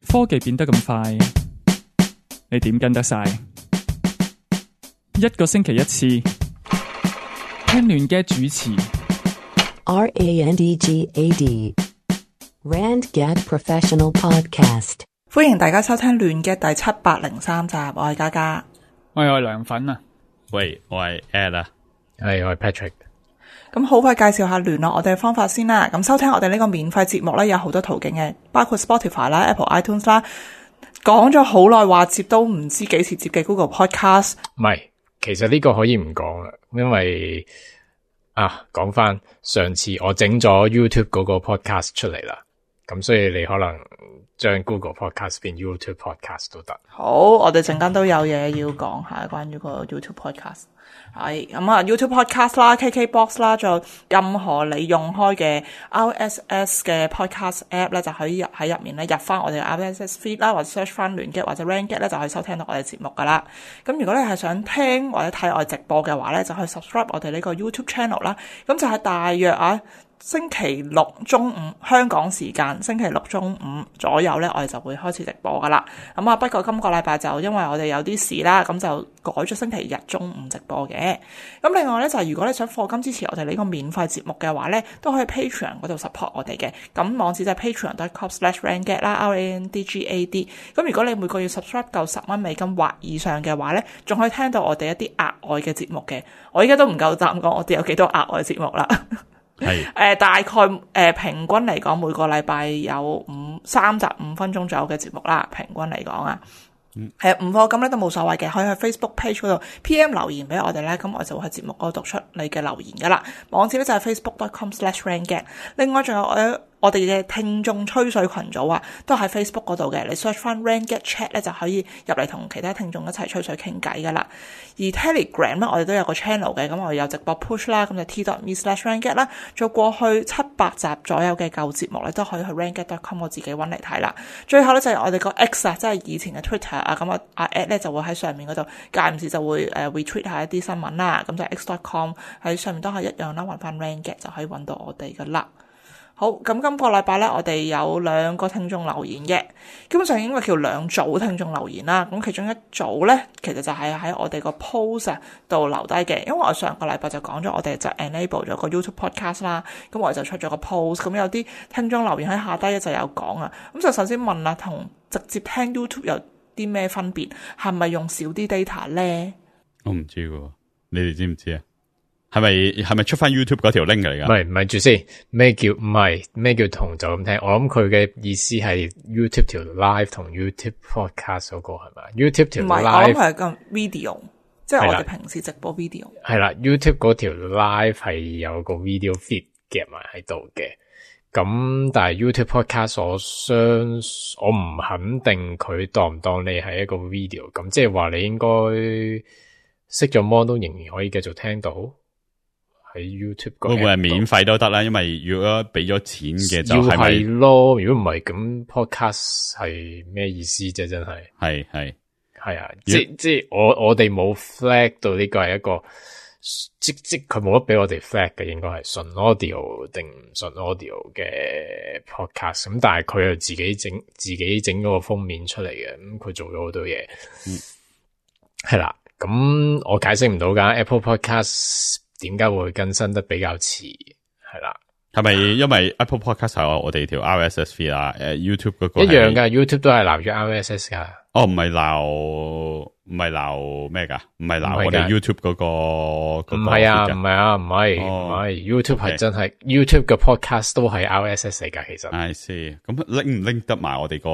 科技變得咁快，你點跟得晒？一個星期一次，聽亂嘅主持。RANDGAD RandGad Professional Podcast。歡迎大家收聽亂嘅第703集，我係嘉嘉，我係涼粉啊，喂，我係 Ed 啊，係我係 Patrick。咁好快介紹下聯絡我哋嘅方法先啦。咁收聽我哋呢個免費節目咧，有好多途徑嘅，包括 Spotify 啦、Apple iTunes 啦，講咗好耐話接都唔知幾時接嘅 Google Podcast。唔係，其實呢個可以唔講啦，因為講翻上次我整咗 YouTube 嗰個 podcast 出嚟啦，咁所以你可能將 Google Podcast 變 YouTube Podcast 都得。好，我哋陣間都有嘢要講下關於個 YouTube Podcast。係咁啊 ，YouTube Podcast 啦、KKBox 啦，仲有任何你用開嘅 RSS 嘅 Podcast App 咧，就可以喺入面咧入翻我哋嘅 RSS feed 啦，或者 search 翻亂嘅或者 RandGad 咧，就可以收聽到我哋節目噶啦。咁如果你係想聽或者睇我哋直播嘅話咧，就可以 subscribe 我哋呢個 YouTube Channel 啦。咁就係大約星期六中午香港時間，星期六中午左右咧，我哋就會開始直播噶啦。咁不過今個禮拜就因為我哋有啲事啦，咁就改咗星期日中午直播嘅。咁另外咧就係如果你想課金支持我哋呢個免費節目嘅話咧，都可以 Patreon 嗰度 support 我哋嘅。咁網址就係 patreon.com/randgad 啦 RANDGAD。咁如果你每個月 subscribe 夠$10或以上嘅話咧，仲可以聽到我哋一啲額外嘅節目嘅。我依家都唔夠膽講我哋有幾多額外節目啦。係大概平均嚟講，每個禮拜有3集5分鐘左右嘅節目啦，平均嚟講啊。係唔課金咧都冇所謂嘅，可以去 Facebook page 嗰度 PM 留言俾我哋咧，咁我就會喺節目嗰度讀出你嘅留言噶啦。網址咧就係 facebook.com/randgad。另外仲有我哋嘅聽眾吹水群組啊，都喺 Facebook 嗰度嘅，你 search 翻 RandGad Chat 咧就可以入嚟同其他聽眾一齊吹水傾偈噶啦。而 Telegram 咧我哋都有個 channel 嘅，咁我哋有直播 push 啦，咁就 t.me/randgad 啦。做過去700集左右嘅舊節目咧都可以去 randgad.com 我自己揾嚟睇啦。最後咧就係我哋個 X 啊，即係以前嘅 Twitter 啊，咁阿 Ed 咧就會喺上面嗰度間唔時就會retweet 下一啲新聞啦，咁就 x.com 喺上面都係一樣啦，揾翻 RandGad 就可以揾到我哋噶啦。好，咁今個禮拜咧，我哋有2個聽眾留言嘅，基本上應該叫2組聽眾留言啦。咁其中一組咧，其實就係喺我哋個 post 度留低嘅，因為我上個禮拜就講咗我哋就 enable 咗個 YouTube podcast 啦，咁我哋就出咗個 post，咁有啲聽眾留言喺下低就有講啊。咁就首先問啦，同直接聽 YouTube 有啲咩分別？係咪用少啲 data 咧？我唔知喎，你哋知唔知啊？係咪出翻 YouTube 嗰條 link 嚟噶？唔係住先，咩叫同就咁聽？我諗佢嘅意思係 YouTube 條 live 同 YouTube podcast 嗰個係咪 ？YouTube 條 live 唔係，我諗係個 video， 即係我哋平時直播 video。係啦 ，YouTube 嗰條 live 係有個 video feed 夾埋喺度嘅。咁但係 YouTube podcast 我唔肯定佢當唔當你係一個 video。咁即係話你應該熄咗 mon 都仍然可以繼續聽到。喺 YouTube 嗰，會唔會係免費都得啦？因為如果俾咗錢嘅就係咯，如果唔係咁 podcast 係咩意思啫？真係係啊，即係我哋冇 flag 到呢個係一個即佢冇得俾我哋 flag 嘅，應該係純 audio 定唔純 audio 嘅 podcast。咁但係佢又自己整嗰個封面出嚟嘅，咁佢做咗好多嘢。係啦，咁我解釋唔到㗎 Apple Podcast。點解會更新得比較遲？係啦，係咪因為 Apple Podcast 係我哋條 RSS feed 啊？YouTube 嗰個一樣噶 ，YouTube 都係鬧住 RSS 噶。哦，唔係鬧咩噶？唔係鬧我哋 YouTube 嗰個。唔係 YouTube 係真係 YouTube 嘅 podcast 都係 RSS 嚟噶。其實I see，咁拎唔拎得埋我哋個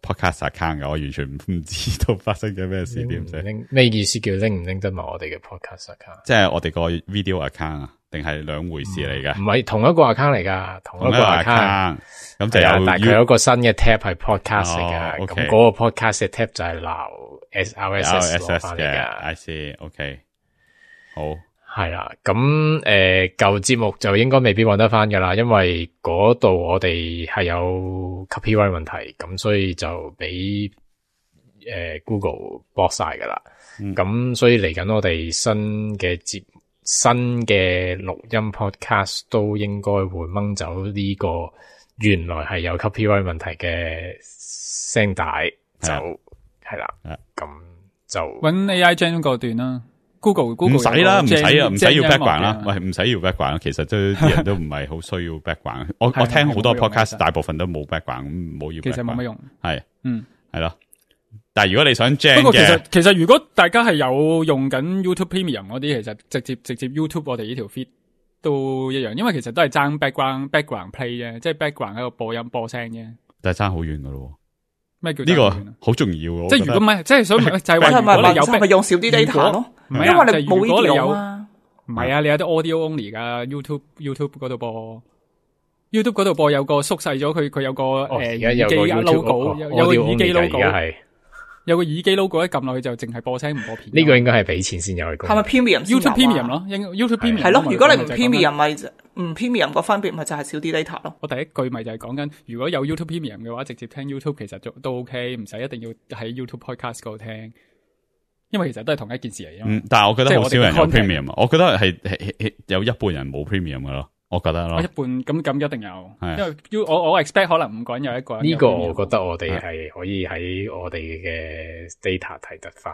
podcast account 噶？我完全唔知道發生咗咩事，點啫？咩意思叫拎唔拎得埋我哋嘅 podcast account？即係我哋個 video account 啊？定係兩回事嚟嘅？唔係同一個 account 嚟噶，同一個 account。咁就有，但係佢有一個新嘅 tab 係 podcast 嚟噶。咁嗰個 podcast 嘅 tab 就係鬧 RSS 攞翻嚟嘅。I see，OK， 好係啦。咁舊節目就應該未必揾得翻噶啦，因為嗰度我哋係有 copyright 問題，咁所以就俾Google block 晒噶啦。咁所以嚟緊我哋新嘅錄音 podcast 都應該會掹走呢個原來係有 copyright 問題嘅聲帶，就係啦，咁就搵 AI gen 嗰段啦。Google 唔使啦，唔使啊，唔使要 background 啦，喂，唔使要 background。其實都啲人都唔係好需要 background。我聽好多 podcast， 大部分都冇 background， 冇要 background。其實冇乜用。係，係咯。但係如果你想 gen 不過嘅，其實如果大家係有用緊 YouTube Premium 嗰啲，其實直接 YouTube 我哋呢條 feed 都一樣，因為其實都係爭 background play 啫，即係 background 喺度播音播聲啫。但係爭好遠噶咯。咩叫呢個好重要？即係如果唔係，即係所以就係話，如果你有咪用少啲 data 咯，因為你冇 video 啊。唔係啊，你有啲 audio only 噶 YouTube 嗰度播 ，YouTube 嗰度播有個縮細咗佢有個耳機 logo， 有個耳機 logo， 有個耳機 logo 一撳落去就淨係播聲唔播片。呢個應該係俾錢先有嘅功能。係咪 Premium YouTube Premium 咯？YouTube Premium 係咯。如果你唔 Premium 咪唔 Premium 個分別咪就係少啲 data 咯。我第一句咪就係講緊，如果有 YouTube Premium 嘅話，直接聽 YouTube 其實都 OK， 唔使一定要喺 YouTube Podcast 嗰度聽，因為其實都係同一件事嚟嘅。但係我覺得好少人有 Premium， 我覺得係有一半人冇 Premium 嘅咯。我覺得咯，一半咁一定有，因為我 expect 可能5個人有一個人。呢個我覺得我哋係可以喺我哋嘅 data 睇得翻。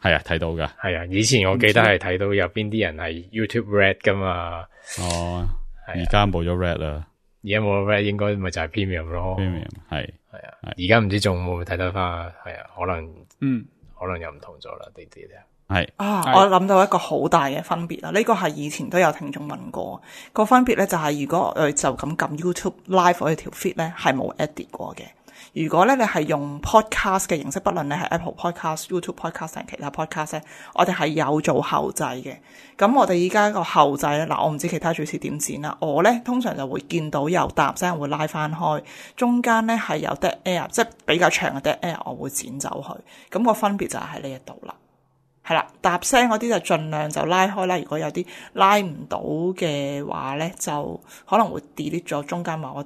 係啊，睇到噶。係啊，以前我記得係睇到有邊啲人係 YouTube Red 噶嘛。哦，而家冇咗 Red 啦。而家冇 Red 應該咪就係 Premium 咯。Premium 係啊，而家唔知仲會唔會睇得翻啊？係啊，可能又唔同咗啦，啲啲啊。係我諗到一個好大嘅分別啦，呢個係以前都有聽眾問過，個分別咧就係如果我哋就咁撳 YouTube Live 嗰條 feed 咧係冇 edit 過嘅。如果咧你係用 podcast 嘅形式，不論你係 Apple Podcast、YouTube Podcast 定其他 podcast 咧，我哋係有做後製嘅。咁我哋依家個後製咧，我唔知其他主持點剪啦。我咧通常就會見到有搭聲會拉翻開，中間咧係有 dead air， 即係比較長嘅 dead air， 我會剪走去。咁個分別就係喺呢一度啦。係啦，搭聲嗰啲就盡量就拉開啦。如果有啲拉唔到嘅話咧，就可能會 delete 咗中間某一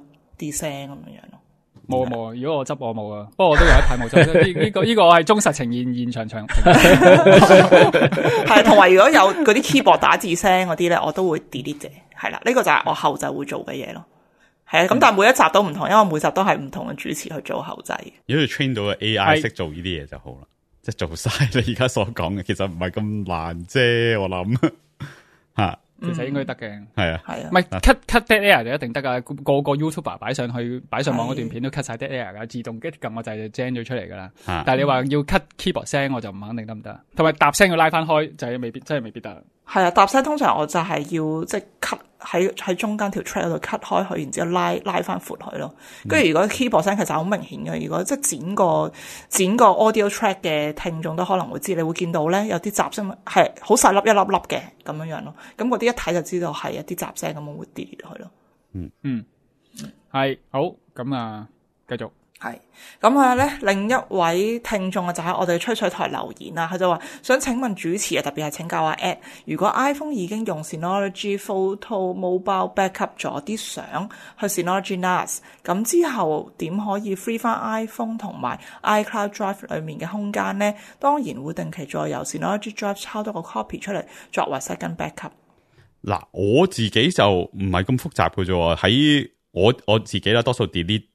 啲聲咁樣樣咯。冇，如果我執我冇啊，不過我都有一睇冇執。呢個我係忠實呈現場。係，同埋如果有嗰啲 keyboard 打字聲嗰啲咧，我都會 delete 嘅。係啦，呢個就係我後製會做嘅嘢咯。係啊，咁但係每一集都唔同，因為每集都係唔同嘅主持去做後製。如果你 train 到個 AI 識做呢啲嘢就好啦。即係做晒你而家所講嘅，其實唔係咁難啫，我諗吓，其實應該得嘅。係啊，係啊，唔係 cut dead air 就一定得噶，個 YouTuber 擺上網嗰段片都 cut 晒 dead air 噶，自動一撳個掣就 gen 咗出嚟噶啦。但係你話要 cut keyboard 聲，我就唔肯定得唔得。同埋搭聲要拉翻開，就係真係未必得。係啊，搭聲通常我就係要即係 cut 喺中間條 track 度 cut 開佢，然之後拉翻闊佢咯。跟住如果 keyboard 聲其實好明顯嘅，如果即係剪個 audio track 嘅聽眾都可能會知，你會見到咧有啲雜聲係好細粒一粒粒嘅咁樣樣咯。咁嗰啲一睇就知道係一啲雜聲，咁我會 delete 佢咯。係好咁啊，繼續。係咁咧，另一位聽眾啊，就喺我哋吹水台留言啦。佢就話想請問主持啊，特別係請教阿 Ed， 如果 iPhone 已經用 Synology Photo Mobile backup 咗啲相去 Synology NAS， 咁之後點可以 free 翻 iPhone 同埋 iCloud Drive 裏面嘅空間呢？當然會定期再由 Synology Drive 抄多個 copy 出嚟作為 second backup。嗱，我自己就唔係咁複雜嘅啫，喺我自己啦，多數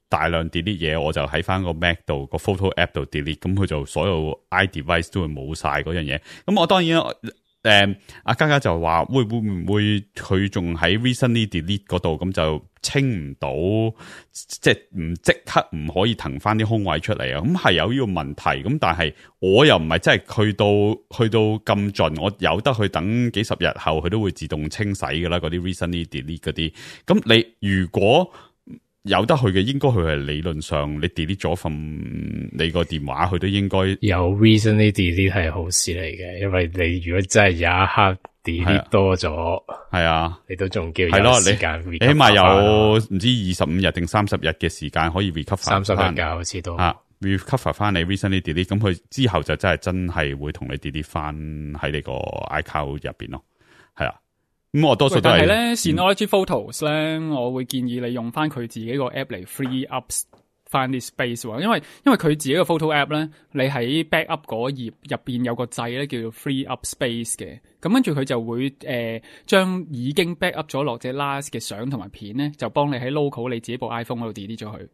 大量 delete 嘢，我就喺翻個 Mac 度個 Photo App 度 delete， 咁佢就所有 iDevice 都會冇晒嗰樣嘢。咁我當然阿嘉嘉就話會唔會佢仲喺 recently delete 嗰度，咁就清唔到，即係唔即刻唔可以騰翻啲空位出嚟啊？咁係有呢個問題，咁但係我又唔係真係去到咁盡，我有得去等幾十日後，佢都會自動清洗噶啦，嗰啲 recently delete 嗰啲。咁你如果有得去嘅，應該佢係理論上你 delete 咗份你個電話，佢都應該有 recently delete 係好事嚟嘅，因為你如果真係有一刻 delete 多咗，係啊，你都仲叫有時間 recover，你起碼有唔知25日定30日嘅時間可以 recover 30日㗎，好似都recover 翻你 recently delete， 咁佢之後就真係會同你 delete 翻喺你個 iCloud 入邊咯，係啊。咁我多數都係，但係咧 Synology Photos 咧，我會建議你用翻佢自己個 app 嚟 free 翻啲 space 喎，因為佢自己個 photo app 咧，你喺 backup 嗰頁入邊有個掣咧叫做 free up space 嘅，咁跟住佢就會將已經 backup 咗落隻 NAS 嘅相同埋片咧，就幫你喺 local 你自己部 iPhone 嗰度 delete 咗佢。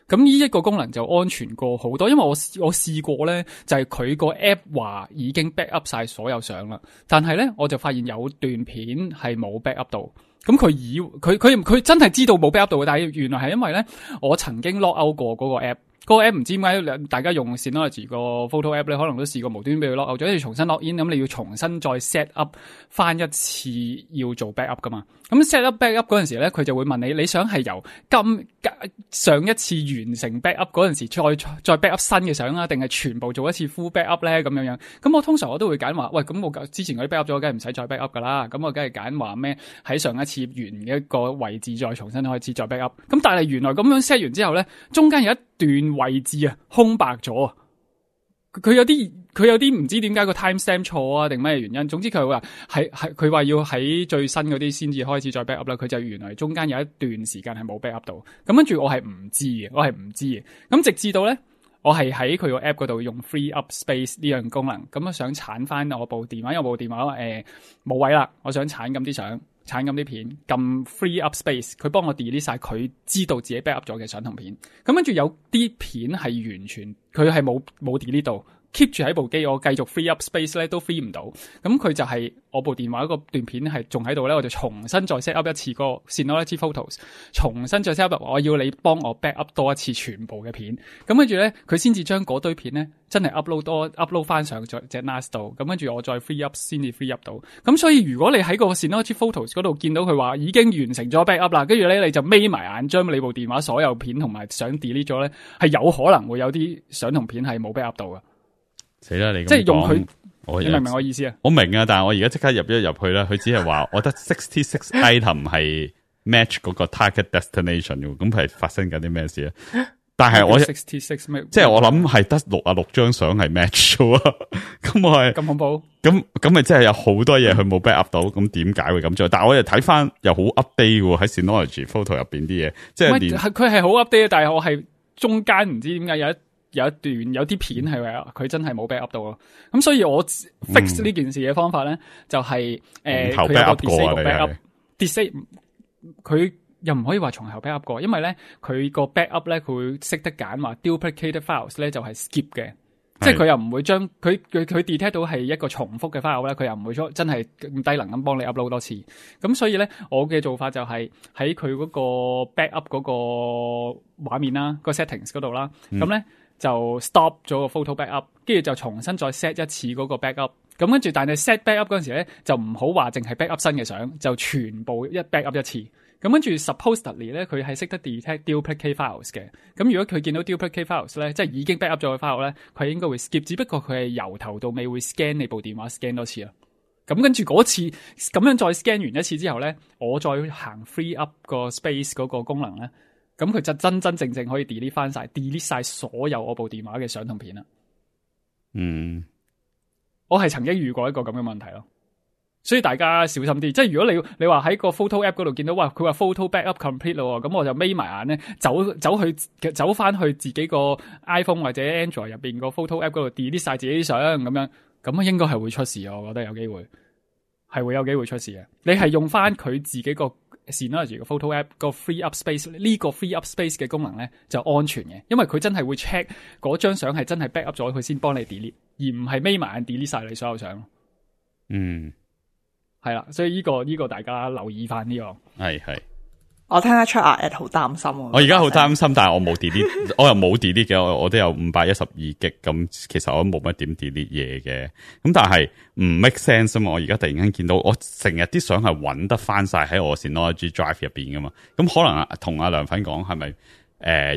咁呢一個功能就安全過好多，因為我試過咧，就係佢個 app 話已經 backup 晒所有相啦，但係咧我就發現有段片係冇 backup 到。咁佢真係知道冇 backup 到嘅，但係原來係因為咧，我曾經 log out 過嗰個 app。嗰個 app 唔知點解大家用 Synology 個 photo app 咧，可能都試過無端俾佢 log out 咗，跟住重新 log in，咁你要重新再 set up 翻一次要做 backup 噶嘛？咁 set up backup 嗰陣時咧，佢就會問你想係由上一次完成 backup 嗰陣時再 backup 新嘅相啊，定係全部做一次 full backup 咧咁樣？咁我通常我都會揀話，喂，咁我之前嗰啲 backup 咗，梗係唔使再 backup 噶啦。咁我梗係揀話咩喺上一次完嘅一個位置再重新開始再 backup。咁但係原來咁樣 set 完之後咧，中間有一段位置啊空白咗啊，佢有啲唔知點解個 timestamp 錯啊定咩原因，總之佢話佢話要喺最新嗰啲先至開始再 backup 啦，佢就原來中間有一段時間係冇 backup 到，咁跟住我係唔知嘅，咁直至到咧我係喺佢個 app 嗰度用 free up space 呢樣功能，咁啊想鏟翻我部電話，因為我部電話冇位啦，我想鏟咁啲相。鏟咁啲片，撳 free up space， 佢幫我 delete 晒佢知道自己 backup 咗嘅相同片，咁跟住有啲片係完全佢係冇 delete 到 ，keep 住喺部機，我繼續 free up space 咧都 free 唔到，咁佢就係我部電話嗰段片係仲喺度咧，我就重新再 set up 一次個 Synology Photos， 重新再 set up， 我要你幫我 backup 多一次全部嘅片，咁跟住咧佢先至將嗰堆片咧真係 upload 翻上隻 NAS 度，咁跟住我再 free up 先至 free up 到，咁所以如果你喺個 Synology Photos 嗰度見到佢話已經完成咗 backup 啦，跟住咧你就眯埋眼將你部電話所有片同埋相 delete 咗咧，係有可能會有啲相同片係冇 backup 到噶。死啦！你即係用佢，你明唔明我意思啊？我明啊，但係我而家即刻入去啦，佢只係話我得66 item 係 match 嗰個 target destination 嘅，咁係發生緊啲咩事啊？但係我66咩？即係我諗係得66張相係 match 咗啊！咁我係咁恐怖，咁咪即係有好多嘢佢冇 backup 到，咁點解會咁做？但係我又睇翻又好 update 喎，喺 Synology photo 入邊啲嘢，即係佢係好 update， 但係我係中間唔知點解有一段有啲片係話佢真係冇 backup 到咯，咁所以我 fix 呢件事嘅方法咧就係佢有個 disable backup，disable 佢又唔可以話從頭 backup 過，因為咧佢個 backup 咧佢會識得揀話 duplicated files 咧就係 skip 嘅，即係佢又唔會將佢 detect 到係一個重複嘅 file 咧，佢又唔會真係咁低能咁幫你 upload 多次，咁所以咧我嘅做法就係喺佢嗰個 backup 嗰個畫面啦，個 settings 嗰度啦，咁咧。就 stop 咗個 photo backup， 跟住就重新再 set 一次嗰個 backup。咁跟住，但係 set backup 嗰陣時咧，就唔好話淨係 backup 新嘅相，就全部一 backup 一次。咁跟住 supposedly 咧，佢係識得 detect duplicate files 嘅。咁如果佢見到 duplicate files 咧，即係已經 backup 咗嘅 file 咧，佢應該會 skip。只不過佢係由頭到尾會 scan 你部電話 scan 多次啦。咁跟住嗰次咁樣再 scan 完一次之後咧，我再行 free up 個 space 嗰個功能咧。咁佢就真正可以 delete 晒所有我部電話嘅相同片啦。我係曾經遇過一個咁嘅問題咯，所以大家小心啲。即係如果你話喺個 photo app 嗰度見到，哇，佢話 photo backup complete 咯，咁我就眯埋眼咧，走翻去自己個 iPhone 或者 Android 入邊個 photo app 嗰度 delete 晒自己啲相咁樣，咁應該係會出事啊！我覺得有機會係會有機會出事嘅。你係用翻佢自己個。Synology 個 photo app 個 free up space 呢個 free up space 嘅功能咧就安全嘅，因為佢真係會 check 嗰張相係真係 backup 咗，佢先幫你 delete， 而唔係眯埋眼 delete 晒你所有相。係啦，所以呢個大家留意翻呢個。係。我聽得出阿 Ed 好擔心。我而家好擔心，但係我冇 delete， 我又冇 delete 嘅，我都有512GB，咁其實我都冇乜點 delete 嘢嘅。咁但係唔 make sense 啊嘛！我而家突然間見到我成日啲相係搵得翻晒喺我 Synology Drive 入邊噶嘛。咁可能同阿梁粉講係咪？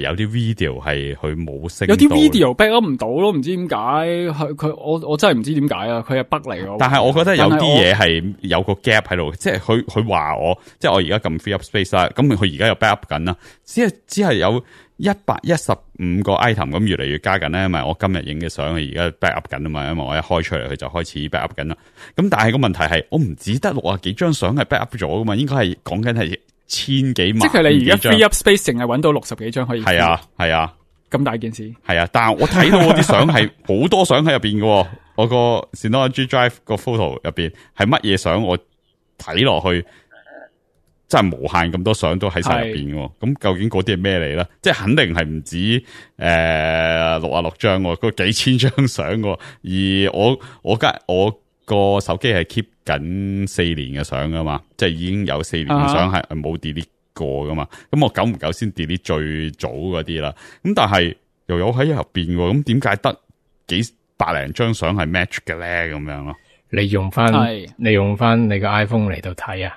有啲 video 係佢冇升到，有啲 video backup 唔到咯，唔知點解佢我真係唔知點解啊！佢係 bug 嚟嘅。但係我覺得有啲嘢係有個 gap 喺度，即係佢話我，即係我而家撳 free up space 啦，咁佢而家又 backup 緊啦，只係有115個 item 咁越嚟越加緊咧，因為我今日影嘅相而家 backup 緊啊嘛，因為我一開出嚟佢就開始 backup 緊啦。咁但係個問題係，我唔止得60幾張相係 backup 咗噶嘛，應該係講緊係千幾萬，即係你而家 free up space 淨係搵到60幾張可以。係啊，咁大件事。係啊，但係我睇到嗰啲相係好多相喺入邊嘅，我個 Synology Drive 個 photo 入邊係乜嘢相，我睇落去真係無限咁多相都喺晒入邊嘅。咁究竟嗰啲係咩嚟咧？即係肯定係唔止66張，嗰幾千張相。而我個手機係 keep 緊4年嘅相噶嘛，即係已經有4年嘅相係冇 delete 過噶嘛。咁我久唔久先 delete 最早嗰啲啦。咁但係又有喺入邊喎，咁點解得幾百零張相係 match 嘅咧？咁樣咯，你用翻你個 iPhone 嚟到睇啊？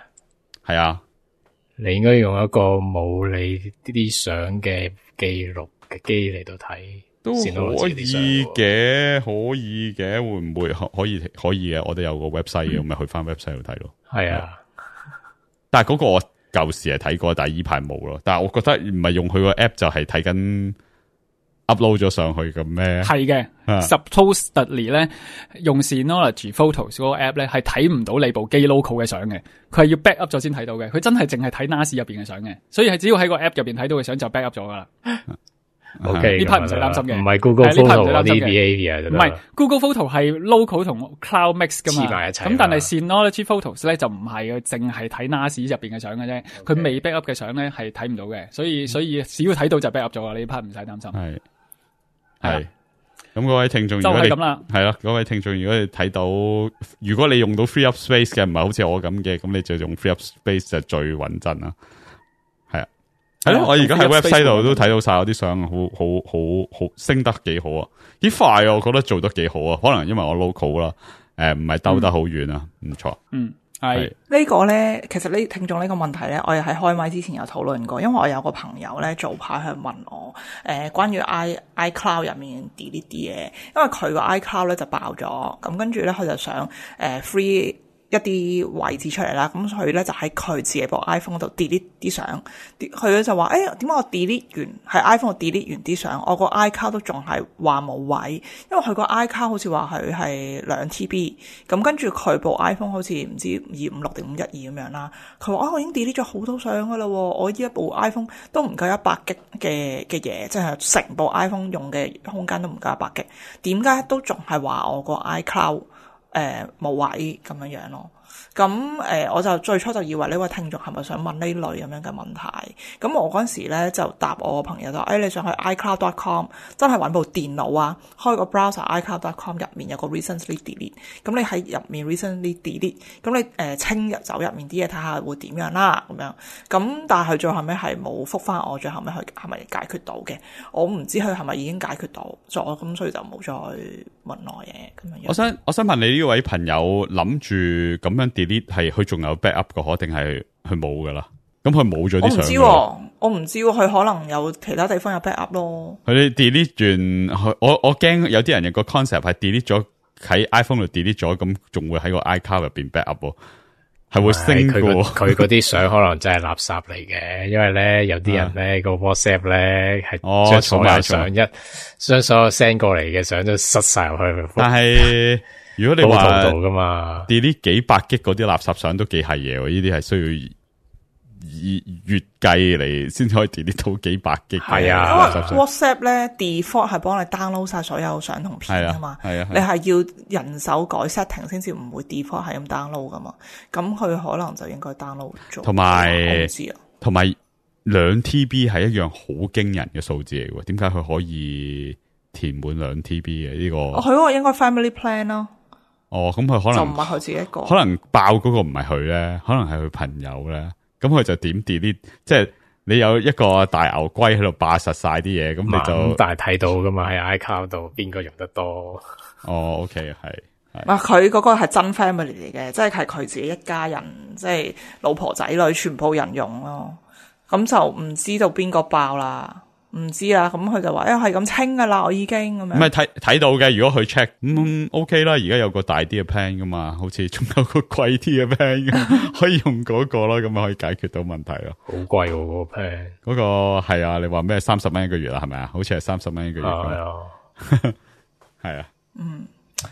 係啊，你應該用一個冇你啲相嘅記錄嘅機嚟到睇。都可以嘅，會唔會可以嘅？我哋有個 website 嘅，咪去翻 website 度睇咯。係啊，但係嗰個我舊時係睇過，但係依排冇咯。但係我覺得唔係用佢個 app 就係睇緊 upload 咗上去咁咩？係嘅，supposedly 咧用 Synology Photos 嗰個 app 咧係睇唔到你部機 local 嘅相嘅，佢係要 back up 咗先睇到嘅。佢真係淨係睇 NAS 入邊嘅相嘅，所以係只要喺個 app 入邊睇到嘅相就 back up 咗噶啦。OK，呢 part 唔使擔心嘅，唔係 Google Photo 嗰啲 behavior，唔係 Google Photo 係 local 同 cloud mix 噶嘛，黐埋一齊。咁但係 Synology Photos 咧就唔係嘅，淨係睇 NAS 入邊嘅相嘅啫，佢未 back up 嘅相咧係睇唔到嘅，所以只要睇到就 back up 咗啦，呢 part 唔使擔心。係。咁嗰位聽眾，就係咁啦。係啦，嗰位聽眾，如果你睇到，如果你用到 free up space 嘅，唔係好似我咁嘅，咁你就用 free up space 就最穩陣啦。係咯，我而家喺 website 度都睇到晒，我啲相好升得幾好啊，幾快啊，我覺得做得幾好啊，可能因為我 local 啦，唔係兜得好遠啊，唔錯。係呢個咧，其實呢聽眾呢個問題咧，我又喺開麥之前有討論過，因為我有個朋友咧早排去問我，關於 iCloud 入面 delete 啲嘢，因為佢個 iCloud 咧就爆咗，咁跟住咧佢就想free一啲位置出嚟啦，咁佢咧就喺佢自己部 iPhone 度 delete 啲相，佢咧就話點解我 delete 完喺 iPhone 度 delete 完啲相，我個 iCloud 都仲係話冇位，因為佢個 iCloud 好似話佢係2 TB， 咁跟住佢部 iPhone 好似唔知256定512咁樣啦，佢話我已經 delete 咗好多相噶啦，我依一部 iPhone 都唔夠100G 嘅嘢，即係成部 iPhone 用嘅空間都唔夠100G，點解都仲係話我個 iCloud冇位咁樣咯？咁我就最初就以為呢位聽眾係咪想問呢類咁樣嘅問題？咁我嗰陣時咧就答我個朋友就你上去 iCloud.com 真係揾部電腦啊，開個 browser iCloud.com 入面有個 recently delete， 咁你喺入面 recently delete， 咁你清入走入面啲嘢睇下會點樣啦咁樣。咁但係佢最後尾係冇覆返我，最後尾佢係咪解決到嘅？我唔知佢係咪已經解決到咗，咁所以就冇再問我嘢咁樣。我想問你呢位朋友諗住咁樣 delete 係佢仲有 backup 嘅可，定係佢冇噶啦？咁佢冇咗啲相。我唔知，佢可能有其他地方有 backup 咯。佢 delete 完，我驚有啲人有個 concept 係 delete 咗喺 iPhone 度 delete 咗，咁仲會喺個 iCloud 入邊 backup，係會升嘅。佢嗰啲相可能真係垃圾嚟嘅，因為咧有啲人咧個 WhatsApp 咧係將所有相將所有 send 過嚟嘅相都塞晒入去。但係如果你話噶嘛 delete 幾百 G 嗰啲垃圾相都幾係嘢，呢啲係需要以月計嚟先可以 delete 到幾百 G。係啊，因為 WhatsApp 咧 default 係幫你 download 晒所有相同片啊嘛，係啊，你係要人手改 setting 先至唔會 default 係咁 download 噶嘛，咁佢可能就應該 download 咗。同埋2 TB 係一樣好驚人嘅數字嚟喎，點解佢可以填滿2 TB 嘅呢個？佢嗰個應該 family plan 咯。咁佢可能就唔係佢自己一個，可能爆嗰個唔係佢咧，可能係佢朋友咧。咁佢就點 delete？即係你有一個大牛龜喺度霸實晒啲嘢，咁你就但係睇到噶嘛？喺 iCloud 度邊個用得多？OK 係。佢嗰個係真 family 嚟嘅，即係佢自己一家人，即係老婆仔女全部人用咯。咁就唔知道邊個爆啦。唔知啊，咁佢就話係咁清噶啦，我已經咁樣。唔係睇到嘅，如果佢 check，OK 啦。而家有個大啲嘅 plan 噶嘛，好似仲有個貴啲嘅 plan，可以用嗰個咯，咁可以解決到問題咯。好貴喎嗰個 plan，嗰個係啊，你話咩30蚊一個月啊，係咪啊？好似係30蚊一個月。係啊，係啊。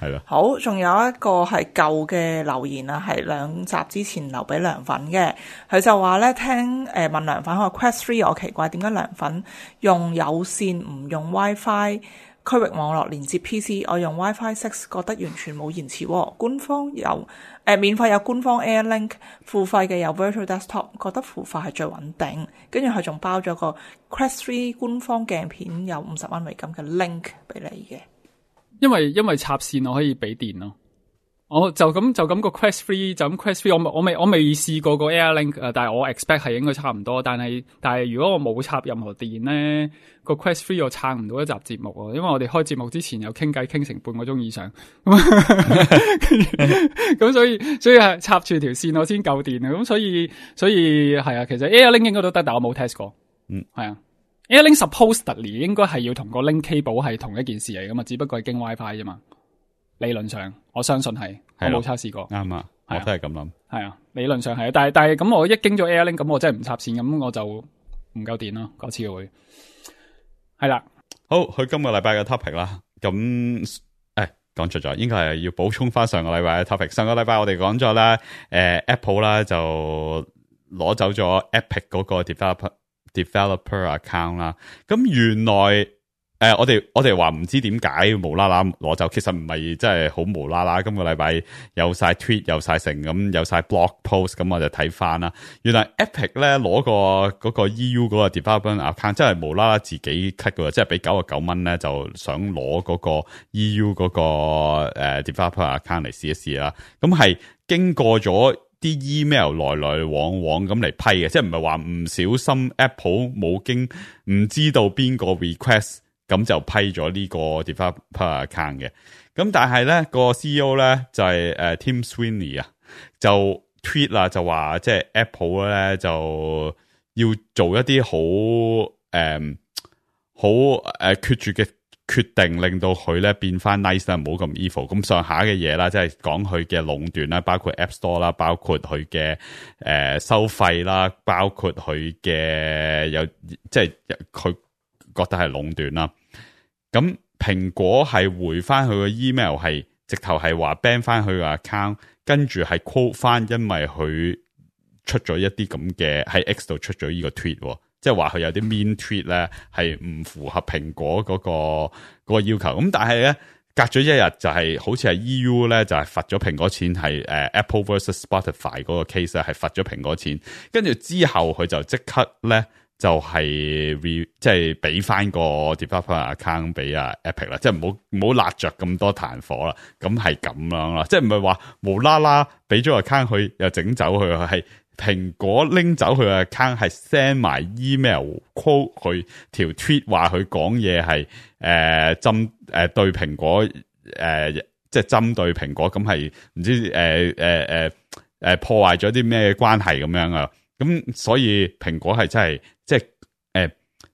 係咯。好，仲有一個係舊嘅留言啊，係2集之前留俾涼粉嘅，佢就話咧聽問涼粉，我 Quest 3我奇怪點解涼粉用有線唔用 WiFi 區域網絡連接 PC， 我用 WiFi 6覺得完全冇延遲喎。官方有免費有官方 AirLink， 付費嘅有 Virtual Desktop， 覺得付費係最穩定。跟住佢仲包咗個 Quest 3官方鏡片有$50美金嘅 link 俾你嘅。因為插線我可以俾電咯。我就咁個 Quest 3就咁 Quest 3我未試過個 AirLink， 但係我 expect 係應該差唔多，但係如果我冇插任何電咧，個 Quest 3我撐唔到一集節目喎，因為我哋開節目之前有傾偈傾成半個鐘以上，咁所以係插住條線我先夠電啊，咁所以係啊，其實 AirLink 應該都得，但我冇 test 過，係啊。AirLink supposedly 應該係要同個 link cable 係同一件事嚟噶嘛，只不過係經 WiFi 啫嘛。理論上，我相信係，我冇測試過。啱啊，我都係咁諗。係啊，理論上係，但係咁我一經咗 AirLink， 咁我真係唔插線，咁我就唔夠電咯。嗰次會係啦。好，去今個禮拜嘅 topic 啦。咁講錯咗，應該係要補充翻上個禮拜嘅 topic。上個禮拜我哋講咗啦，Apple 啦就攞走咗 Epic 嗰個 developer account 啦。咁原來我哋話唔知點解無啦啦攞走，其實唔係真係好無啦啦。今個禮拜有晒 tweet 有晒成咁有晒 blog post， 咁我就睇翻啦。原來 Epic 咧攞個嗰個 EU 嗰個 developer account 真係無啦啦自己 cut 嘅，即係俾$99咧就想攞嗰個 EU 嗰個developer account 嚟試一試啦。咁係經過咗啲 email 來來往往咁嚟批嘅，即係唔係話唔小心 Apple 冇經唔知道邊個 request。咁就批咗呢個 developer account 嘅，咁但係咧個 CEO 咧就係Tim Sweeney 啊，就 tweet 啦，就話即係 Apple 咧就要做一啲好決絕嘅決定，令到佢咧變翻 nice 啦，唔好咁 evil 咁上下嘅嘢啦，即係講佢嘅壟斷啦，包括 App Store 啦，包括佢嘅收費啦，包括佢嘅有即係佢。覺得係壟斷啦，咁蘋果係回翻佢個 email 係直頭係話 ban 翻佢個 account， 跟住係 quote 翻，因為佢出咗一啲咁嘅喺 X 度出咗呢個 tweet， 即係話佢有啲 mean tweet 咧係唔符合蘋果嗰個要求，咁但係咧隔咗一日就係好似係 EU 咧就係罰咗蘋果錢，係Apple versus Spotify 嗰個 case 係罰咗蘋果錢，跟住之後佢就即刻咧。就係即係俾翻個 developer account 俾啊 Epic 啦，即係唔好辣着咁多炭火啦，咁係咁樣啦，即係唔係話無啦啦俾咗個 account 佢又整走佢，係蘋果拎走佢個 account 係 send 埋 email quote 佢條 tweet 話佢講嘢係對蘋果即係針對蘋果，咁係唔知破壞咗啲咩關係咁樣啊？咁所以蘋果係真係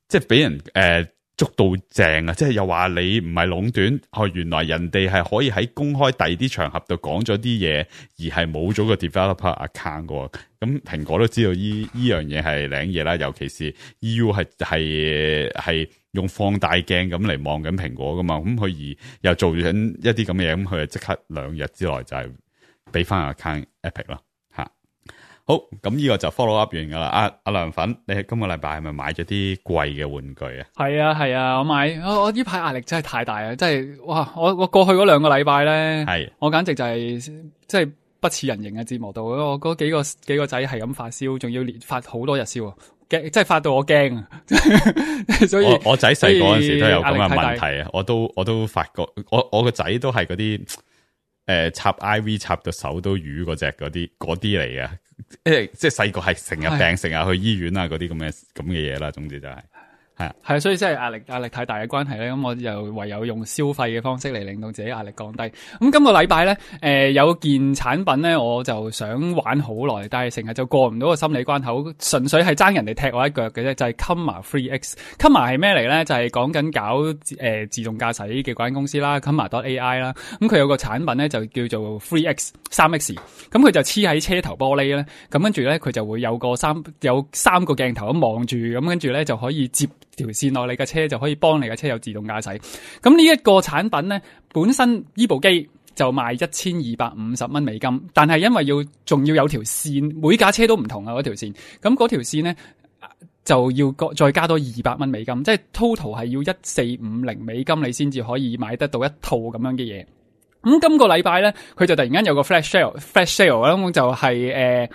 即係俾人捉到正啊！即係又話你唔係壟斷，原來人哋係可以喺公開第二啲場合度講咗啲嘢，而係冇咗個 developer account 嘅。咁蘋果都知道呢樣嘢係領嘢啦，尤其是 EU 係用放大鏡咁嚟望緊蘋果噶嘛。咁佢而又做緊一啲咁嘅嘢，咁佢就即刻2日之內就係俾翻 account Epic 啦。好，咁呢個就 follow up 完噶啦。阿涼粉，你今個禮拜係咪買咗啲貴嘅玩具啊？係啊，我呢排壓力真係太大啊！真係哇，我過去嗰2個禮拜咧，我簡直就係即係不似人形嘅折磨到。我嗰幾個仔係咁發燒，仲要連發好多日燒，驚即係發到我驚啊！所以我仔細嗰陣時都有咁嘅問題啊！我都發覺，我個仔都係嗰啲插 IV 插到手都瘀嗰隻嗰啲嚟嘅。即係細個係成日病，成日去醫院啊，嗰啲咁嘅嘢啦。總之就係係，所以真係壓力太大嘅關係咧。咁我又唯有用消費嘅方式嚟令到自己壓力降低。咁今個禮拜咧，有件產品咧，我就想玩好耐，但係成日就過唔到個心理關口，純粹係爭人哋踢我一腳嘅啫。就係 Comma 3X。Comma 係咩嚟咧？就係講緊搞自動駕駛嘅嗰間公司啦 ，Comma.ai 啦。咁佢有個產品咧就叫做 3X。咁佢就黐喺車頭玻璃咧，咁跟住咧佢就會有3個鏡頭咁望住，咁跟住咧就可以接條線落你嘅車，就可以幫你嘅車有自動駕駛。咁呢一個產品咧，本身呢部機就賣1250蚊美金，但係因為仲要有條線，每架車都唔同啊嗰條線，咁嗰條線咧就要再加多200蚊美金，即係 total 係要1450美金，你先至可以買得到一套咁樣嘅嘢。咁今個禮拜咧，佢就突然間有個 flash sale 咁就係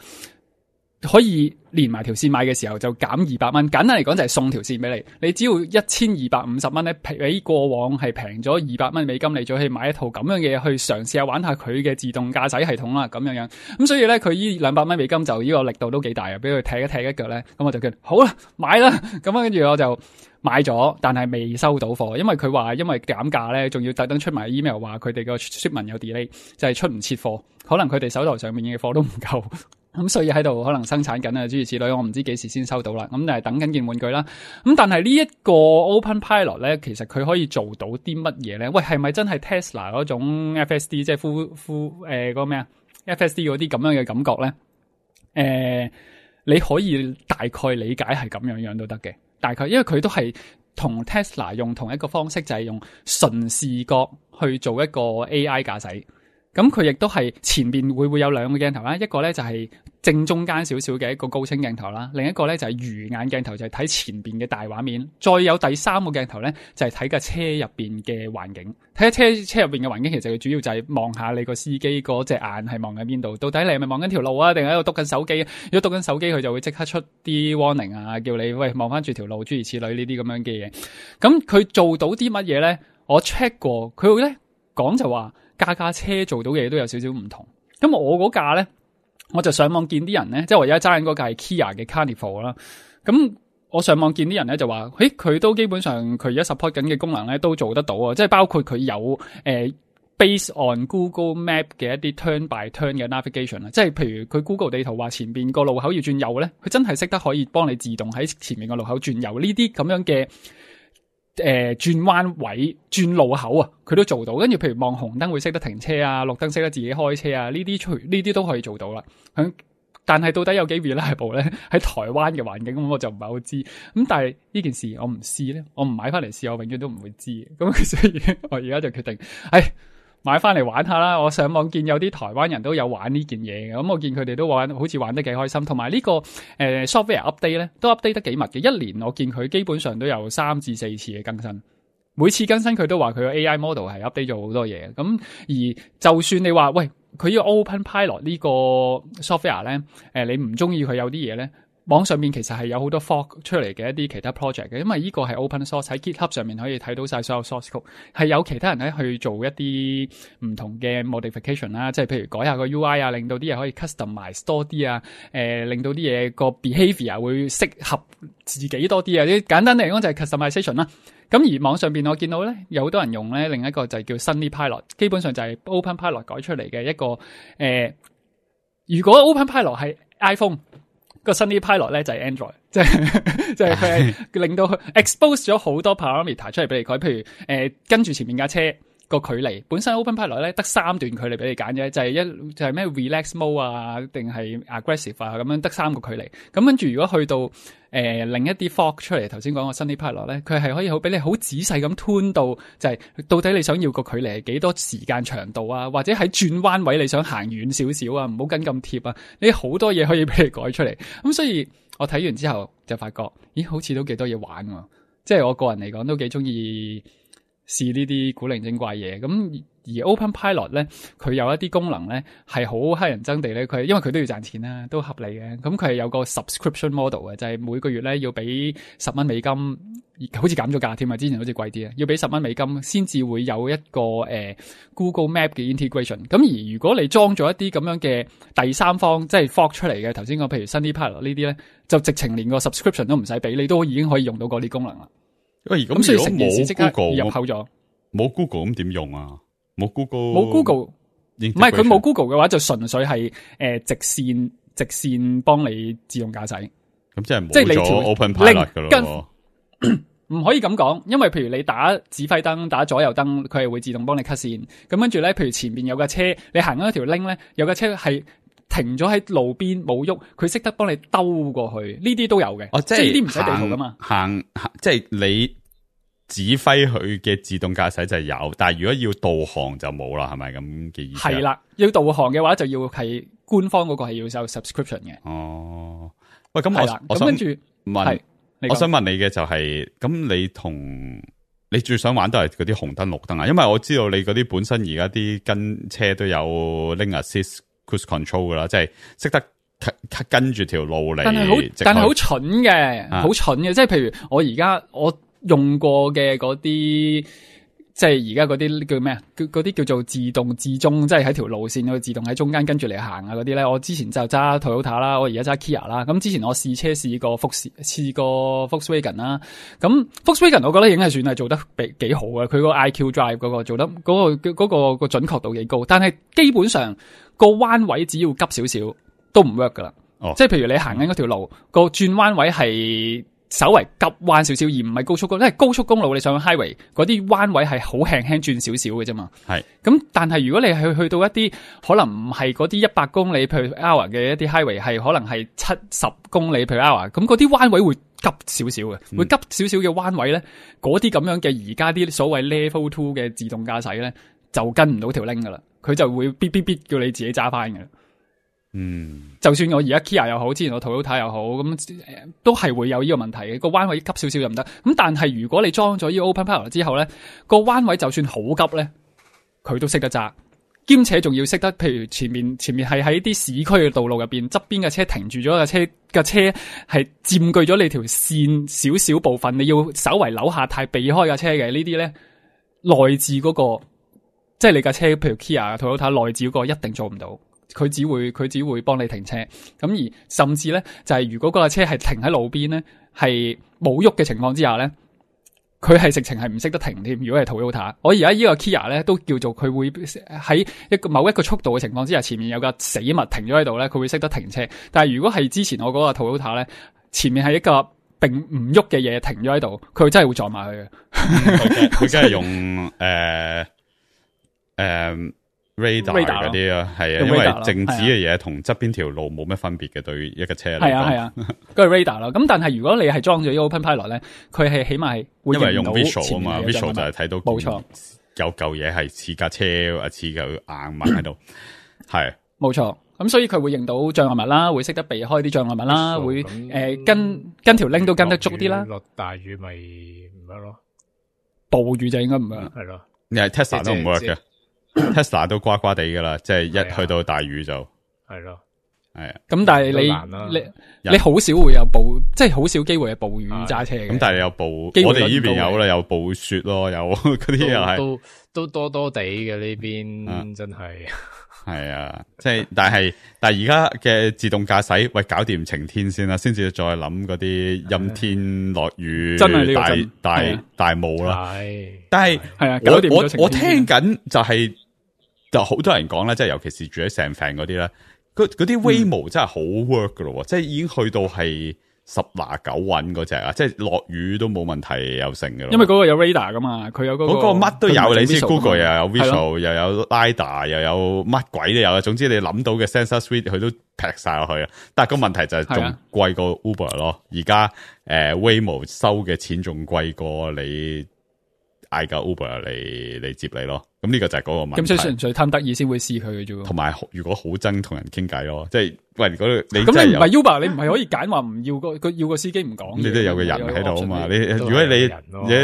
可以連埋條線買嘅時候就減200蚊，簡單嚟講就係送條線俾你，你只要1250蚊咧，比過往係平咗200蚊美金，你就可以買一套咁樣嘅嘢去嘗試下玩下佢嘅自動駕駛系統啦，咁樣。咁所以咧，佢依200蚊美金就呢個力度都幾大啊，俾佢踢一踢一腳咧，咁我就叫好啦，買啦，咁跟住我就買咗，但係未收到貨，因為佢話因為減價咧，仲要特登出埋 email 話佢哋個 shipment 有 delay， 就係出唔切貨，可能佢哋手頭上面嘅貨都唔夠。咁所以喺度可能生產緊啊，諸如此類，我唔知幾時先收到啦。咁但係等緊件玩具啦。咁但係呢一個 Open Pilot 咧，其實佢可以做到啲乜嘢咧？喂，係咪真係 Tesla 嗰種 FSD 即係嗰個咩啊 FSD 嗰啲咁樣嘅感覺咧？你可以大概理解係咁樣都得嘅，大概因為佢都係同 Tesla 用同一個方式，就係用純視覺去做一個 AI 駕駛。咁佢亦都係前邊會有兩個鏡頭啦，一個咧就係正中間少少嘅一個高清鏡頭啦，另一個咧就係魚眼鏡頭，就係睇前邊嘅大畫面，再有第三個鏡頭咧就係睇架車入邊嘅環境。睇下車入邊嘅環境，其實佢主要就係望下你個司機嗰隻眼係望緊邊度，到底你係咪望緊條路啊，定係喺度篤緊手機？如果篤緊手機，佢就會即刻出啲 warning 啊，叫你喂望翻住條路，諸如此類呢啲咁樣嘅嘢。咁佢做到啲乜嘢咧？我 check 過，佢會咧講就話。架車做到嘅嘢都有少少唔同，咁我嗰架咧，我就上網見啲人咧，即係我而家揸緊嗰架係 Kia 嘅 Carnival 啦。咁我上網見啲人咧就話，佢都基本上佢而家 support 緊嘅功能咧都做得到啊，即係包括佢有base on Google Map 嘅一啲 turn by turn 嘅 navigation 啦，即係譬如佢 Google 地圖話前邊個路口要轉右咧，佢真係識得可以幫你自動喺前面個路口轉右呢啲咁樣嘅。轉彎位、轉路口啊，佢都做到。跟住，譬如望紅燈會識得停車啊，綠燈識得自己開車啊，呢啲都可以做到啦。但係到底有幾 reliable 咧？喺台灣嘅環境，咁我就唔係好知。咁但係呢件事我唔試咧，我唔買翻嚟試，我永遠都唔會知。咁所以我而家就決定，買翻嚟玩下啦！我上網見有啲台灣人都有玩呢件嘢嘅，咁我見佢哋都好似玩得幾開心。同埋呢個software update 咧，都 update 得幾密嘅。一年我見佢基本上都有3至4次嘅更新，每次更新佢都話佢個 AI model 係 update 咗好多嘢。咁而就算你話喂，佢呢個 Open Pilot 呢個 software 咧，你唔中意佢有啲嘢咧？網上面其實係有好多 fork 出嚟嘅一啲其他 project 嘅，因為呢個係 open source， 喺 GitHub 上面可以睇到晒所有 source code， 係有其他人咧去做一啲唔同嘅 modification 啦，即係譬如改下個 UI 啊，令到啲嘢可以 customize 多啲啊，令到啲嘢個 behavior 會適合自己多啲啊，啲簡單嚟講就係 customization 啦。咁而網上邊我見到咧有好多人用咧，另一個就係叫 Sunny Pilot， 基本上就係 Open Pilot 改出嚟嘅一個如果 Open Pilot 係 iPhone。個 Sunny Pilot 咧就係 Android， 即係佢係令到佢 expose 咗好多 parameter 出嚟俾你改，譬如跟住前面架車個距離，本身 Open Pilot 咧得3段距離俾你揀啫，就係咩 relax mode 啊，定係 aggressive 啊，咁樣得3個距離。咁跟住如果去到另一啲 fork 出嚟，頭先講個 Sunny Pilot 咧，佢係可以好俾你好仔細咁 tune 到，就係到底你想要個距離係幾多時間長度啊，或者喺轉彎位你想行遠少少啊，唔好跟咁貼啊，呢好多嘢可以俾你改出嚟。咁所以我睇完之後就發覺，咦，好似都幾多嘢玩喎，即係我個人嚟講都幾中意試呢啲古靈精怪嘢。咁而 Open Pilot 咧，佢有一啲功能咧係好乞人憎地咧，佢因為佢都要賺錢啦，都合理嘅。咁佢係有個 subscription model 嘅，就係每個月咧要俾10蚊美金，好似減咗價添啊！之前好似貴啲啊，要俾10蚊美金先至會有一個Google Map 嘅 integration。咁而如果你裝咗一啲咁樣嘅第三方，即係 fork 出嚟嘅，頭先講譬如 Sunny Pilot 呢啲咧，就直情連個 subscription 都唔使俾，你都已經可以用到嗰啲功能啦。喂，咁所以成件事即刻入口咗。冇 Google 咁點用啊？冇 Google， 唔係佢冇 Google 嘅話，就純粹係直線幫你自動駕駛。咁即係冇咗 Open Pilot 噶咯？唔可以咁講，因為譬如你打指揮燈、打左右燈，佢係會自動幫你 cut 線。咁跟住咧，譬如前面有架車，你行緊一條 link 咧，有架車係停咗喺路邊冇喐，佢識得幫你兜過去，呢啲都有嘅。即係呢啲唔使地圖噶嘛。行即係你指揮佢嘅自動駕駛就有，但係如果要導航就冇啦，係咪咁嘅意思？係啦，要導航嘅話就要係官方嗰個係要有 subscription 嘅。哦，喂，咁我跟住問，我想問你嘅就係，咁你最想玩都係嗰啲紅燈綠燈啊？因為我知道你嗰啲本身而家啲跟車都有 Lane Assist Cruise Control 噶啦，即係識得跟住條路嚟。但係好蠢嘅，好蠢嘅。即係譬如我用過嘅嗰啲，即係而家嗰啲叫咩啊？嗰啲叫做自動至中，即係喺條路線度自動喺中間跟住嚟行啊嗰啲咧。我之前就揸 Toyota 啦，我而家揸 Kia 啦。咁之前我試車試過 Volkswagen 啦。咁 Volkswagen 我覺得已經係算係做得幾好嘅，佢個 IQ Drive 嗰個做得嗰個準確度幾高。但係基本上個彎位只要急少少都唔 work 噶啦。即係譬如你行緊嗰條路個轉彎位係稍微急彎少少，而唔係高速公路，因為高速公路你上 highway 嗰啲彎位係好輕輕轉少少嘅啫嘛。係咁，但係如果你係去到一啲可能唔係嗰啲100公里 per hour 嘅一啲 highway， 係可能係70公里 per hour， 咁嗰啲彎位會急少少嘅，會急少少嘅彎位咧，嗰啲咁樣嘅而家啲所謂 level 2嘅自動駕駛咧，就跟唔到條 link 噶啦，佢就會嗶嗶嗶叫你自己揸翻嘅。就算我而家 Kia 又好，之前我 Toyota 又好，咁都係會有呢個問題嘅，個彎位急少少就唔得。咁但係如果你裝咗呢個 Open Pilot 之後咧，個彎位就算好急咧，佢都識得揸，兼且仲要識得，譬如前面係喺啲市區嘅道路入邊，側邊嘅車停住咗嘅車係佔據咗你條線少少部分，你要稍為扭下軚避開架車嘅呢啲咧，內置嗰個即係你架車，譬如 Kia、Toyota 內置嗰個一定做唔到。佢只會幫你停車，咁而甚至咧就係如果嗰架車係停喺路邊咧，係冇喐嘅情況之下咧，佢係直情係唔識得停添。如果係 Toyota，我而家呢個 Kia 咧都叫做佢會喺某一個速度嘅情況之下，前面有架死物停咗喺度咧，佢會識得停車。但係如果係之前我嗰個 Toyota 咧，前面係一個並唔喐嘅嘢停咗喺度，佢真係會撞埋去嘅。佢梗係用radar 嗰啲啊，係啊，因為靜止嘅嘢同側邊條路冇乜分別嘅，對一架車嚟講。係啊，嗰個 radar 咯。咁但係如果你係裝咗呢個 Open Pilot 咧，佢係起碼係會因為用 visual 啊嘛 ，visual 就係睇到冇錯，有嚿嘢係似架車或似嚿硬物喺度，係冇錯。咁所以佢會認到障礙物啦，會識得避開啲障礙物啦，會跟條 link 都跟得足啲啦。落大雨咪唔得咯，暴雨就應該唔得，係咯。你係 Tesla 都唔 work 嘅。Tesla 都呱呱地噶啦，即係一去到大雨就係咯，係啊。咁但係你好少會有暴，即係好少機會係暴雨揸車嘅。咁但係有暴，我哋呢邊有啦，有暴雪咯，有嗰啲又係都多多地嘅呢邊，真係係啊。即係但係而家嘅自動駕駛，喂，搞掂晴天先啦，先至再諗嗰啲陰天落雨，真係大霧啦。係，但係係啊，我聽緊就係。就好多人講咧，即係尤其是住喺 San Fran 嗰啲咧，嗰啲 Waymo 真係好 work 噶咯，即係已經去到係10拿9穩嗰隻啊，即係落雨都冇問題又成噶咯。因為嗰個有 radar 噶嘛，佢有嗰個乜都有，你知 Google 又有 Visual 又有 Lidar 又有乜鬼都有啊。總之你諗到嘅 Sensor Suite 佢都劈晒落去啊。但係個問題就係仲貴過 Uber 咯。而家Waymo 收嘅錢仲貴過你嗌架 Uber 嚟接你咯。咁呢個就係嗰個問題。咁所以純粹貪得意先會試佢嘅啫。同埋如果好憎同人傾偈咯，即係喂，如果你咁你唔係 Uber， 你唔係可以揀話唔要要個司機唔講。你都有個人喺度啊嘛。你如果你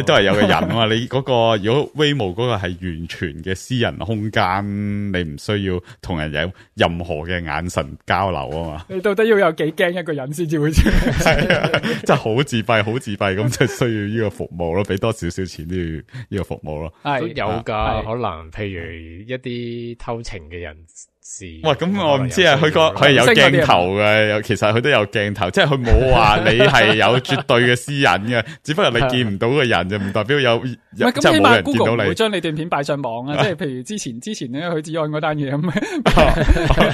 都係有個人啊嘛。你嗰個如果 Waymo 嗰個係完全嘅私人空間，你唔需要同人有任何嘅眼神交流啊嘛。你到底要有幾驚一個人先至會知？係啊，真係好自閉，好自閉咁，就需要呢個服務咯，俾多少少錢都要呢個服務咯。都有噶，可能。譬如一啲偷情嘅人士，哇！咁我唔知啊，佢係有鏡頭嘅，其實佢都有鏡頭，即係佢冇話你係有絕對嘅私隱嘅，只不過你見唔到個人就唔代表有，即係冇人見到你。會將你段片擺上網啊，即係譬如之前咧許志安嗰單嘢咁，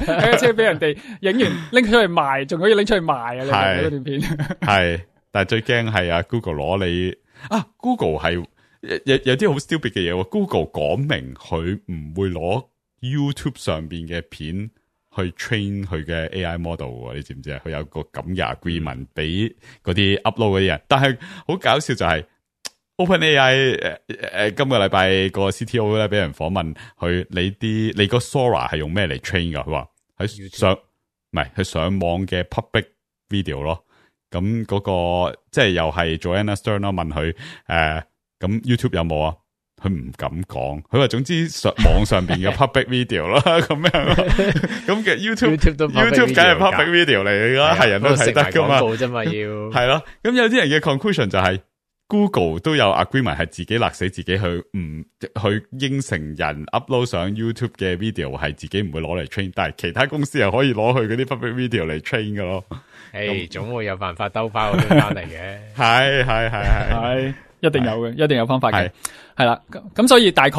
喺車俾人哋影完拎出去賣，仲可以拎出去賣啊！你睇嗰段片係，但係最驚係啊 Google 攞你啊 Google 係。有啲好 stupid 嘅嘢，Google 講明佢唔會攞 YouTube 上邊嘅片去 train 佢嘅 AI model 喎，你知唔知啊？佢有個咁嘅 agreement 俾嗰啲 upload 嗰啲人，但係好搞笑就係 OpenAI 今個禮拜個 CTO 咧俾人訪問佢，你個 Sora 係用咩嚟 train 噶？佢話喺上網嘅 public video 咯。咁嗰個即係又係 Joanna Stern 咯，問佢咁 YouTube 有冇啊？佢唔敢講，佢話總之網上邊嘅 public video 啦，咁樣咁嘅 YouTube 梗係 public video 嚟噶，係人都睇得噶嘛，啫嘛要係咯。咁有啲人嘅 conclusion 就係 Google 都有 agreement 係自己勒死自己去唔去應承人 upload 上 YouTube 嘅 video 係自己唔會攞嚟 train， 但係其他公司又可以攞去嗰啲 public video 嚟 train 噶咯。總會有辦法兜翻嗰啲翻嚟嘅，係一定有嘅，一定有方法嘅，係啦。咁所以大概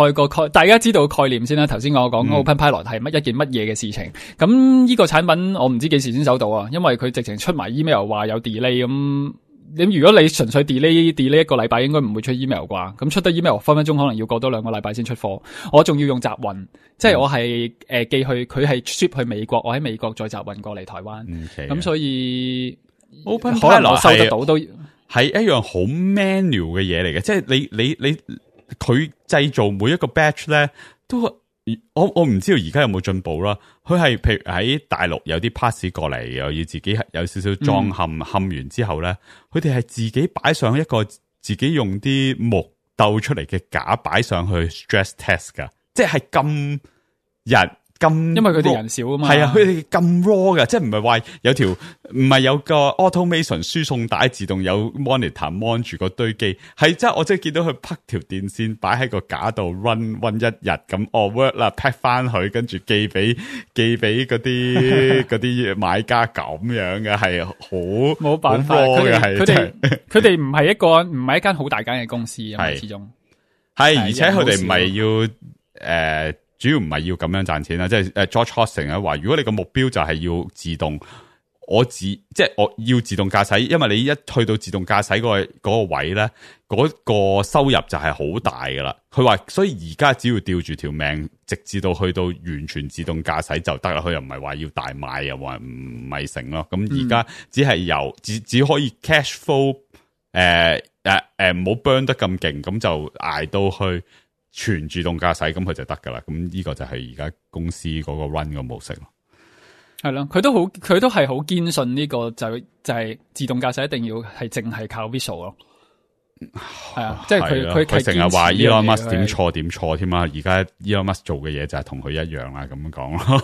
大家知道概念先啦。頭先我講 OpenPilot 係一件乜嘢嘅事情。咁呢個產品我唔知幾時先收到啊，因為佢直情出埋 email 話有 delay 咁。如果你純粹 delay 一個禮拜，應該唔會出 email 啩？咁出得 email 分分鐘可能要過多2個禮拜先出貨。我仲要用集運，即係我係寄去，佢係 ship 去美國，我喺美國再集運過嚟台灣。咁所以 OpenPilot 可能我收得到都係一樣好 manual 嘅嘢嚟嘅，即係你佢製造每一個 batch 咧都。我唔知道而家有冇進步啦。佢係譬如喺大陸有啲 pass 過嚟，又要自己有少少裝嵌完之後咧，佢哋係自己擺上一個自己用啲木鬥出嚟嘅架擺上去 stress test 噶，即係咁因為佢哋人少啊嘛，係啊，佢哋咁 raw 噶，即係唔係話唔係有個 automation 輸送帶自動有 monitor mon 住個堆機，係即係我即係見到佢 pack 條電線擺喺個架度 run 一日咁，work 啦 pack 翻佢，跟住寄俾嗰啲買家咁樣嘅，係好冇辦法嘅，佢哋唔係一間好大間嘅公司啊，始終係，而且佢哋唔係要主要唔係要咁樣賺錢啦，即係George Hosting 咧話，如果你個目標就係要自動，即係我要自動駕駛，因為你一去到自動駕駛嗰個位咧，嗰個收入就係好大噶啦。佢話，所以而家只要吊住條命，直至到去到完全自動駕駛就得啦。佢又唔係話要大賣，又話唔係成咯。咁而家只係只可以 cash flow，唔好 burn 得咁勁，咁就捱到去全自動駕駛，咁佢就得噶啦。咁呢個就係而家公司嗰個 run 嘅模式咯。係咯，佢都係好堅信呢個就係自動駕駛一定要係淨係靠 visual 咯。係啊，即係佢成日話 Elon Musk 點錯添啊！而家 Elon Musk 做嘅嘢就係同佢一樣啦，咁講咯。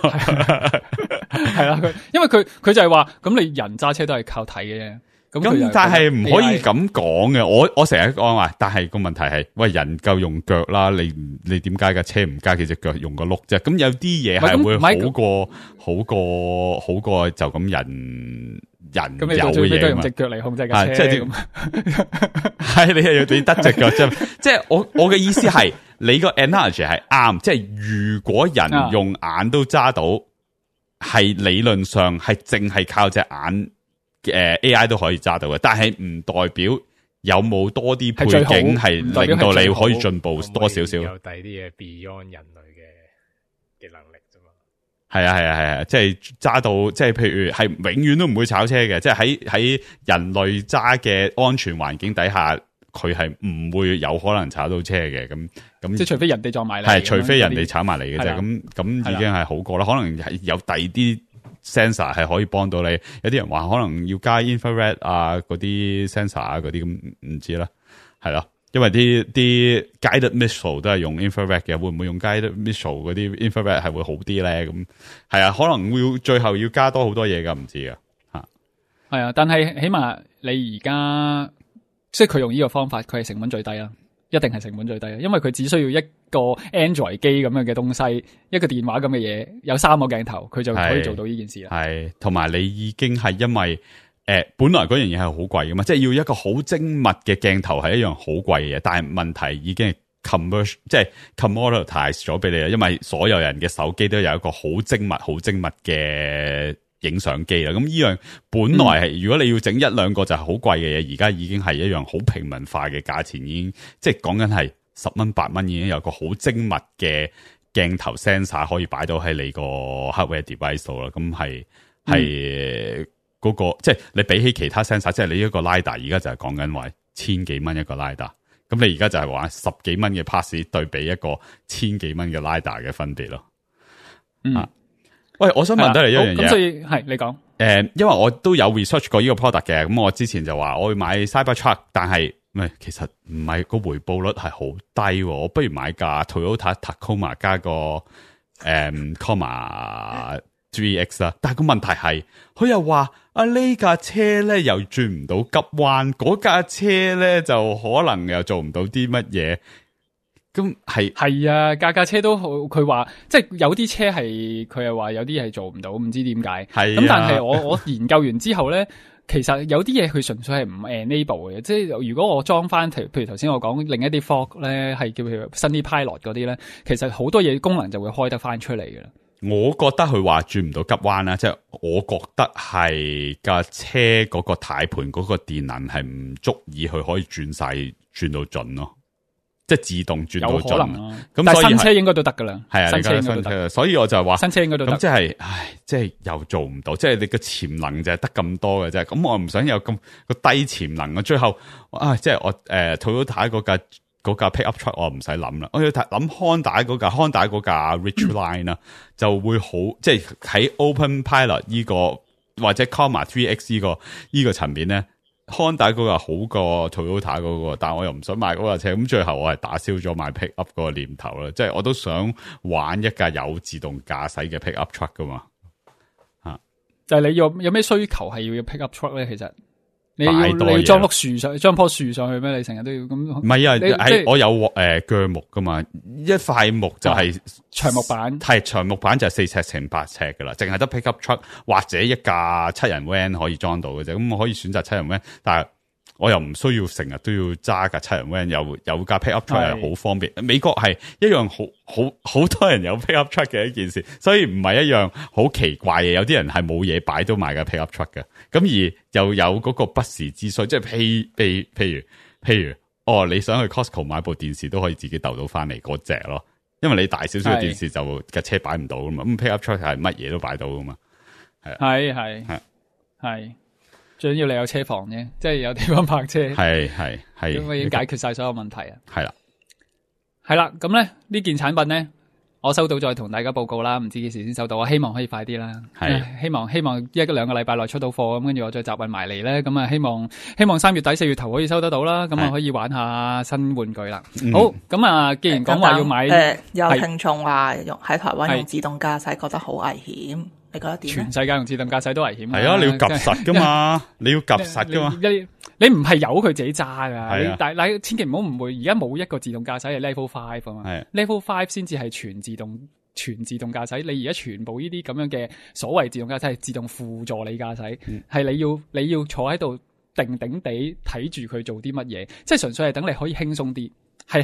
係啦，因為佢就係話，咁你人揸車都係靠睇嘅啫。咁但係唔可以咁講嘅，我成日講話，但係個問題係，喂，人夠用腳啦，你點解架車唔加幾隻腳用個轆啫？咁有啲嘢係會好過就咁人有嘅嘢用隻腳嚟控制架車，即係係你係要你得隻腳啫。即係我嘅意思係，你個 analogy 係啱，即係如果人用眼都揸到，係理論上係淨係靠隻眼。AI 都可以揸到嘅，但係唔代表有冇多啲背景係令到你可以進步多少少。有第啲嘢 beyond 人類嘅能力啫嘛。係啊，即係揸到，即係譬如係永遠都唔會炒車嘅，即係喺人類揸嘅安全環境底下，佢係唔會有可能炒到車嘅。咁即係除非人哋撞埋嚟，係除非人哋炒埋嚟嘅啫。咁已經係好過啦。可能係有第二啲sensor 係可以幫到你，有啲人話可能要加 infrared 啊，嗰啲 sensor 啊，嗰啲咁唔知啦，係咯，因為啲 guided missile 都係用 infrared 嘅，會唔會用 guided missile 嗰啲 infrared 係會好啲咧？咁係啊，可能會最後要加多好多嘢噶，唔知啊吓。係啊，但係起碼你而家即係佢用呢個方法，佢係成本最低啦。一定係成本最低嘅，因為佢只需要一個 Android 機咁樣嘅東西，一個電話咁嘅嘢，有3個鏡頭，佢就可以做到呢件事啦。係，同埋你已經係因為本來嗰樣嘢係好貴噶嘛，即係要一個好精密嘅鏡頭係一樣好貴嘅嘢，但係問題已經係即係 commoditize 咗俾你啦，因為所有人嘅手機都有一個好精密嘅影相機啦，咁呢樣本來係如果你要整1-2個就係好貴嘅嘢，而家已經係一樣好平民化嘅價錢，已經即係講緊係10蚊8蚊已經有個好精密嘅鏡頭 sensor 可以擺到喺你個 hardware device 度啦。咁係嗰個即係你比起其他 sensor， 即係你一個 LiDAR 而家就係講緊話千幾蚊一個 LiDAR， 咁你而家就係話十幾蚊嘅 pass 對比一個千幾蚊嘅 LiDAR 嘅分別咯。喂，我想問得你一樣嘢，咁所以係你講，因為我都有 research 過呢個 product 嘅，咁我之前就話我會買 Cybertruck， 但係其實唔係個回報率係好低，我不如買架 Toyota Tacoma 加個Comma 3X 啦。但係個問題係，佢又話呢架車咧又轉唔到急彎，嗰架車咧就可能又做唔到啲乜嘢。咁係啊，架車都好，佢話即係有啲車係佢又話有啲係做唔到，唔知點解。係咁，但係我研究完之後咧，其實有啲嘢佢純粹係唔 enable 嘅，即係如果我裝翻譬如頭先我講另一啲 fog 咧，係叫譬如新啲 pilot 嗰啲咧，其實好多嘢功能就會開得翻出嚟嘅啦。我覺得佢話轉唔到急彎啦，即係我覺得係架車嗰個軚盤嗰個電能係唔足以佢可以轉到盡咯。即係自動轉到盡，咁但係新車應該都得噶啦。係啊，新車應該都得，所以我就話新車應該都得。咁即係，即係又做唔到，即係你個潛能就係得咁多嘅啫。咁我唔想有咁個低潛能啊。最後即係我Toyota 嗰架 pick up truck 我唔使諗啦，我要諗 Honda 嗰架 Ridgeline 啦，就會好，即係喺 Open Pilot 呢個或者 Comma 3X 呢個層面咧。Honda 嗰個好過 Toyota 嗰個，但我又唔想買嗰架車，咁最後我係打消咗買 pick up 嗰個念頭啦。即係我都想玩一架有自動駕駛嘅 pick up truck 噶嘛。就係你有咩需求係要 pick up truck 咧？其實你要裝棵樹上去咩？你成日都要咁？唔係啊，我有鋸木噶嘛，一塊木就係長木板，係長木板就係4尺乘8尺噶啦，淨係得 pick up truck 或者一架7人 van 可以裝到嘅啫。咁我可以選擇7人 van， 但係我又唔需要成日都要揸架7人 van，有架 pick up truck 係好方便。美國係一樣好多人有 pick up truck 嘅一件事，所以唔係一樣好奇怪嘅。有啲人係冇嘢擺都買架 pick up truck 嘅，咁而又有嗰個不時之需，即係譬如你想去 Costco 買部電視都可以自己逗到翻嚟嗰隻咯，因為你大少少嘅電視就架車擺唔到噶嘛，咁 pick up truck 係乜嘢都擺到噶嘛，係。最緊要你有車房啫，即係有地方泊車，係，咁已經解決晒所有問題啊！係啦，咁咧呢件產品咧，我收到再同大家報告啦，唔知幾時先收到，我希望可以快啲啦，希望1-2個禮拜內出到貨，咁跟住我再集運埋嚟咧，咁啊希望3月底4月頭可以收得到啦，咁啊可以玩下新玩具啦。好，咁啊既然講話要買，有聽眾話喺台灣用自動駕駛覺得好危險。你覺得點？全世界用自動駕駛都危險。係啊，你要夾實噶嘛，你要夾實噶嘛。你唔係由佢自己揸噶，但係千祈唔好誤會，而家冇一個自動駕駛係 Level 5啊嘛。Level 5先至係全自動駕駛。你而家全部呢啲咁樣嘅所謂自動駕駛係自動輔助你駕駛，係你要坐喺度定定地睇住佢做啲乜嘢，即係純粹係等你可以輕鬆啲。係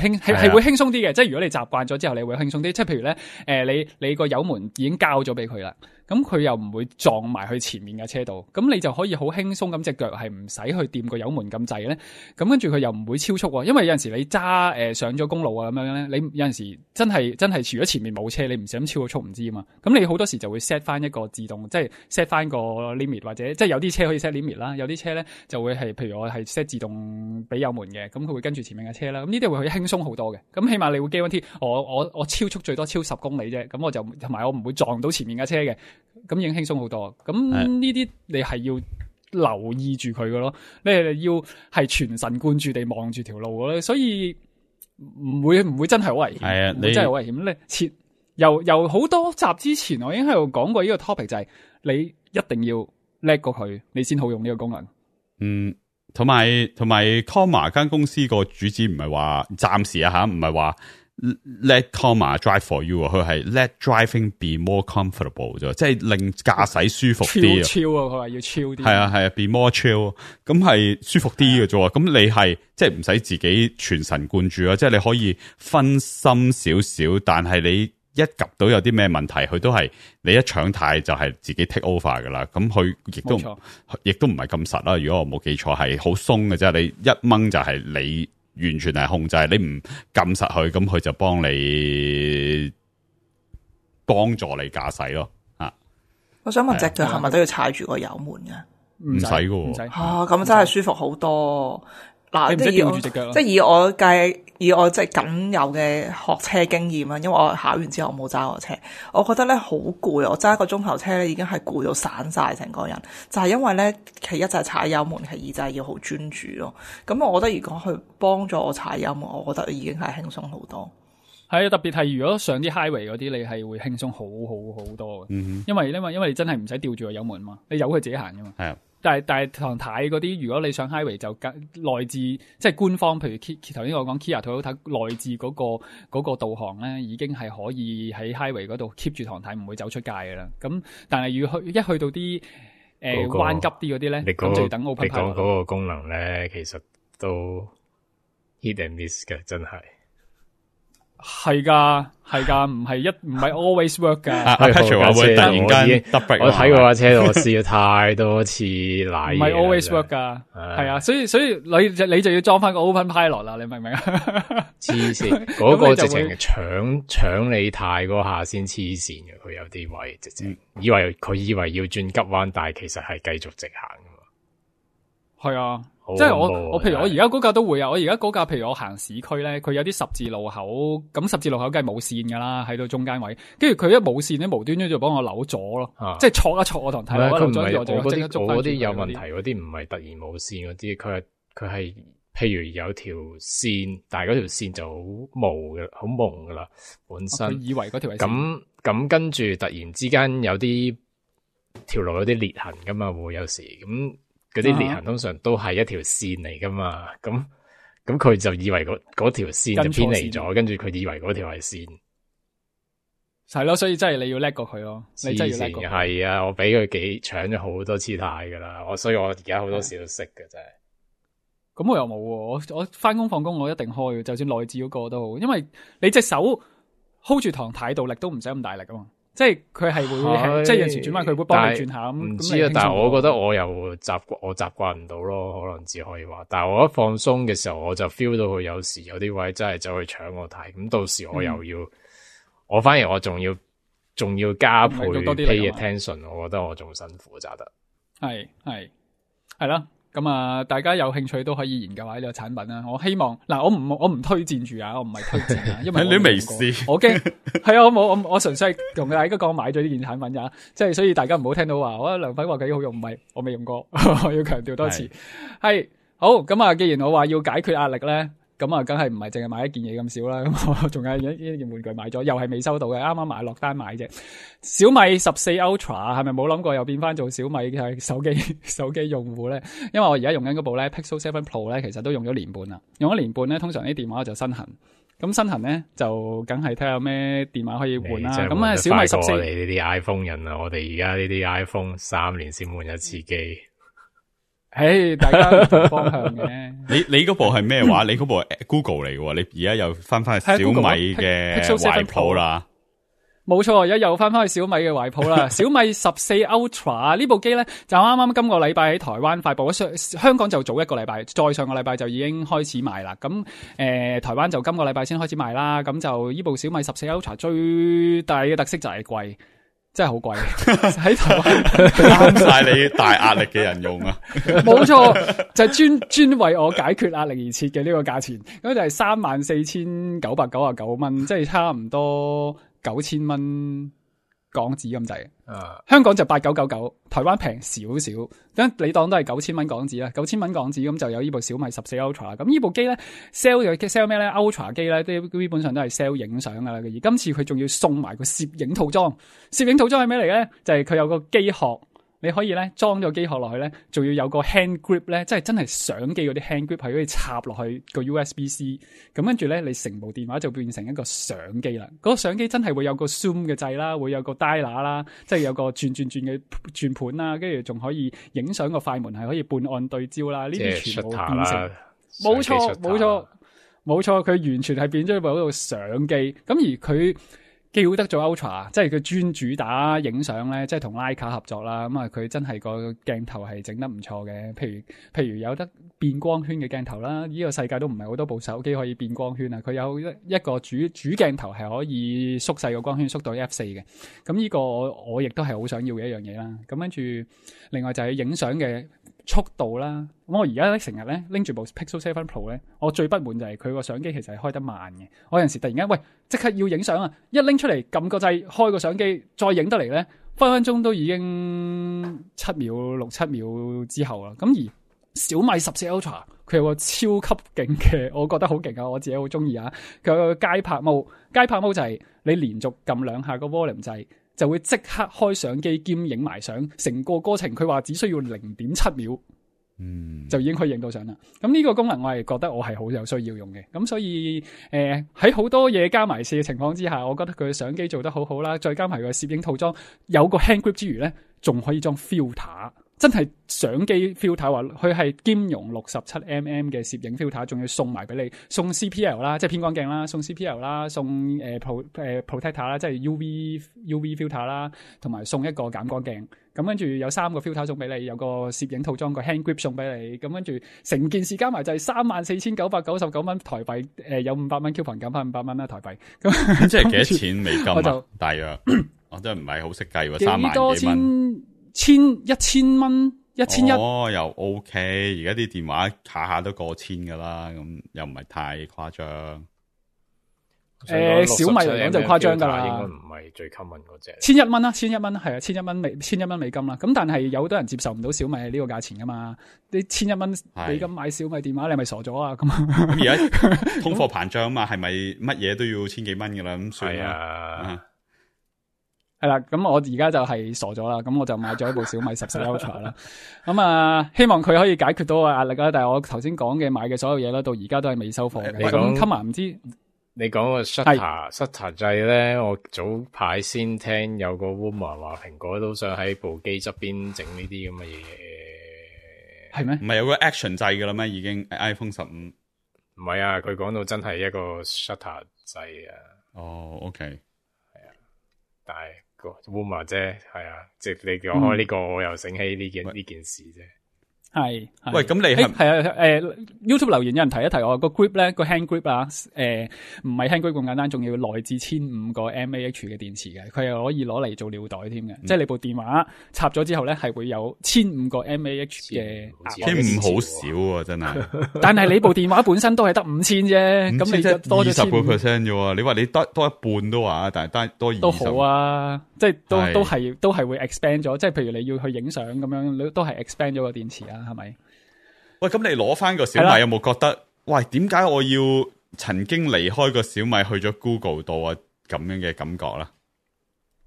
會輕鬆啲嘅，即係如果你習慣咗之後，你會輕鬆啲。即係譬如咧，你個油門已經交咗俾佢啦，咁佢又唔會撞埋去前面嘅車度，咁你就可以好輕鬆咁隻腳係唔使去掂個油門咁滯咧。咁跟住佢又唔會超速喎，因為有陣時你揸上咗公路啊咁樣咧，你有陣時真係如果前面冇車，你唔小心超咗速唔知啊嘛。咁你好多時就會 set 翻一個自動，即係 set 翻個 limit 或者即係有啲車可以 set limit 啦，有啲車咧就會係譬如我係 set 自動俾油門嘅，咁佢會跟住前面嘅車啦。咁呢啲會輕鬆好多嘅，咁起碼你會 guarantee 我超速最多超10公里啫，咁我就同埋我唔會撞到前面嘅車嘅，咁已經輕鬆好多。咁呢啲你係要留意住佢嘅咯，你係要係全神貫注地望住條路嘅咧，所以唔會真係好危險，係啊，你真係好危險咧。由好多集之前我已經喺度講過呢個 topic， 就係你一定要叻過佢，你先好用呢個功能。同埋 Comma 間公司個主旨唔係話暫時啊吓，唔係話 let Comma drive for you， 佢係 let driving be more comfortable 啫，即係令駕駛舒服啲。超啊，佢話要超啲。係啊 ，be more chill， 咁係舒服啲嘅啫。咁你係即係唔使自己全神貫注啊，即係你可以分心少少，但係你一及到有啲咩問題，佢都係你一搶軚就係自己 take over 噶啦。咁佢亦都唔係咁實啦。如果我冇記錯，係好鬆嘅啫。你一掹就係你完全係控制，你唔撳實佢，咁佢就幫你幫助你駕駛咯。我想問隻腳係咪都要踩住個油門嘅？唔使㗎喎，唔使咁真係舒服好多。嗱，即係吊住隻腳，即係以我即係僅有嘅學車經驗啦，因為我考完之後我冇揸過車，我覺得咧好攰，我揸1個鐘頭車咧已經係攰到散晒成個人，就係因為咧其一就係踩油門，其二就係要好專注咯。咁我覺得如果佢幫助我踩油門，我覺得已經係輕鬆好多。係啊，特別係如果上啲 highway 嗰啲，你係會輕鬆好多嘅。因為你真係唔使吊住個油門嘛，你由佢自己行噶嘛。係啊。但係唐太嗰啲，如果你上 highway 就內置，即係官方，譬如頭先我講 Kia Toyota 內置嗰個導航咧，已經係可以喺 highway 嗰度 keep 住唐太唔會走出街噶啦。咁但係一去到啲彎急啲嗰啲咧，咁就要等 Open Pilot。你講嗰個功能咧，其實都 hit and miss 嘅，真係。係噶，唔係 always work 噶。Patrick 話會突然間我睇過架車，我試咗太多次奶嘢。唔係 always work 噶，係啊，所以你就要裝翻個 Open Pilot 啦，你明唔明啊？黐線，嗰個直情搶你太嗰下先黐線嘅，佢有啲位直情以為要轉急彎，但係其實係繼續直行噶嘛。係啊。即係我譬如我而家嗰架都會啊，我而家嗰架譬如我行市區咧，佢有啲十字路口，咁十字路口梗係冇線噶啦，喺到中間位，跟住佢一冇線咧，無端端就幫我扭咗咯，即係戳一戳我同睇我扭咗，我就即刻捉翻住。嗰啲有問題嗰啲唔係突然冇線嗰啲，佢係譬如有條線，但係嗰條線就好蒙噶啦，本身。佢以為嗰條係線。咁跟住突然之間有啲條路有啲裂痕噶嘛，會有時咁。嗰啲裂痕通常都係一條線嚟噶嘛，咁佢就以為嗰條線就偏離咗，跟住佢以為嗰條係線，係咯，所以真係你要叻過佢咯，你真係要叻過佢。係啊，我俾佢搶咗好多次軚噶啦，所以我而家好多時都識嘅真係。咁我又冇，我翻工放工我一定開嘅，就算內置嗰個都好，因為你隻手 hold 住唐太度力都唔使咁大力噶嘛。即係佢係會，即係有時轉翻佢會幫你轉下咁。唔知啊，但係我覺得我又習慣唔到咯，可能只可以話。但係我一放鬆嘅時候，我就 feel 到佢有時有啲位真係走去搶我睇，咁到時我又要，我反而我仲要加倍 pay attention，我覺得我仲辛苦揸得。係啦。咁啊，大家有興趣都可以研究下呢個產品啦。我希望嗱，我唔推薦住啊，我唔係推薦啊，因為你未試，我驚係啊，我純粹係同大家講我買咗呢件產品咋，即係所以大家唔好聽到話我梁粉話幾好用，唔係我未用過，我要強調多次。係好咁啊，既然我話要解決壓力咧。咁啊，梗係唔係淨係買一件嘢咁少啦，咁我仲有一件玩具買咗，又係未收到嘅，啱啱買落單買啫。小米14 Ultra 係咪冇諗過又變翻做小米嘅手機用戶咧？因為我而家用緊嗰部咧 Pixel 7 Pro 咧，其實都用咗年半啦。用咗年半咧，通常啲電話就身痕，咁身痕咧就梗係睇下咩電話可以換啦。咁啊，小米14，我哋呢啲 iPhone 人啊，我哋而家呢啲 iPhone 3年先換一次機。大家唔同方向嘅。你嗰部係咩話？你嗰部係 Google 嚟嘅，你而家又翻去小米嘅懷抱啦。冇錯，而家又翻去小米嘅懷抱啦。小米14 Ultra 呢部機咧，就啱啱今個禮拜喺台灣發布，香港就早一個禮拜，再上個禮拜就已經開始賣啦。咁台灣就今個禮拜先開始賣啦。咁就呢部小米14 Ultra 最大嘅特色就係貴。真係好貴，喺台灣啱晒你大壓力嘅人用啊！冇錯，就係專為我解決壓力而設嘅呢個價錢，咁就係34,999蚊，即係差唔多9,000蚊港紙咁滯。香港就8,999，台灣平少少，咁你當都係9,000蚊港紙啦，9,000蚊港紙咁就有呢部小米14 Ultra。咁呢部機咧 sell 咩咧 ？Ultra 機咧，基本上都係 sell 影相噶啦。而今次佢仲要送埋個攝影套裝，攝影套裝係咩嚟咧？就係佢有個機殼。你可以咧裝咗機殼落去咧，仲要有個 hand grip 咧，即係真係相機嗰啲 hand grip 係可以插落去個 USB-C， 咁跟住咧你成部電話就變成一個相機啦。嗰個相機真係會有個 zoom 嘅掣啦，會有個 dial 啦，即係有個轉嘅轉盤啦，跟住仲可以影相個快門係可以半按對焦啦，呢啲全部變成冇錯，佢完全係變咗一部相機。咁而佢叫得做 Ultra， 即係佢專主打影相咧，即係同徠卡合作啦。咁啊，佢真係個鏡頭係整得唔錯嘅。譬如有得變光圈嘅鏡頭啦，呢個世界都唔係好多部手機可以變光圈啊。佢有一個主鏡頭係可以縮細個光圈，縮到 F4 嘅。咁呢個我亦都係好想要嘅一樣嘢啦。咁跟住，另外就係影相嘅速度啦。我而家成日咧拎住部 Pixel 7 Pro 咧，我最不滿就係佢個相機其實係開得慢嘅。我有陣時突然間喂，即刻要影相啊！一拎出嚟撳個掣，開個相機，再影得嚟咧，分分鐘都已經6、7秒之後啦。咁而小米14 Ultra 佢有個超級勁嘅，我覺得好勁啊！我自己好中意啊！佢有個街拍模就係你連續撳2下個 volume 掣，就會即刻開相機兼影埋相，成個過程佢話只需要0.7秒。就已經可以影到相啦。咁呢個功能我係覺得我係好有需要用嘅。咁所以喺好多嘢加埋嘅情況之下，我覺得佢嘅相機做得好好啦。再加埋個攝影套裝有個 hand grip 之餘咧，仲可以裝 filter， 真係相機 filter 話佢係兼容67mm 嘅攝影 filter， 仲要送埋俾你，送 CPL 啦，即係偏光鏡啦，送 CPL 啦，送protector 啦，即係 UV filter 啦，同埋送一個減光鏡。咁跟住有3個 filter 送俾你，有個攝影套裝個 hand grip 送俾你，咁跟住成件事加埋就係34,999蚊台幣，有500蚊 coupon減翻500蚊啦台幣。咁即係幾多錢美金啊？大約我真係唔係好識計喎，3萬幾蚊，1000蚊，1100。哦，又 OK。而家啲電話下下都過千噶啦，咁又唔係太誇張。小米嚟講就誇張噶啦，應該唔係最 common 嗰隻。1100蚊啦，1100蚊係啊，1100蚊美金啦。咁但係有好多人接受唔到小米呢個價錢噶嘛？你1100蚊美金買小米電話，你係咪傻咗啊？咁而家通貨膨脹啊嘛，係咪乜嘢都要千幾蚊噶啦？咁算啦。係啦，咁我而家就係傻咗啦，咁我就買咗一部小米14 Ultra 啦。咁啊，希望佢可以解決到我壓力啦。但係我頭先講嘅買嘅所有嘢咧，到而家都係未收貨嘅。咁今日唔知。你講個 shutter 掣咧，我早排先聽有個 woman 話蘋果都想喺部機側邊整呢啲咁嘅嘢，係咩？唔係有個 action 掣噶啦咩？已經 iPhone 15唔係啊，佢講到真係一個 shutter 掣啊。哦 ，OK， 係啊，但係個 woman 啫，係啊，即係你講開呢個，我又醒起呢件事啫。係，喂，咁你係YouTube 留言有人提一提我個 grip 咧，個 hand grip 啊，唔係 hand grip 咁簡單，仲要內置1500個 mAh 嘅電池嘅，佢又可以攞嚟做尿袋添嘅，即係你部電話插咗之後咧，係會有1500個 mAh 嘅，1500好少啊，真係。但係你部電話本身都係得5000啫，咁你就多咗20% 啫喎。你話你多一半都話，但係多20%都好啊，即係都係會 expand 咗，即係譬如你要去影相咁樣，你都係 expand 咗個電池啊。係咪？喂，咁你攞翻個小米有冇覺得？喂，點解我要曾經離開個小米去咗 Google 度啊？咁樣嘅感覺啦。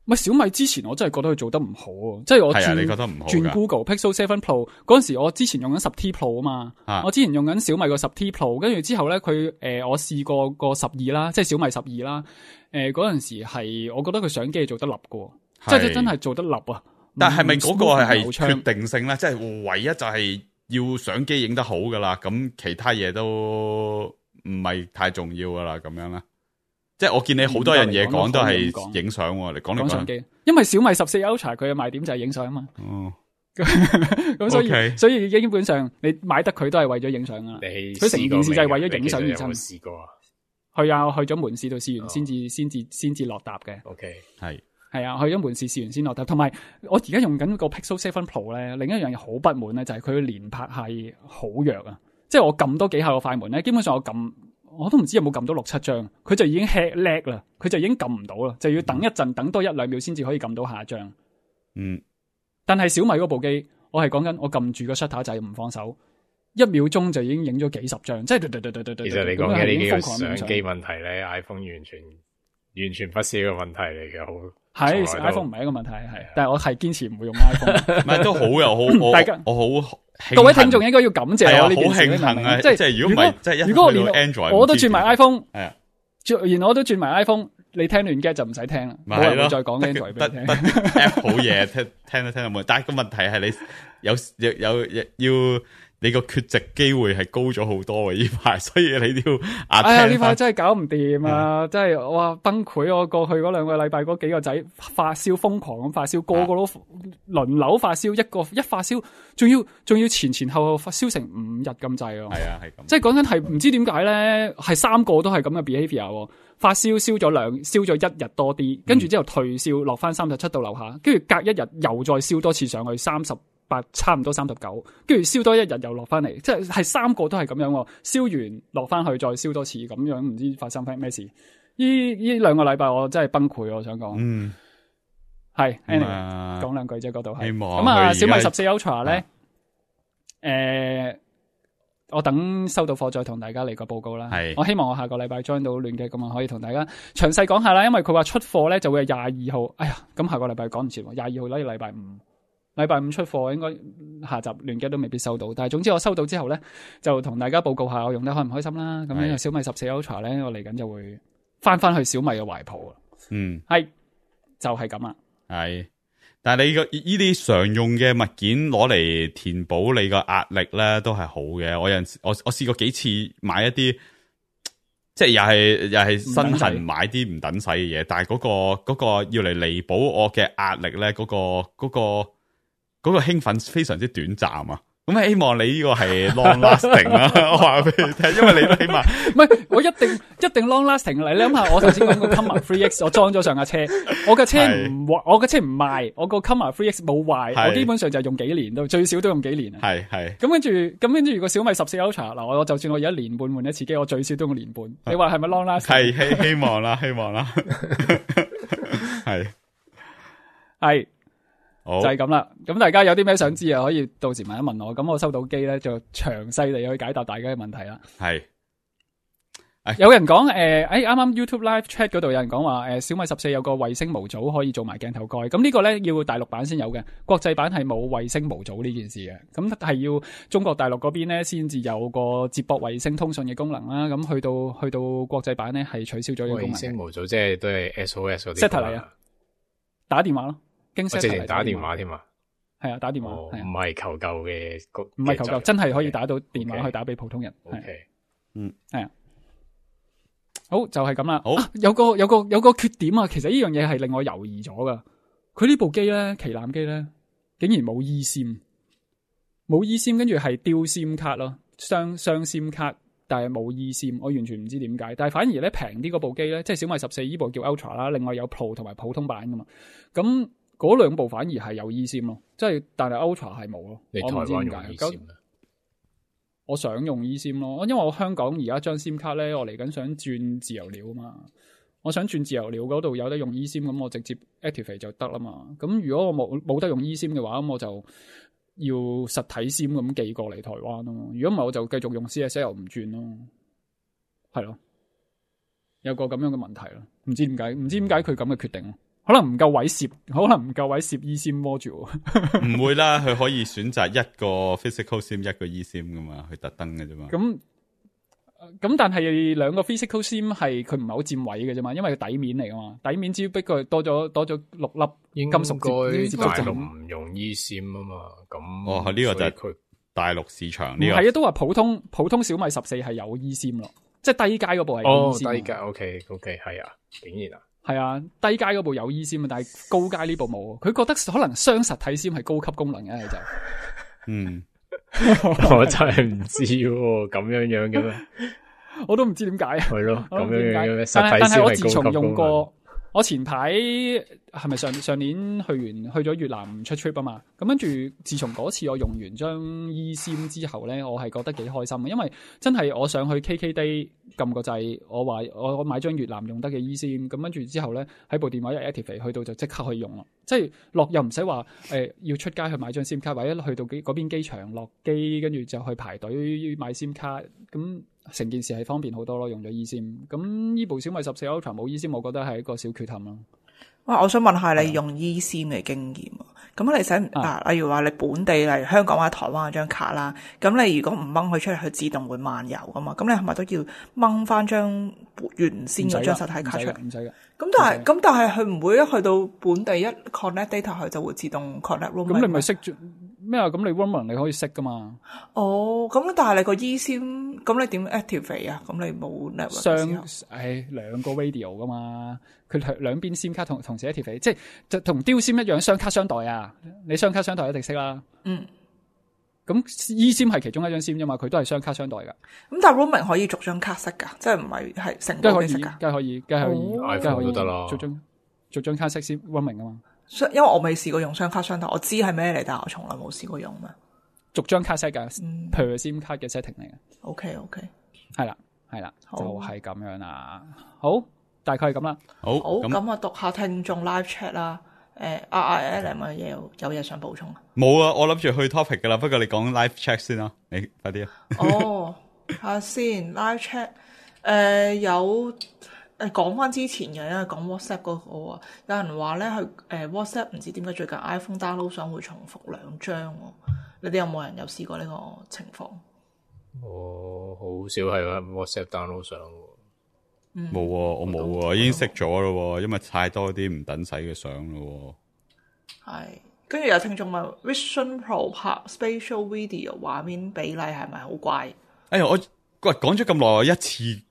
咪小米之前我真係覺得佢做得唔好，即係我係啊，你覺得唔好？轉 Google Pixel 7 Pro 嗰陣時，我之前用緊10T Pro 啊嘛。我之前用緊小米個10T Pro，跟住之後咧，佢我試過個12啦，即係小米12啦。嗰陣時係我覺得佢相機做得立嘅，即係真係做得立啊。但係咪嗰個係決定性咧？即係唯一就係要相機影得好噶啦，咁其他嘢都唔係太重要噶啦，咁樣啦。即係我見你好多樣嘢講都係影相，你講相機，因為小米14 Ultra 佢嘅賣點就係影相啊嘛。哦，咁所以基本上你買得佢都係為咗影相啊。佢成件事就係為咗影相而生。我試過啊，去啊，去咗門市度試完先至落搭嘅。OK， 係啊，去咗門市試完先落搭。同埋我而家用緊個 Pixel 7 Pro 咧，另一樣嘢好不滿咧，就係佢嘅連拍係好弱啊！即係我撳多幾下個快門咧，基本上我都唔知有冇撳到6-7張，佢就已經 lag 啦，佢就已經撳唔到啦，就要等一陣，等多1-2秒先至可以撳到下一張。但係小米嗰部機，我係講緊我撳住個 shutter 掣唔放手，1秒鐘就已經影咗幾十張，即係其實你講嘅呢幾個相機問題咧 ，iPhone 完全不是一個問題嚟嘅，好。係 iPhone 唔係一個問題，係，但係我係堅持唔會用 iPhone。唔係都好又好，大家我好各位聽眾應該要感謝我呢件事。好慶幸啊！即係如果唔係，即係如果我連 Android 我都轉埋 iPhone， 係啊，然我都轉埋 iPhone， 你聽亂 get 就唔使聽啦，冇人會再講 Android 俾你聽。得 App 好嘢，聽都聽到冇。但係個問題係你有你個缺席機會係高咗好多呢排，所以你都要呢排真係搞唔掂啊！真係哇崩潰！我過去嗰2個禮拜嗰幾個仔發燒瘋狂咁發燒，個個都輪流發燒，一發燒仲要前後發燒成5日咁滯咯。係啊，係咁。即係講緊係唔知點解咧，係3個都係咁嘅 behavior。發燒燒咗1日多啲，跟住之後退燒落翻37度樓下，跟住隔1日又再燒多次上去38，差唔多39，跟住燒多1日又落翻嚟，即係3個都係咁樣，燒完落翻去再燒多次咁樣，唔知發生咩事。呢2個禮拜我真係崩潰，我想講。係 anyway 講2句啫，嗰度係。咁啊，小米14 Ultra 咧，我等收到貨再同大家嚟個報告啦。我希望我下個禮拜 join 到亂嘅，咁啊可以同大家詳細講下啦。因為佢話出貨咧就會係22號。哎呀，咁下個禮拜趕唔切喎，22號啦，禮拜五出貨，應該下集亂嘅都未必收到。但係總之我收到之後咧，就同大家報告下我用得開唔開心啦。咁樣小米14 Ultra 咧，我嚟緊就會翻去小米嘅懷抱。係就係咁啦。係。但係你個呢啲常用嘅物件攞嚟填補你個壓力咧，都係好嘅。我有陣時我試過幾次買一啲，即係又係身痕買啲唔等使嘅嘢，但係嗰個要嚟彌補我嘅壓力咧，嗰個興奮非常之短暫啊！咁希望你呢個係 long lasting 啦，我話俾你聽，因為你都起碼唔係，我一定 long lasting 嚟。你諗下，我頭先講個 Comma 3X， 我裝咗上架車，我嘅車唔賣，我個 Comma 3X 冇壞，我基本上就用幾年都最少都用幾年。係咁跟住，如果小米14 Ultra 嗱，我就算我而家1年半換一次機，我最少都用1年半。你話係咪 long lasting？ 係希望啦，係。就係咁啦，咁大家有啲咩想知啊？可以到時問一問我，咁我收到機咧就詳細地去解答大家嘅問題啦。係，有人講啱啱 YouTube Live Chat 嗰度有人講話小米14有個衛星模組可以做埋鏡頭蓋，咁呢個咧要大陸版先有嘅，國際版係冇衛星模組呢件事嘅，咁係要中國大陸嗰邊咧先至有個接駁衛星通訊嘅功能啦。咁去到國際版咧係取消咗呢個功能。衛星模組即係都係 SOS 嗰啲 satellite 啊，打電話咯。我直情打電話添啊，係啊，打電話，唔係求救嘅，唔係求救，真係可以打到電話去打俾普通人。OK， 係啊，好就係咁啦。好，有個缺點啊，其實呢樣嘢係令我猶豫咗噶。佢呢部機咧，旗艦機咧，竟然冇 eSIM，冇 eSIM，跟住係丟 SIM 卡咯，雙 SIM 卡，但係冇 eSIM，我完全唔知點解。但係反而咧平啲嗰部機咧，即係小米14呢部叫 Ultra 啦，另外有 Pro 同埋普通版噶嘛，咁。嗰2部反而係有 eSIM 咯，即係但係 Ultra 係冇咯。你台灣用 eSIM？我想用 eSIM 咯，因為我香港而家張 SIM 卡咧，我嚟緊想轉自由鳥啊嘛。我想轉自由鳥嗰度有得用 eSIM，咁我直接 activate 就得啦嘛。咁如果我冇得用 eSIM 嘅話，咁我就要實體 SIM 咁寄過嚟台灣咯。如果唔係，我就繼續用 CSL 唔轉咯。係咯，有個咁樣嘅問題咯。唔知點解佢咁嘅決定。可能唔夠位攝 eSIM module， 唔會啦，佢可以選擇一個 physical SIM 一個 eSIM 噶嘛，佢特登嘅啫嘛。咁但係2個 physical SIM 係佢唔係好佔位嘅啫嘛，因為佢底面嚟噶嘛，底面只不過多咗6粒金屬接大陸唔用 eSIM 啊嘛，咁呢個就係佢大陸市場呢個。係啊，都話普通小米14係有 eSIM 咯，即係低階嗰部係有 eSIM。低階 OK 係啊，竟然啊。係啊，低階嗰部有 eSIM，但係高階呢部冇。佢覺得可能雙實體 SIM 係高級功能嘅就，我真係唔知咁樣嘅咩？我都唔知點解。係咯，咁樣嘅咩？但係我自從用過，我前排係咪上年去咗越南出 trip 啊嘛？咁跟住自從嗰次我用完張 eSIM 之後咧，我係覺得幾開心嘅，因為真係我上去 KKday 撳個掣，我話我買張越南用得嘅 eSIM，咁跟住之後咧喺部電話一 activate 去到就即刻可以用咯，即係又唔使話要出街去買張 SIM 卡，或者去到嗰邊機場落機，跟住就去排隊買 SIM 卡，咁成件事係方便好多咯。用咗 eSIM， 咁呢部小米14 Ultra 冇 eSIM， 我覺得係一個小缺陷咯。哇！我想問下你用 eSIM 嘅經驗啊，咁你使例如話你本地例如香港或者台灣嗰張卡啦，咁你如果唔掹佢出嚟，佢自動會漫遊噶嘛？咁你係咪都要掹翻張原先嗰張實體卡出嚟？唔使嘅。咁但係佢唔會一去到本地一 connect data 佢就會自動 connect room。咁你咪熄住？咩啊？咁你 roaming 你可以熄噶嘛？哦，咁但係你個 eSIM，咁你點 activate 啊？咁你冇 network 兩個 radio 噶嘛？佢兩邊 SIM 卡同時 activate， 即係就同丟 SIM 一樣，雙卡雙待啊！你雙卡雙待一定識啦。嗯。咁 eSIM 係其中一張 SIM 啫嘛，佢都係雙卡雙待噶。咁但係 roaming 可以逐張卡熄噶，即係唔係成個機熄噶？梗係可以，iPhone 都得啦。逐張卡熄先 roaming 啊嘛。因為我未試過用雙卡雙待，我知係咩嚟，但係我從來冇試過用嘛。逐張卡 set 噶，per SIM 卡嘅 setting 嚟嘅。OK， 係啦，就係咁樣啦。好，大概係咁啦。好，咁我讀下聽眾 live chat 啦。RIL 有嘢想補充啊？冇啊，我諗住去 topic 噶啦，不過你講 live chat 先啦，你快啲啊。哦，睇下先 live chat，有。講翻之前嘅，因為講 WhatsApp 嗰個啊，有人話咧，佢WhatsApp 唔知點解最近 iPhone download 上會重複2張喎，你哋有冇人有試過呢個情況？我好少係 WhatsApp download 上喎。冇我冇啊，已經熄咗咯，因為太多啲唔等使嘅相咯。係，跟住有聽眾問 Vision Pro 拍 Spatial Video 畫面比例係咪好怪？哎呀，我講咗咁耐，我一次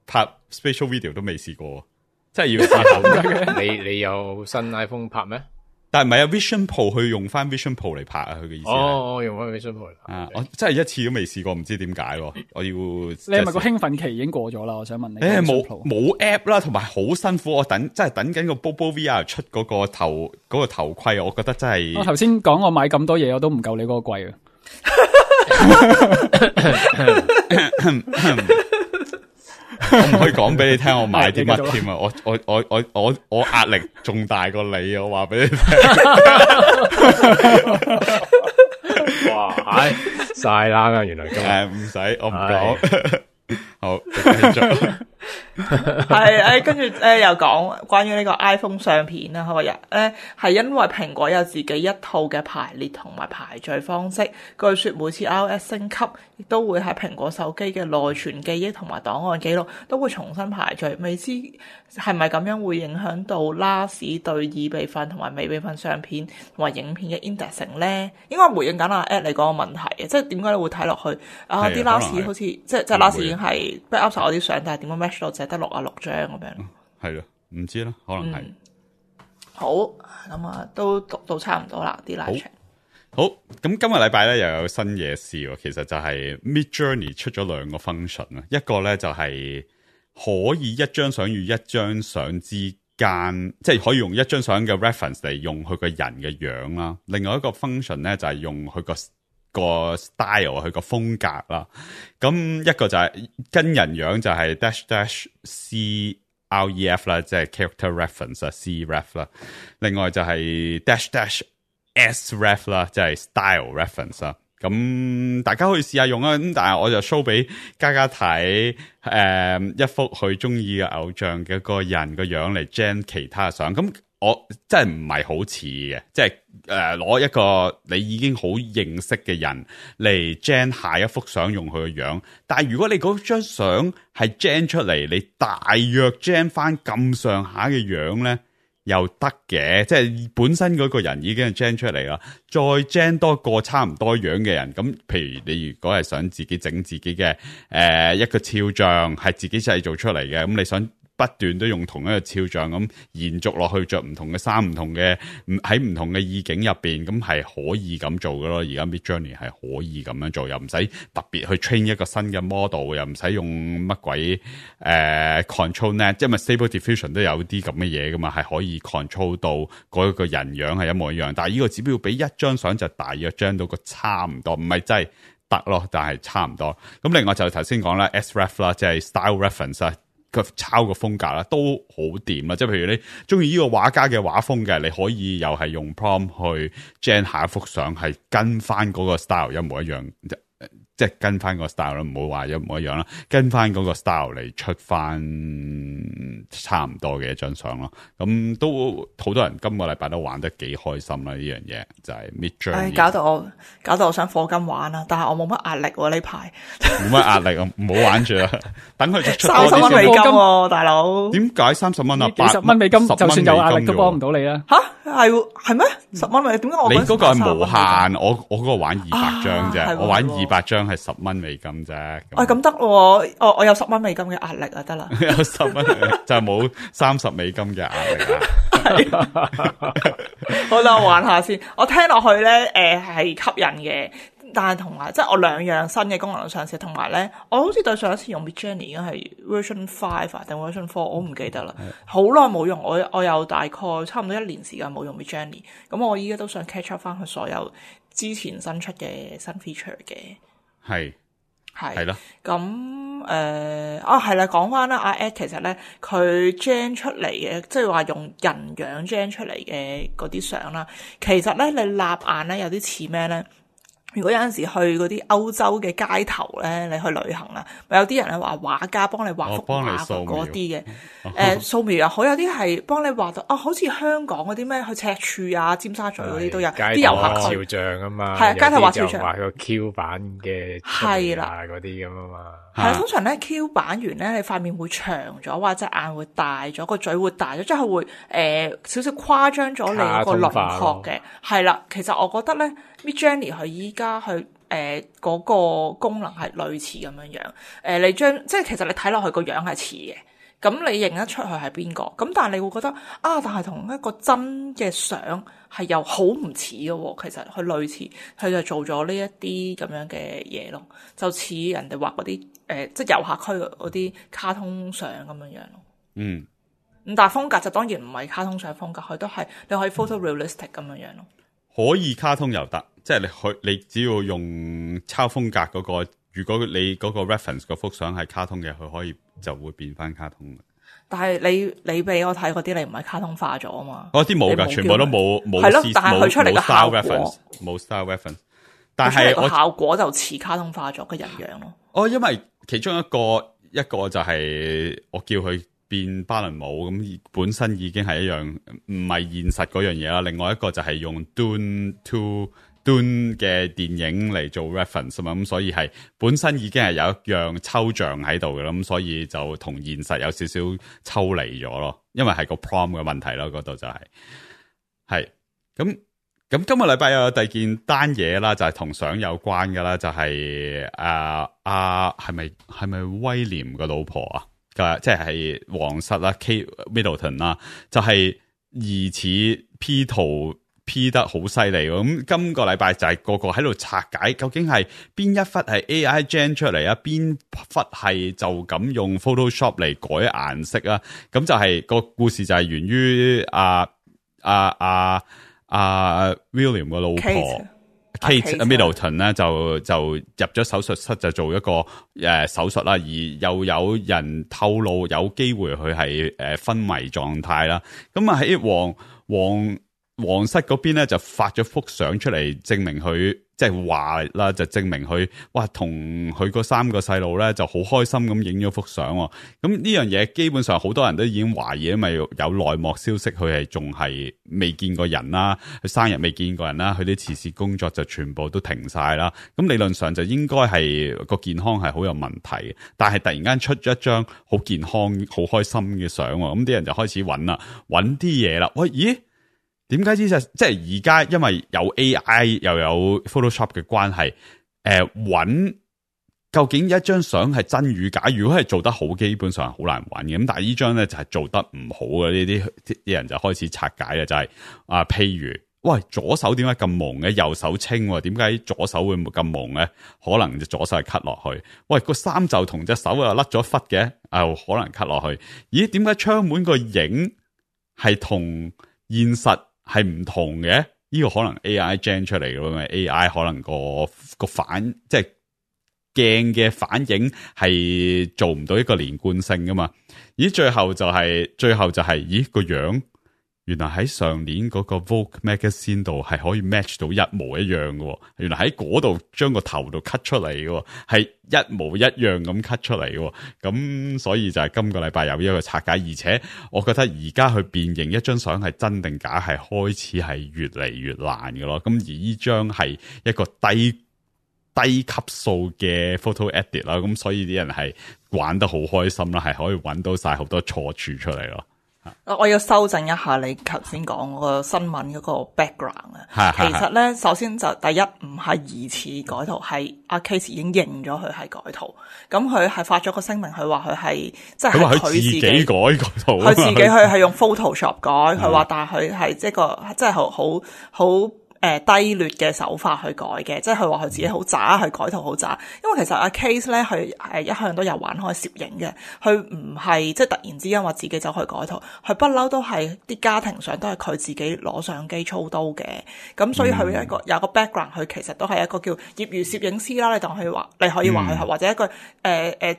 拍 spatial video 都未試過，真係要試下。你有新 iPhone 拍咩？但係唔係啊 ，Vision Pro 去用翻 Vision Pro 嚟拍啊，佢嘅意思係用翻 Vision Pro 嚟拍啊，我真係一次都未試過，唔知點解喎。我要你係咪個興奮期已經過咗啦？我想問你。冇 app 啦，同埋好辛苦，我真係等緊個 Bobo VR 出嗰個頭盔，我覺得真係。我頭先講我買咁多嘢，我都唔夠你嗰個貴啊。我唔可以講俾你聽我買啲乜添啊！我壓力仲大過你，我話俾你聽。哇，晒啦啊！原來唔使，我唔講。好，繼續。係跟住又講關於呢個 iPhone 相片啦，佢話係因為蘋果有自己一套嘅排列同埋排序方式，據說每次 iOS 升級，亦都會喺蘋果手機嘅內存記憶同埋檔案記錄都會重新排序，未知係咪咁樣會影響到 LAS 對已備份同埋未備份相片同埋影片嘅 indexing 咧？應該回應緊阿 Ed 你嗰個問題嘅，即係點解你會睇落去啲 LAS 好似即係 LAS 已經係 backup 晒我啲相，但係點解 match 到淨係得66張咁樣？係咯，唔知啦，可能係。好，咁啊，都讀到差唔多啦，啲 live chat。好，咁今個禮拜咧又有新嘢試喎，其實就係 Midjourney 出咗2個 function 啊，一個咧就係可以一張相與一張相之間，即係可以用一張相嘅 reference 嚟用佢個人嘅樣啦。另外一個 function 咧就係用佢個 style 佢個風格啦。咁一個就係跟人樣就係 -CREF 啦，即係 character reference 啊 ，CREF 啦。另外就係 -SREF 啦，即係 style reference 啦。咁大家可以試下用啊。咁但係我就 show 俾嘉嘉睇，一幅佢中意嘅偶像嘅個人個樣嚟 gen 其他相。咁我真係唔係好似嘅，即係攞一個你已經好認識嘅人嚟 gen 下一幅相用佢個樣。但係如果你嗰張相係 gen 出嚟，你大約 gen 翻咁上下嘅樣咧，又得嘅，即係本身嗰個人已經係 gen 出嚟啦，再 gen 多個差唔多樣嘅人。咁譬如你如果係想自己整自己嘅一個肖像，係自己製造出嚟嘅，咁你想不斷都用同一個肖像咁延續落去，着唔同嘅衫，唔同嘅喺唔同嘅意境入邊，咁係可以咁做嘅咯。而家 Midjourney 係可以咁樣做，又唔使特別去 train 一個新嘅 model， 又唔使用乜鬼control net， 因為 Stable Diffusion 都有啲咁嘅嘢噶嘛，係可以 control 到嗰個人樣係一模一樣。但係呢個只不過俾一張相就大約將到個差唔多，唔係真係得咯，但係差唔多。咁另外就頭先講啦 ，SREF 啦，即係 style reference 啊。佢抄個風格啦，都好掂啊！即係譬如你中意呢個畫家嘅畫風嘅，你可以又係用 prompt 去 gen 下一幅相，係跟翻嗰個 style 一模一樣，即係跟翻個 style 啦，唔好話一模一樣啦，跟翻嗰個 style 嚟出翻差唔多嘅一張相咯。咁都好多人今個禮拜都玩得幾開心啦！呢樣嘢就係 Midjourney。搞到我想課金玩啦，但係我冇乜壓力喎呢排。冇乜壓力啊，唔好玩住啦，等佢出多啲30蚊美金喎，大佬。點解30蚊啊？幾十蚊美金，就算有壓力都幫唔到你啦。吓係咩？10蚊咪？點解我你嗰個係無限？元我嗰個玩200張啫，我玩200張係10蚊美金啫。咁得喎，我有10蚊美金嘅壓力啊，得啦。有10蚊就冇30美金嘅壓力啦。好啦，我玩下先。我聽落去咧，係吸引嘅。但係同埋，即係我兩樣新嘅功能上市，同埋咧，我好似對上一次用 Midjourney 已經係 version 5啊，定 version 4，我唔記得啦。好耐冇用，我有大概差唔多1年時間冇用 Midjourney，咁我依家都想 catch up 翻佢所有之前新出嘅新 feature 嘅。係咯。咁係啦，講翻啦，阿 Ed 其實咧佢 gen 出嚟嘅，即係話用人樣 gen 出嚟嘅嗰啲相啦，其實咧你立眼咧有啲似咩咧？如果有陣時去嗰啲歐洲嘅街頭咧，你去旅行啦，咪有啲人咧話畫家幫你畫幅畫嗰啲嘅，掃描又好，有啲係幫你畫到好似香港嗰啲咩去赤柱啊、尖沙咀嗰啲都有啲遊客區肖像啊嘛，係啊，街頭畫肖像，畫個 Q 版嘅係啦嗰啲咁啊嘛，係通常咧 Q 版完咧，你塊面會長咗，或者眼會大咗，個嘴會大咗，即係會少少誇張咗你個輪廓嘅，係啦。其實我覺得咧 Midjourney 佢依家去嗰個功能係類似咁樣樣，你將即係其實你睇落去個樣係似嘅，咁你認得出佢係邊個？咁但係你會覺得但係同一個真嘅相係又好唔似嘅喎。其實佢類似，佢就做咗呢一啲咁樣嘅嘢咯，就似人哋畫嗰啲即係遊客區嗰啲卡通相咁樣樣咯。咁但係風格就當然唔係卡通相風格，佢都係你可以 photorealistic 咁樣樣咯。可以卡通又得，即係你只要用抄風格嗰個，如果你嗰個 reference 嗰幅相係卡通嘅，佢可以就會變翻卡通。但係你俾我睇嗰啲，你唔係卡通化咗啊嘛？嗰啲冇噶，全部都冇。係咯，但係佢出嚟嘅效果冇 style reference， 但係個效果就似卡通化咗嘅人樣咯。因為其中一個就係我叫佢變巴倫姆，咁本身已經係一樣唔係現實嗰樣嘢啦。另外一個就係用 Dune 嘅電影嚟做 reference 嘛，咁所以係本身已經係有一樣抽象喺度嘅啦，咁所以就同現實有少少抽離咗咯。因為係個 prompt 嘅問題咯，嗰度就係咁。今個禮拜有第二件單嘢啦，就係同相有關噶啦，就係係咪威廉個老婆啊？即係皇室啦 ，Kate Middleton 啦，就係疑似 P 圖 P 得好犀利。咁今個禮拜就係個個喺度拆解，究竟係邊一忽係 AI gen 出嚟啊？邊忽係就咁用 Photoshop 嚟改顏色啊？咁就係個故事就係源於William 個老婆 Kate Middleton 咧，就入咗手術室就做一個手術啦，而又有人透露有機會佢係昏迷狀態啦。咁啊喺皇室嗰邊咧就發咗幅相出嚟，證明佢即係話啦，就證明佢同佢嗰3個細路咧就好開心咁影咗幅相。咁呢樣嘢基本上好多人都已經懷疑，因為有內幕消息佢係仲係未見過人啦，佢生日未見過人啦，佢啲慈善工作就全部都停晒啦。咁理論上就應該係個健康係好有問題，但係突然間出咗一張好健康好開心嘅相，咁啲人就開始揾啲嘢啦。喂，咦？點解即係而家因為有 AI 又有 Photoshop 嘅關係，揾究竟一張相係真與假？如果係做得好，基本上係好難揾嘅。咁但係呢張咧就係做得唔好嘅，呢啲人就開始拆解啦，就係譬如喂，左手點解咁蒙嘅，右手清，點解左手會咁蒙咧？可能就左手係 cut 落去。喂，個衫袖同隻手又甩咗忽嘅，可能 cut 落去。咦？點解窗門個影係同現實係唔同嘅？呢個可能 AI gen 出嚟嘅，因為 AI 可能個反即係鏡嘅反應係做唔到一個連貫性噶嘛。咦？最後就係咦個樣原來喺上年嗰個 Vogue Magazine 度係可以 match 到一模一樣嘅。原來喺嗰度將個頭度 cut 出嚟嘅，係一模一樣咁 cut 出嚟嘅。咁所以就係今個禮拜有一個拆解，而且我覺得而家去辨認一張相係真定假係開始係越嚟越難嘅咯。咁而呢張係一個低級數嘅 photo edit 啦，咁所以啲人係玩得好開心啦，係可以揾到晒好多錯處出嚟咯。我要修正一下你頭先講嗰個新聞嗰個 background 啊。其實咧，首先就第一唔係疑似改圖，係阿 Case 已經認咗佢係改圖。咁佢係發咗個聲明，佢話佢係即係佢自己改圖，佢自己去係用 Photoshop 改。佢話但係佢係即係個即係好低劣嘅手法去改嘅，即係佢話佢自己好渣，去改圖好渣。因為其實阿 Case 咧，佢係一向都有玩開攝影嘅，佢唔係即係突然之間話自己走去改圖，佢不嬲都係啲家庭相都係佢自己攞相機操刀嘅。咁所以佢有個 background，佢其實都係一個叫業餘攝影師啦。你當佢話，你可以話佢係或者一個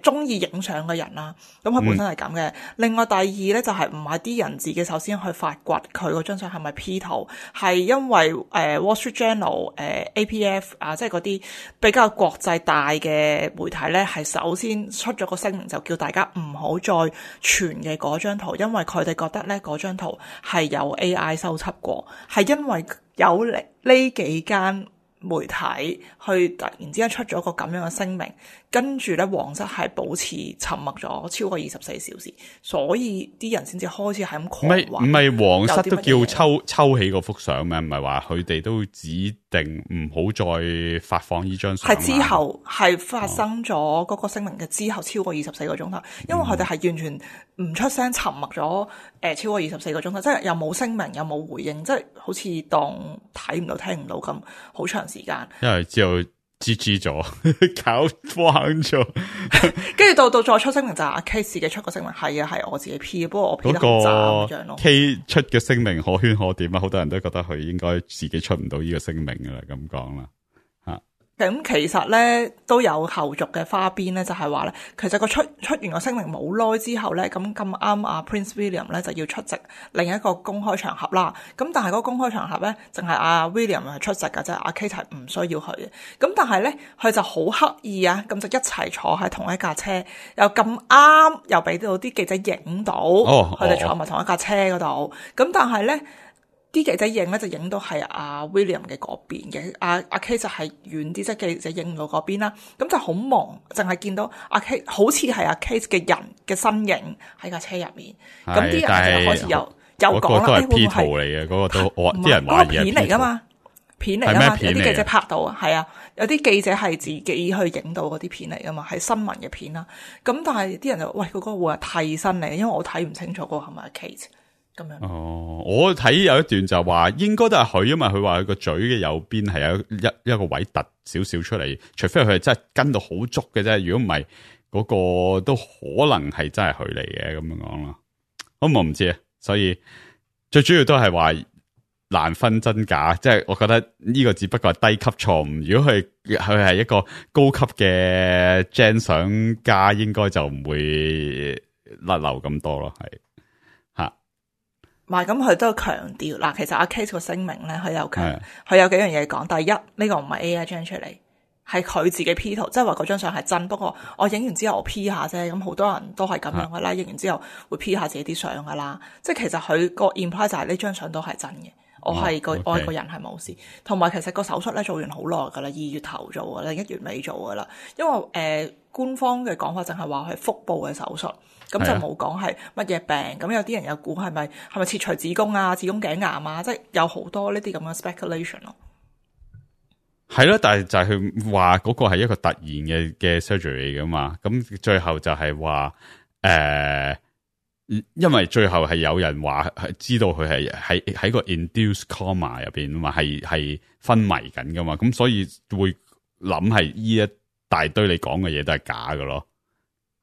中意影相嘅人啦。咁佢本身係咁嘅。另外第二咧就係唔係啲人自己首先去發掘佢嗰張相係咪 P 圖，係因為Wall Street Journal、APF 啊，即係嗰啲比較國際大嘅媒體咧，係首先出咗個聲明，就叫大家唔好再傳嘅嗰張圖，因為佢哋覺得咧嗰張圖係有 AI 修輯過，係因為有呢幾間媒體去突然之間出咗個咁樣嘅聲明，跟住咧皇室係保持沉默咗超過24小時，所以啲人先至開始係咁狂話。唔係皇室都叫抽起嗰幅相咩？唔係話佢哋都指定唔好再發放呢張相。係之後係發生咗嗰個聲明嘅之後超過24個鐘頭，因為佢哋係完全唔出聲，沉默咗超過24個鐘頭，即係又冇聲明又冇回應，即係好似當睇唔到聽唔到咁好長時間。因為之後 GG 咗，搞彎咗，跟住到再出聲明就係阿 K 自己出個聲明，係啊係我自己 P 嘅，不過我 P 得好渣咁樣咯。K 出嘅聲明可圈可點啊，好多人都覺得佢應該自己出唔到呢個聲明噶啦，咁講啦。咁其實咧都有後續嘅花邊咧，就係話咧，其實個出完個聲明冇耐之後咧，咁啱阿 Prince William 咧就要出席另一個公開場合啦。咁但係嗰個公開場合咧，淨係阿 William 係出席㗎啫，阿 Kate 係唔需要去嘅。咁但係咧，佢就好刻意啊，咁就一齊坐喺同一架車，又咁啱又俾到啲記者影到，佢哋坐埋同一架車嗰度。咁但係咧，啲記者影咧就影到係阿 William 嘅嗰邊嘅，阿 K 就係遠啲，即係記者影唔到嗰邊啦。咁就好朦，淨係見到阿 K 好似係阿 K 嘅人嘅身影喺架車入面。咁啲人就開始有講啦，會唔會係 P 圖嚟嘅？嗰個都啲人話片嚟噶嘛，片嚟噶嘛，有啲記者拍到啊，係啊，有啲記者係自己去影到嗰啲片嚟噶嘛，係新聞嘅片啦。咁但係啲人就喂，嗰個會係替身嚟，因為我睇唔清楚嗰個係咪阿 Kate。咁樣我睇有一段就話應該都係佢，因為佢話佢個嘴嘅右邊係有一個位突少少出嚟，除非佢係真係跟到好足嘅啫。如果唔係，嗰個都可能係真係佢嚟嘅，咁樣講啦。我唔知啊，所以最主要都係話難分真假，即係我覺得呢個只不過係低級錯誤。如果佢係一個高級嘅 Gen 相家，應該就唔會甩漏咁多咯，係。唔係咁，佢都強調嗱，其實阿 Kate 個聲明咧，佢有幾樣嘢講。第一，呢個唔係 AI gen 出嚟，係佢自己 P 圖，即係話嗰張相係真。不過我影完之後我 P 下啫，咁好多人都係咁樣噶啦。影完之後會 P 下自己啲相噶啦。即係其實佢個 imply 就係呢張相都係真嘅。我係個人係冇事。同埋其實個手術咧做完好耐噶啦，2月頭做噶啦，1月尾做噶啦。因為官方嘅講法淨係話係腹部嘅手術。咁就冇講係乜嘢病，咁有啲人又估係咪切除子宮啊、子宮頸癌啊，即係有好多呢啲咁嘅 speculation 咯。係咯，但係就係佢話嗰個係一個突然嘅 surgery 噶嘛，咁最後就係話因為最後係有人話係知道佢係喺個 induced coma 入邊啊嘛，係昏迷緊噶嘛，咁所以會諗係呢一大堆你講嘅嘢都係假㗎咯，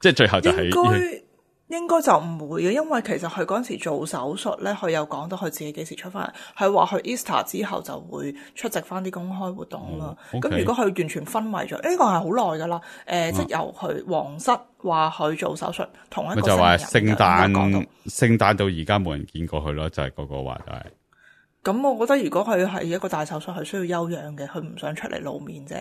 即係最後就係。應該就唔會嘅，因為其實佢嗰陣時做手術咧，佢有講到佢自己幾時出翻嚟，係話佢 Easter 之後就會出席翻啲公開活動啦。咁如果佢完全昏迷咗，呢個係好耐噶啦。即係由佢皇室話佢做手術，同一個就話聖誕到而家冇人見過佢咯，就係嗰個話就係。咁我覺得如果佢係一個大手術，係需要休養嘅，佢唔想出嚟露面啫。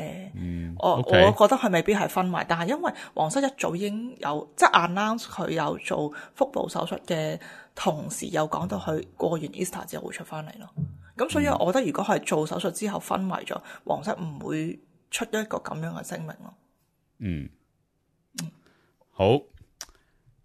我覺得佢未必係昏迷，但係因為皇室一早已經有即係 announce 佢有做腹部手術嘅同時，又講到佢過完 Easter 之後會出翻嚟咯。咁所以我覺得如果係做手術之後昏迷咗，皇室唔會出一個咁樣嘅聲明咯。好。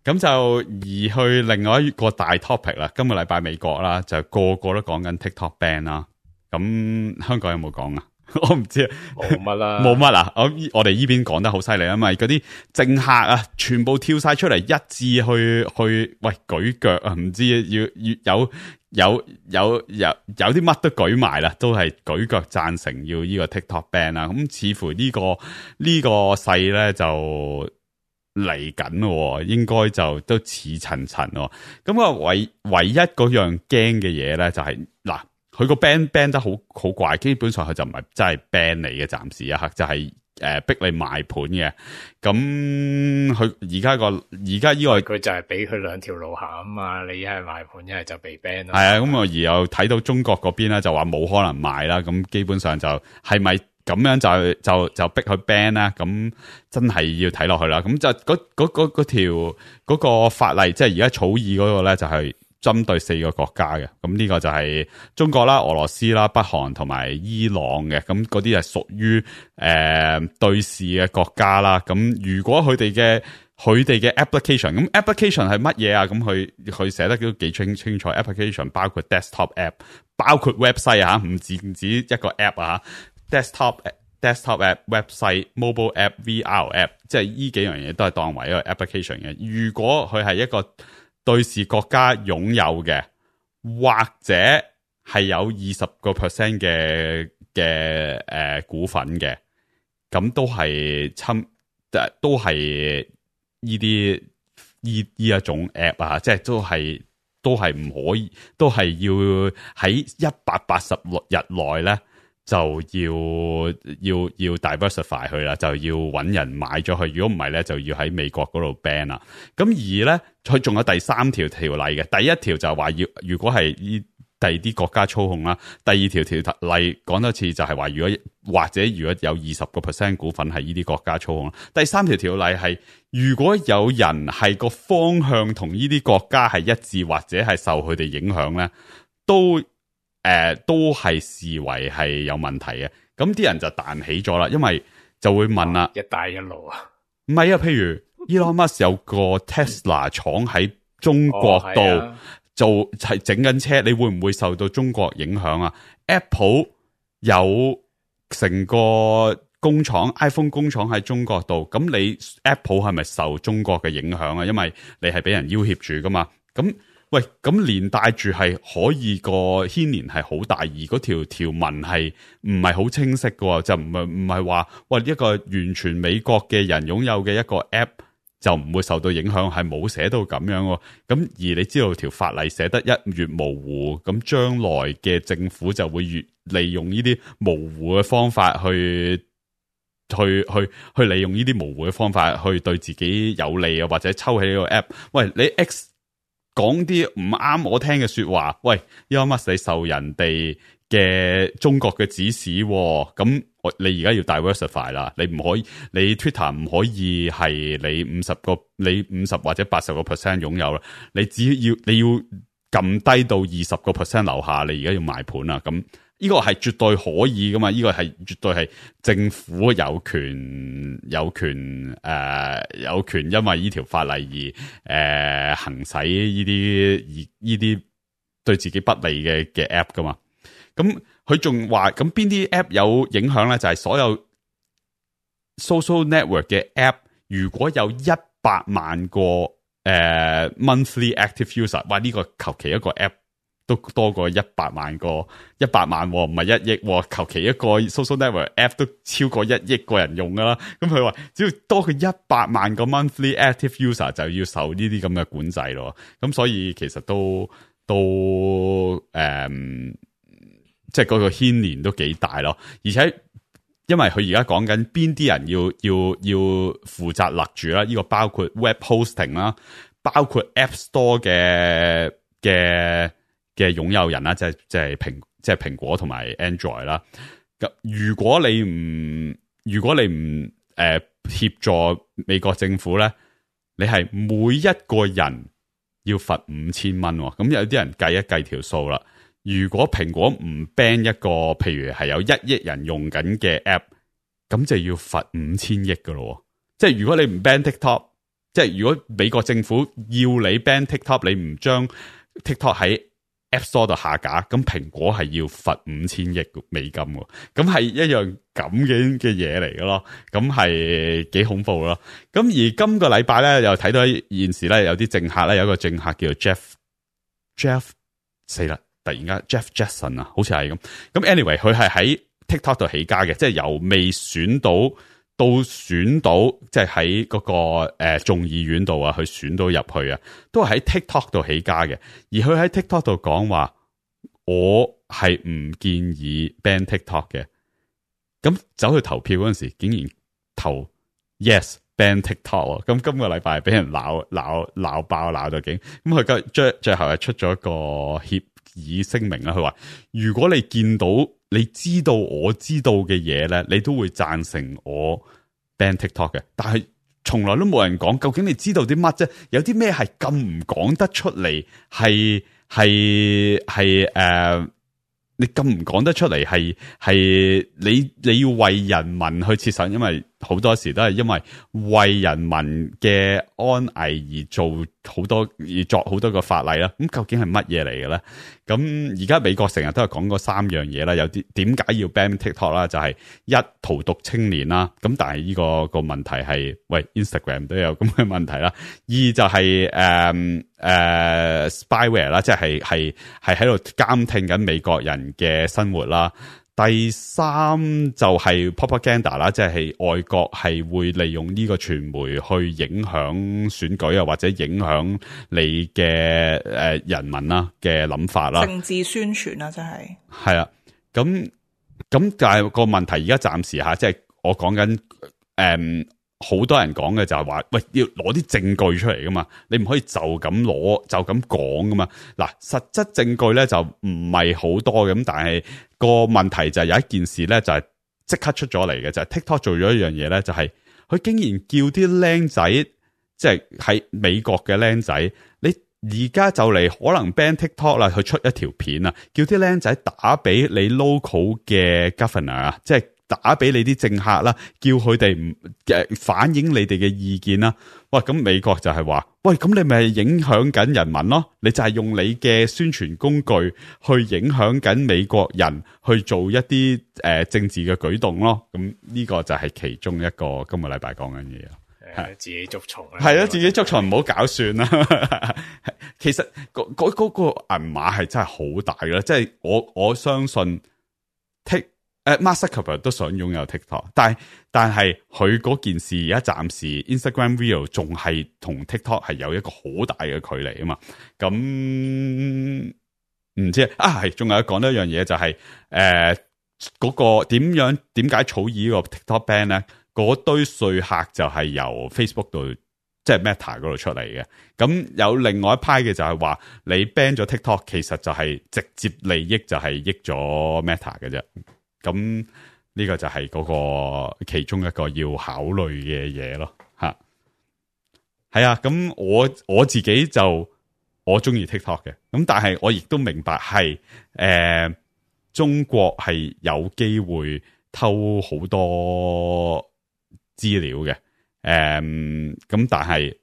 咁就移去另外一個大 topic 啦。今個禮拜美國啦，就個個都講緊 TikTok ban 啦。咁香港有冇講啊？我唔知啊，冇乜啦，冇乜啊。我哋呢邊講得好犀利啊，因為嗰啲政客啊，全部跳晒出嚟，一致去喂舉腳啊，唔知要有啲乜都舉埋啦，都係舉腳贊成要呢個 TikTok ban 啦。咁似乎呢個勢咧就嚟緊咯，應該就都似層層咯。咁啊，唯一嗰樣驚嘅嘢咧就係嗱，佢個 ban 得好怪，基本上佢就唔係真係 ban 你嘅，暫時一刻就係逼你賣盤嘅。咁佢而家呢個佢就係俾佢兩條路行啊嘛，你一係賣盤，一係就被 ban 咯。係啊，咁而又睇到中國嗰邊咧就話冇可能賣啦，咁基本上就係咪？咁樣就逼佢 ban 啦，咁真係要睇落去啦。咁就嗰條嗰個法例，即係而家草擬嗰個咧，就係針對4個國家嘅。咁呢個就係中國啦、俄羅斯啦、北韓同埋伊朗嘅。咁嗰啲係屬於對視嘅國家啦。咁如果佢哋嘅 application， 咁 application 係乜嘢啊？咁佢寫得都幾清楚 ，application 包括 desktop app， 包括 website 啊，唔止一個 app 啊。desktop app、website、mobile app、VR app， 即係呢幾樣嘢都係當為一個 application 嘅。如果佢係一個對視國家擁有嘅，或者係有20% 嘅股份嘅，咁都係呢啲呢一種 app 啊，即係都係唔可以，都係要喺186日內咧。就要 diversify 佢啦，就要揾人買咗佢。如果唔係咧，就要喺美國嗰度 ban 啦。咁而咧，佢仲有第3條條例嘅。第一條就係話如果係第二啲國家操控啦。第二條條例講多次就係話，如果有20% 股份係呢啲國家操控。第3條條例係如果有人係個方向同呢啲國家係一致，或者係受佢哋影響咧，都係視為係有問題嘅，咁啲人就彈起咗啦，因為就會問啦，一帶一路啊，唔係啊，譬如 Elon Musk 有個 Tesla 廠喺中國度做係整緊車，你會唔會受到中國影響啊？ Apple 有成個工廠 iPhone 工廠喺中國度，咁你 Apple 係咪受中國嘅影響啊？因為你係俾人要挾住噶嘛，咁連帶住係可以個牽連係好大，而嗰條文係唔係好清晰嘅，就唔係話一個完全美國嘅人擁有嘅一個 app 就唔會受到影響，係冇寫到咁樣。咁而你知道條法例寫得越模糊，咁將來嘅政府就會越利用呢啲模糊嘅方法去利用呢啲模糊嘅方法去對自己有利啊，或者抽起呢個 app。喂，你 X 講啲唔啱我聽嘅說話，喂，因為乜你受人哋嘅中國嘅指使，咁你而家要 diversify 啦，你唔可以，你 Twitter 唔可以係你50或者80% 擁有啦，你要撳低到20% 樓下，你而家要賣盤啦，咁呢個係絕對可以噶嘛，呢個係絕對係政府有權因為呢條法例而行使呢啲對自己不利嘅 app 噶嘛。咁佢仲話咁邊啲 app 有影響咧？就係所有 social network 嘅 app， 如果有100萬個monthly active user， 哇，呢個求其一個 app都多過100萬個，100萬唔係1億，求其一個 social network app 都超過1億個人用噶啦。咁佢話只要多過100萬個 monthly active user 就要受呢啲咁嘅管制咯。咁所以其實都即係嗰個牽連都幾大咯。而且因為佢而家講緊邊啲人要負責勒住啦，呢個包括 web hosting 啦，包括 App Store 嘅擁有人啦，即係蘋果同埋 Android 啦。咁如果你唔協助美國政府咧，你係每一個人要罰5000蚊。咁有啲人計一計條數啦。如果蘋果唔 ban 一個，譬如係有1億人用緊嘅 app， 咁就要罰5000億噶咯。即係如果你唔 ban TikTok，即係如果美國政府要你 ban TikTok， 你唔將 TikTok 喺 App Store 度下架，咁蘋果係要罰$5000億美金喎，咁係一樣咁嘅嘢嚟嘅咯，咁係幾恐怖咯。咁而今個禮拜咧，又睇到現時咧有啲政客咧，有一個政客叫做 Jeff 死啦，突然間 Jeff Jackson 啊，好似係咁。咁 anyway， 佢係喺 TikTok 度起家嘅，即係由未選到選到，即係喺嗰個眾議院度啊，去選到入去啊，都係喺 TikTok 度起家嘅。而佢喺 TikTok 度講話，我係唔建議 ban TikTok 嘅。咁走去投票嗰陣時，竟然投 yes ban TikTok。咁今個禮拜係俾人鬧爆鬧到勁。咁佢最後係出咗一個協議聲明啦。佢話如果你見到你知道我知道嘅嘢咧，你都會贊成我 ban TikTok 嘅。但係從來都冇人講，究竟你知道啲乜啫？有啲咩係咁唔講得出嚟？你咁唔講得出嚟，係你要為人民去切實，因為好多時都係因為為人民嘅安危而作好多個法例啦。咁究竟係乜嘢嚟嘅咧？咁而家美國成日都係講嗰3樣嘢啦。有啲點解要 ban TikTok 啦？就係一荼毒青年啦。咁但係呢個問題係，喂 Instagram 都有咁嘅問題啦。二就係spyware 啦，即係喺度監聽緊美國人嘅生活啦。第三就係 propaganda 啦，即係外國係會利用呢個傳媒去影響選舉啊，或者影響你嘅人民啦嘅諗法啦。政治宣傳啦，真係係啊。咁但係個問題而家暫時吓，即係我講緊好多人講嘅就係話，喂，要攞啲證據出嚟噶嘛，你唔可以就咁講噶嘛。嗱，實質證據咧就唔係好多嘅，咁但係個問題就係有一件事咧就係即刻出咗嚟嘅，就係 TikTok 做咗一樣嘢咧，就係佢竟然叫啲僆仔，即係喺美國嘅僆仔，你而家就嚟可能 ban TikTok 啦，去出一條片啊，叫啲僆仔打俾你 local 嘅 governor 啊，即係打俾你啲政客啦，叫佢哋反映你哋嘅意見啦。喂，咁美國就係話，喂，咁你咪影響緊人民咯？你就係用你嘅宣傳工具去影響緊美國人去做一啲政治嘅舉動咯。咁呢個就係其中一個今個禮拜講緊嘢啊。係自己捉蟲啦，係啊，自己捉蟲唔好搞算啦。其實嗰個銀碼係真係好大嘅，即係我相信 Mark Zuckerberg 都想擁有 TikTok， 但係佢嗰件事而家暫時 Instagram Reel 仲係同 TikTok 係有一個好大嘅距離啊嘛。咁唔知啊，係仲有講多一樣嘢就係嗰個點解草擬個 TikTok ban 咧？嗰堆說客就係由 Facebook 度，即係 Meta 嗰度出嚟嘅。咁有另外一派嘅就係話，你 ban 咗 TikTok， 其實就係直接利益就係益咗 Meta 嘅啫。咁呢個就係嗰個其中一個要考慮嘅嘢咯。吓，係啊。咁我自己就我中意 TikTok 嘅。咁但係我亦都明白係中國係有機會偷好多資料嘅，咁但係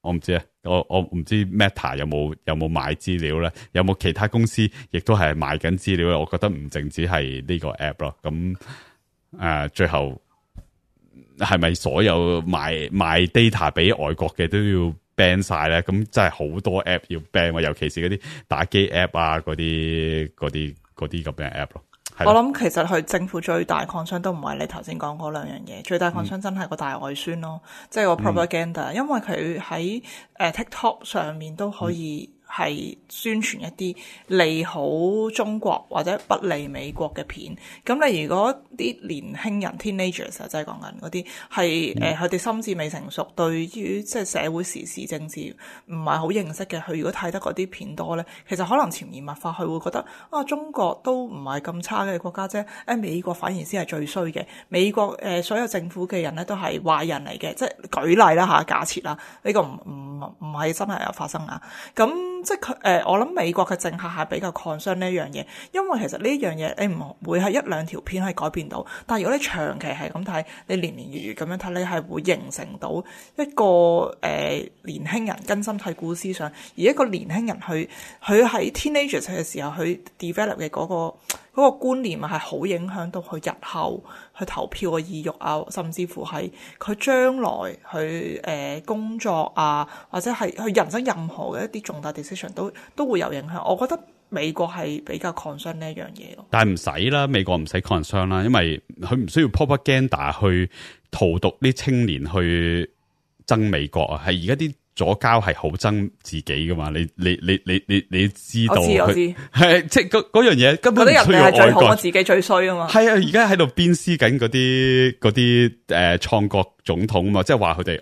我唔知啊，我唔知 Meta 有冇買資料咧，有冇其他公司亦都係買緊資料咧？我覺得唔淨止係呢個 app 咯，咁最後係咪所有賣 data 俾外國嘅都要 ban 晒咧？咁真係好多 app 要 ban，尤其是嗰啲打機 app 啊，嗰啲咁嘅 app 咯。我諗其實佢政府最大 concern 都唔係你頭先講嗰兩樣嘢，最大 concern 真係個大外宣咯，即係個 propaganda，因為佢喺TikTok 上面都可以係宣傳一啲利好中國或者不利美國嘅片。咁你如果啲年輕人 teenagers 啊，即係講緊嗰啲係佢哋心智未成熟，對於即係社會時事政治唔係好認識嘅，佢如果睇得嗰啲片多咧，其實可能潛移默化佢會覺得啊，中國都唔係咁差嘅國家啫，美國反而先係最衰嘅，美國所有政府嘅人咧都係壞人嚟嘅，即係舉例啦嚇，假設啦，呢個唔係真係有發生啊，咁。即係我諗美國嘅政客係比較 concern 呢一樣嘢，因為其實呢一樣嘢你唔會係一兩條片係改變到，但係如果你長期係咁睇，你年年月月咁樣睇，你係會形成到一個年輕人根深蒂固思想，而一個年輕人佢喺 teenagers 嘅時候去 develop 嘅嗰個觀念啊，係好影響到佢日後去投票嘅意欲啊，甚至乎係佢將來去工作啊，或者係佢人生任何嘅一啲重大 decision 都會有影響。我覺得美國係比較 concern 呢一樣嘢咯。但係唔使啦，美國唔使 concern 啦，因為佢唔需要 propaganda 去荼毒啲青年去憎美國啊。係而家啲左膠係好憎自己噶嘛？你知道？我知係即係嗰樣嘢根本唔需要外國。嗰啲人係最好，自己最衰啊嘛。係啊，而家喺度鞭屍緊嗰啲創國總統啊嘛，即係話佢哋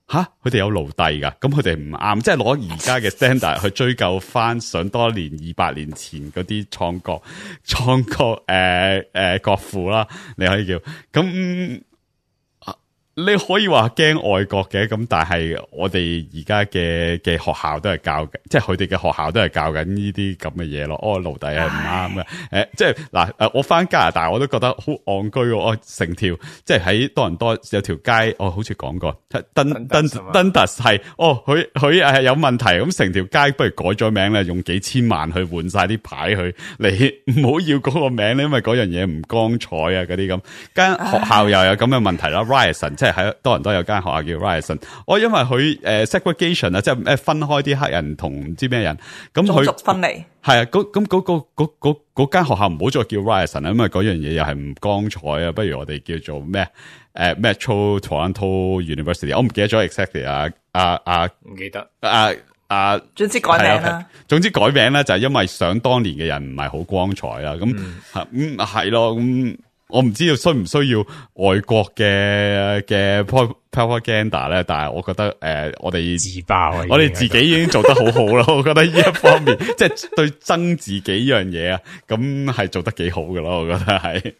佢哋有奴隸噶，咁佢哋唔啱，即係攞而家嘅 standard 去追究翻想多年200年前嗰啲創國國父啦，你可以叫咁。你可以話驚外國嘅，咁但係我哋而家嘅學校都係教緊，即係佢哋嘅學校都係教緊呢啲咁嘅嘢咯。奴隸係唔啱嘅，即係嗱，我翻加拿大我都覺得好戇居喎。成條即係喺多倫多有條街，好似講過Dundas 係，佢係有問題，咁成條街不如改咗名咧，用幾千萬去換晒啲牌去，你唔好要嗰個名咧，因為嗰樣嘢唔光彩啊，嗰啲咁。間學校又有咁嘅問題啦，Ryerson。即係喺多倫多有間學校叫 Ryerson， 因為佢segregation 啊，即係分開啲黑人同唔知咩人，咁佢種族分離係啊，咁嗰間學校唔好再叫 Ryerson 啊，因為嗰樣嘢又係唔光彩啊，不如我哋叫做咩Metro Toronto University， 我唔記得咗 exactly 唔記得總之改名啦，總之改名咧就係因為想當年嘅人唔係好光彩啦，咁係咯咁。我唔知道需唔需要外國嘅 propaganda 咧，但係我覺得我哋自爆，我哋自己已經做得好好啦。我覺得呢一方面，即係對憎自己呢樣嘢啊，咁係做得幾好㗎咯。我覺得係。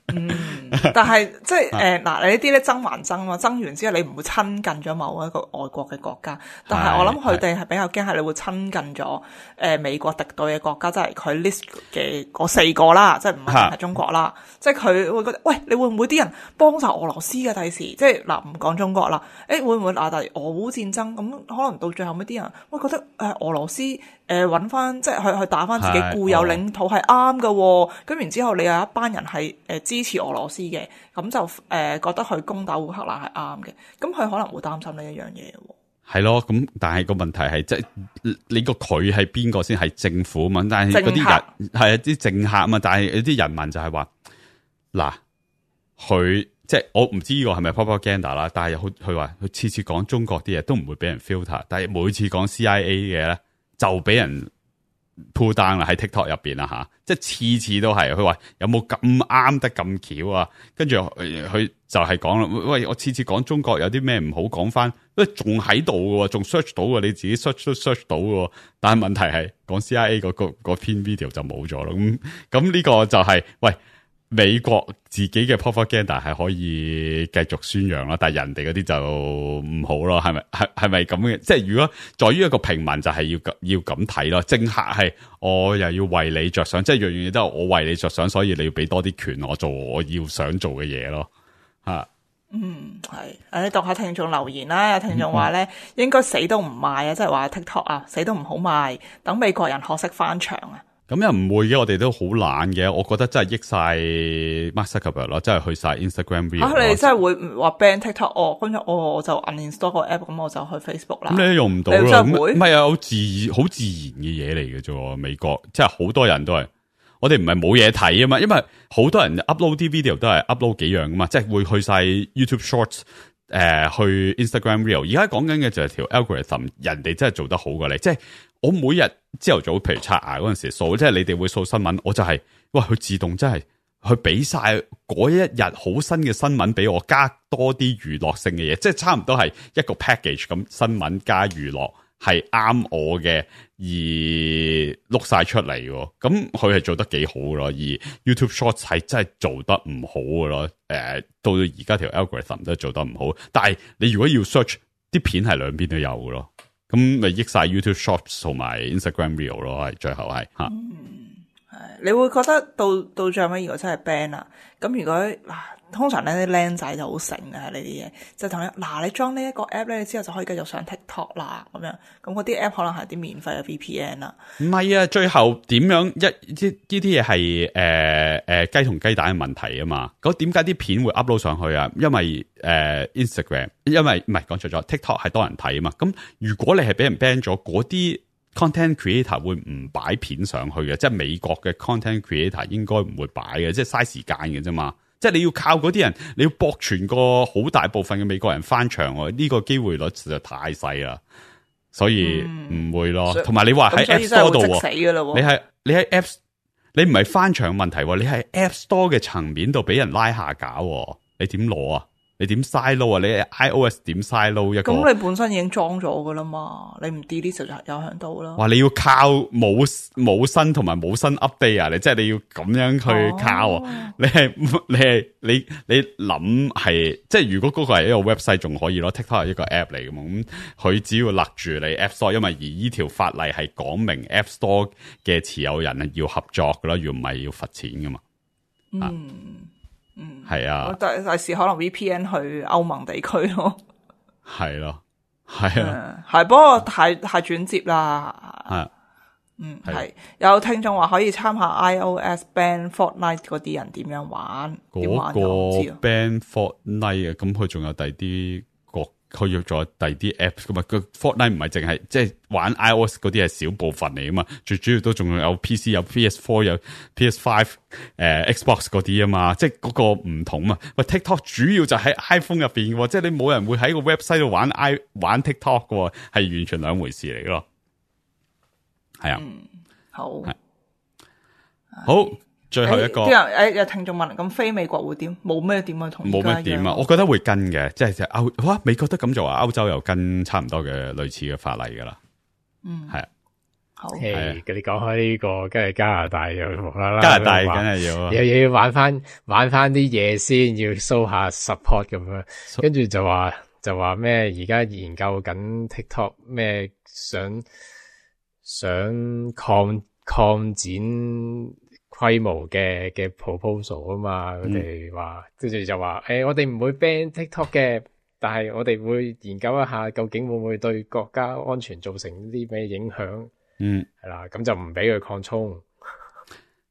但係即係嗱，你呢啲咧憎還憎嘛，憎完之後你唔會親近咗某一個外國嘅國家，但係我諗佢哋係比較驚係你會親近咗美國敵對嘅國家，即係佢 list 嘅嗰4個啦，即係唔係淨係中國啦，即係佢會覺得喂，你會唔會啲人幫晒俄羅斯嘅第時？即係嗱，唔講中國啦。會唔會嗱？但係俄烏戰爭咁，可能到最後尾啲人會覺得俄羅斯揾翻即係去打翻自己固有領土係啱嘅，咁然之後你有一班人係支持俄羅斯嘅，咁就覺得佢攻打烏克蘭係啱嘅，咁佢可能會擔心呢一樣嘢。係咯，咁但係個問題係即係你個佢係邊個先係政府嘛？但係嗰啲人係啲政客嘛？但係有啲人民就係話嗱佢。即係我唔知呢個係咪 propaganda 啦，但係佢話佢次次講中國啲嘢都唔會俾人 filter，但係每次講 CIA 嘅咧就俾人 pull down 啦喺 TikTok 入邊啦吓，即係次次都係佢話有冇咁啱得咁巧啊？跟住佢就係講啦，喂，我次次講中國有啲咩唔好講翻，喂仲喺度嘅，仲 search 到嘅，你自己 search 都 search 到嘅，但係問題係講 CIA 嗰篇 video 就冇咗咯，咁呢個就係喂。美國自己嘅 propaganda 係可以繼續宣揚啦，但係人哋嗰啲就唔好咯，係咪咁嘅？即係如果在於一個平民就係要咁睇咯，政客係我又要為你着想，即係樣樣嘢都係我為你着想，所以你要俾多啲權我做我要想做嘅嘢咯，吓。係，你讀下聽眾留言啦，有聽眾話咧應該死都唔賣啊，即係話 TikTok 啊死都唔好賣，等美國人學識翻牆啊。咁又唔會嘅，我哋都好懶嘅。我覺得真係益晒 Mark Zuckerberg 咯，真係去晒 Instagram Reel。你真係會話 ban TikTok 跟住我就 uninstall 個 app， 咁我就去 Facebook 啦。咁你都用唔到啦。唔係啊，好自然嘅嘢嚟嘅啫。美國即係好多人都係，我哋唔係冇嘢睇啊嘛。因為好多人 upload 啲 video 都係 upload 幾樣噶嘛，即係會去晒 YouTube Shorts，去 Instagram Reel。而家講緊嘅就係條 algorithm， 人哋真係做得好過你，即係。我每日朝頭早，譬如刷牙嗰陣時掃，即係你哋會掃新聞，我就係，哇！佢自動真係，佢俾晒嗰一日好新嘅新聞俾我，加多啲娛樂性嘅嘢，即係差唔多係一個 package 咁，新聞加娛樂係啱我嘅，而碌晒出嚟喎。咁佢係做得幾好咯，而 YouTube Shorts 係真係做得唔好嘅咯。到而家條 algorithm 都做得唔好，但係你如果要 search 啲片係兩邊都有嘅咯。咁咪益晒 YouTube Shorts 同埋 Instagram Reel 咯，係最後係吓。你會覺得到最後尾如果真係 ban 啦，咁如果通常咧啲僆仔就好醒嘅呢啲嘢，就同你裝呢一個 app 咧，你之後就可以繼續上 TikTok 啦，咁樣，咁嗰啲 app 可能係啲免費嘅 VPN 啦。唔係啊，最後點樣呢啲嘢係雞同雞蛋嘅問題啊嘛。咁點解啲片會 upload 上去啊？因為Instagram， 因為唔係講錯咗 TikTok 係多人睇啊嘛。咁如果你係俾人 ban 咗，嗰啲 content creator 會唔擺片上去嘅，即係美國嘅 content creator 應該唔會擺嘅，即係嘥時間嘅啫嘛。即係你要靠嗰啲人，你要博全個好大部分嘅美國人翻牆，呢個機會率實在太細啦，所以唔會咯。同埋你話喺 App Store 度，你喺 App， 你唔係翻牆問題，你喺 App Store 嘅層面度俾人拉下架，你點攞啊？你點 side load 啊？你 iOS 點 side load 一個？咁你本身已經裝咗噶啦嘛，你唔 delete 就有響度啦。哇！你要靠冇新同埋冇新 update 啊！你即係你要咁樣去靠啊！你諗係即係如果嗰個係一個 website 仲可以咯 ，TikTok 係一個 app 嚟噶嘛，咁佢只要勒住你 App Store，因為而呢條法例係講明 App Store 嘅持有人係要合作噶啦，如果唔係要罰錢噶嘛。係啊，第時可能 VPN 去歐盟地區咯，係咯，係啊，係，不過太轉接啦，係有聽眾話可以參考 iOS ban Fortnite 嗰啲人點樣玩，點玩就知 ban Fortnite 啊，咁佢仲有第啲佢要咗第啲 apps 噶嘛，個 Fortnite 唔係淨係即係玩 iOS 嗰啲係小部分嚟啊嘛，最主要都仲有 PC 有 PS4 有 PS5 Xbox 嗰啲啊嘛，即係嗰個唔同嘛。喂 TikTok 主要就喺 iPhone 入邊嘅，即係你冇人會喺個 website 度玩 TikTok 嘅，係完全兩回事嚟咯。係啊，好。最後一個，啲人有聽眾問，咁飛美國會點？冇咩點啊，同冇咩點啊？我覺得會跟嘅，即係美國都咁做啊，歐洲又跟差唔多嘅類似嘅法例噶啦。係啊，好。你講開呢個，跟住加拿大又無啦啦，加拿大梗係要，又要玩翻啲嘢先，要 show 下 support 咁樣，跟住就話咩？而家研究緊 TikTok 咩想擴展規模嘅 proposal 啊嘛，佢哋話，跟住就話，我哋唔會 ban TikTok 嘅，但係我哋會研究一下，究竟會唔會對國家安全造成啲咩影響？係啦，咁就唔俾佢擴充。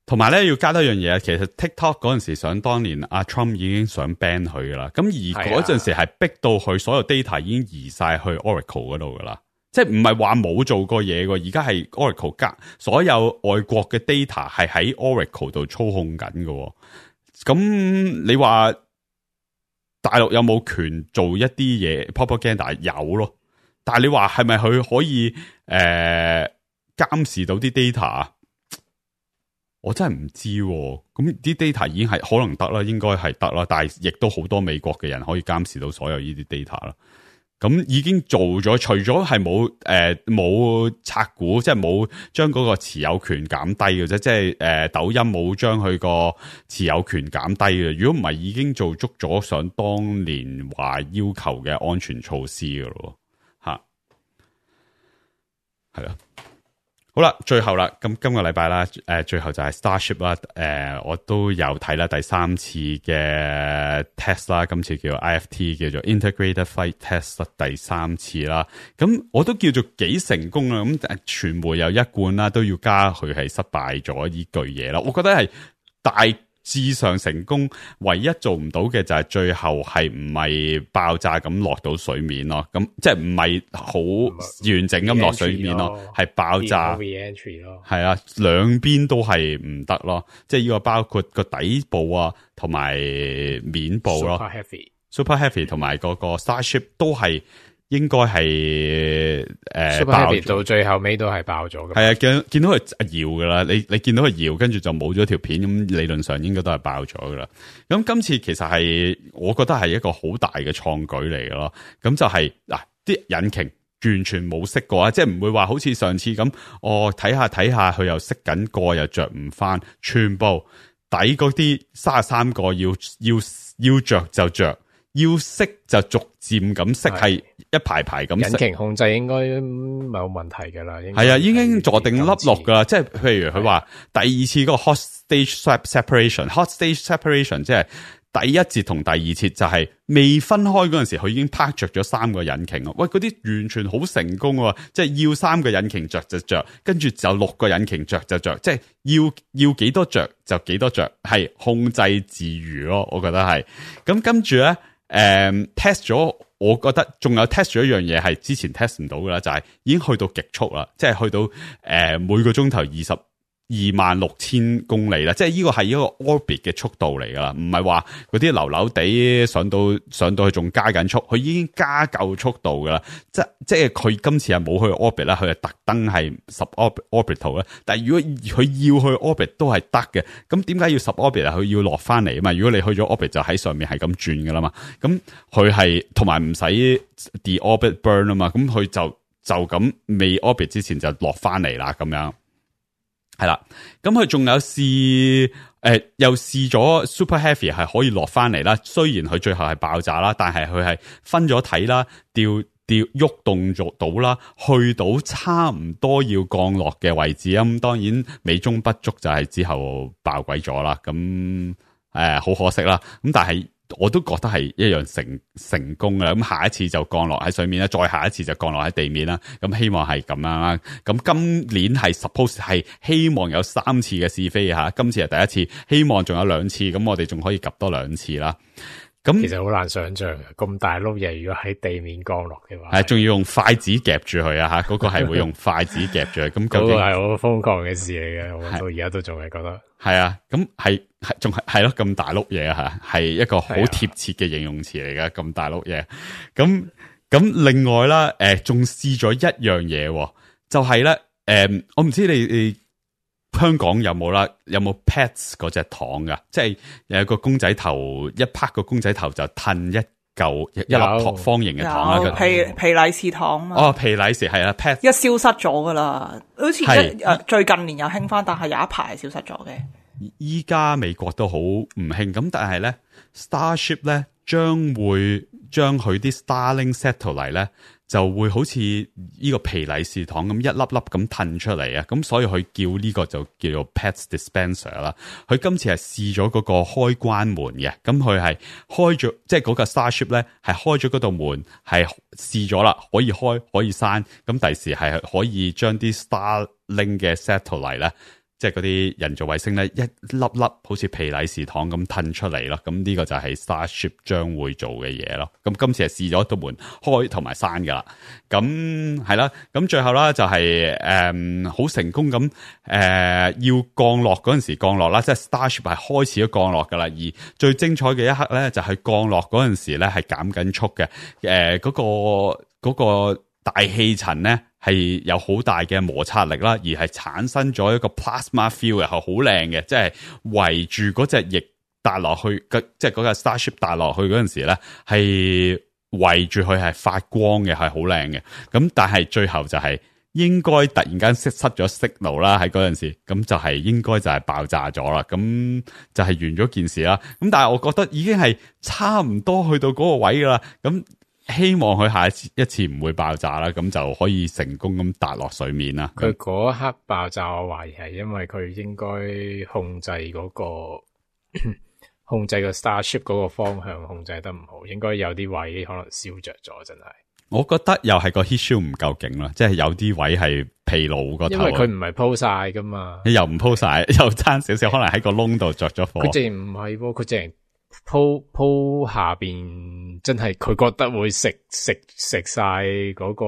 同埋咧，要加多樣嘢，其實 TikTok 嗰陣時想當年阿 Trump 已經想 ban 佢噶啦，咁而嗰陣時係逼到佢所有 data 已經移晒去 Oracle 嗰度噶啦。即係唔係話冇做過嘢嘅，而家係 Oracle 加所有外國嘅 data 係喺 Oracle 度操控緊嘅。咁你話大陸有冇權做一啲嘢 propaganda？ 有咯，但係你話係咪佢可以監視到啲 data？ 我真係唔知。咁啲 data 已經係可能得啦，應該係得啦，但係亦都好多美國嘅人可以監視到所有呢啲 data 啦。咁已經做咗，除咗係冇拆股，即係冇將嗰個持有權減低嘅啫，即係抖音冇將佢個持有權減低嘅。如果唔係，已經做足咗想當年話要求嘅安全措施㗎咯，吓，係啦。好啦，最後啦，咁今個禮拜啦，最後就係 Starship 啦，我都有睇啦第三次嘅 test 啦，今次叫 IFT 叫做 Integrated Flight Test 第三次啦，咁我都叫做幾成功啦，咁傳媒又一貫啦，都要加佢係失敗咗呢句嘢啦，我覺得係大致上成功，唯一做唔到嘅就係最後係唔係爆炸咁落到水面咯，咁即係唔係好完整咁落水面咯，係爆炸，係啊，兩邊都係唔得咯，即係呢個包括個底部啊，同埋面部咯 ，Super Heavy 同埋嗰個 Starship 都係。應該係爆到最後尾都係爆咗嘅。係啊，見到佢搖噶啦，你見到佢搖，跟住就冇咗條片，咁理論上應該都係爆咗噶啦。咁今次其實係我覺得係一個好大嘅創舉嚟嘅咯。咁就係嗱，啲引擎完全冇熄過啊，即係唔會話好似上次咁，睇下佢又熄緊過又着唔翻，全部底嗰啲33個要着就着。要識就逐漸咁識，係一排排咁。引擎控制應該冇問題噶啦，係啊，已經坐定粒落噶啦。即係譬如佢話第二次嗰個 hot stage separation 即係第一節同第二節就係未分開嗰陣時，佢已經拍着咗3個引擎啊！喂，嗰啲完全好成功喎，即係要3個引擎着就着，跟住就6個引擎着就着，即係要幾多着就幾多着，係控制自如咯，我覺得係。咁跟住咧，test 咗，我覺得仲有 test 咗一樣嘢係之前 test 唔到噶啦，就係已經去到極速啦，即係去到每個鐘頭226000公里啦，即係呢個係一個 orbit 嘅速度嚟噶啦，唔係話嗰啲流流地上到去仲加緊速，佢已經加夠速度噶啦，即係佢今次係冇去 orbit 啦，佢係特登係10orbital啦，但係如果佢要去 orbit 都係得嘅，咁點解要10orbit 啊？佢要落翻嚟啊嘛，如果你去咗 orbit 就喺上面係咁轉噶啦嘛，咁佢係同埋唔使 de-orbit burn 啊嘛，咁佢就咁未 orbit 之前就落翻嚟啦，咁樣。係啦，咁佢仲有又試咗 Super Heavy 係可以落翻嚟啦。雖然佢最後係爆炸啦，但係佢係分咗體啦，喐動咗到啦，去到差唔多要降落嘅位置。咁當然美中不足就係之後爆鬼咗啦。咁好可惜啦。咁但係我都覺得係一樣成功嘅，咁下一次就降落喺水面啦，再下一次就降落喺地面啦。咁希望係咁樣啦。咁今年係 suppose 係希望有3次嘅試飛吓，今次係第一次，希望仲有2次，咁我哋仲可以及多2次啦。咁其實好難想象咁大碌嘢，如果喺地面降落嘅話，係仲要用筷子夾住佢啊吓，嗰個係會用筷子夾住佢。咁究竟係好瘋狂嘅事嚟嘅，我到而家都仲係覺得係啊。咁係仲係咯，咁大碌嘢吓，係一個好貼切嘅形容詞嚟嘅，咁大碌嘢。咁另外啦，仲試咗一樣嘢，就係咧，我唔知你香港有冇啦？有冇 Pets 嗰隻糖噶？即係有個公仔頭，一拍個公仔頭就褪一粒方形嘅糖啦。皮利是糖嘛。哦，皮利是係啊 ，Pets 一消失咗噶啦，好似最近年有興翻，但係有一排消失咗嘅。依家美國都好唔興，咁但係咧 Starship 咧將會將佢啲 Starlink Satellite 咧就會好似呢個皮利是糖咁一粒粒咁褪出嚟啊！咁所以佢叫呢個就叫做 Pets Dispenser 啦。佢今次係試咗嗰個開關門嘅，咁佢係開咗，即係嗰個 Starship 咧係開咗嗰道門，係試咗啦，可以開可以閂。咁第時係可以將啲 Starlink 嘅 Satellite 咧，即係嗰啲人造衛星咧，一粒粒好似皮利是糖咁褪出嚟咯。咁呢個就係 Starship 將會做嘅嘢咯。咁今次係試咗道門開同埋閂噶啦。咁係啦，咁最後啦就係好成功咁要降落嗰陣時降落啦，即係 Starship 係開始咗降落噶啦。而最精彩嘅一刻咧，就係降落嗰陣時咧係減緊速嘅。嗰個大氣層咧係有好大嘅摩擦力啦，而係產生咗一個 plasma field 嘅，係好靚嘅，即係圍住嗰隻翼搭落去，即係嗰個 Starship 搭落去嗰陣時咧，係圍住佢係發光嘅，係好靚嘅。咁但係最後就係應該突然間失咗 signal 啦，喺嗰陣時，咁就係應該就係爆炸咗啦。咁就係完咗件事啦。咁但係我覺得已經係差唔多去到嗰個位噶啦。咁希望佢下一次唔會爆炸啦，咁就可以成功咁踏落水面啦。佢嗰一刻爆炸，我懷疑係因為佢應該控制嗰個控制個 Starship 嗰個方向控制得唔好，應該有啲位可能燒着咗，真係。我覺得又係個 heat shield 唔夠勁啦，即係有啲位係疲勞個頭。因為佢唔係鋪晒噶嘛，你又唔鋪晒，又差少少，可能喺個窿度着咗火。佢淨唔係喎，佢淨鋪下邊，真係佢覺得會食晒嗰個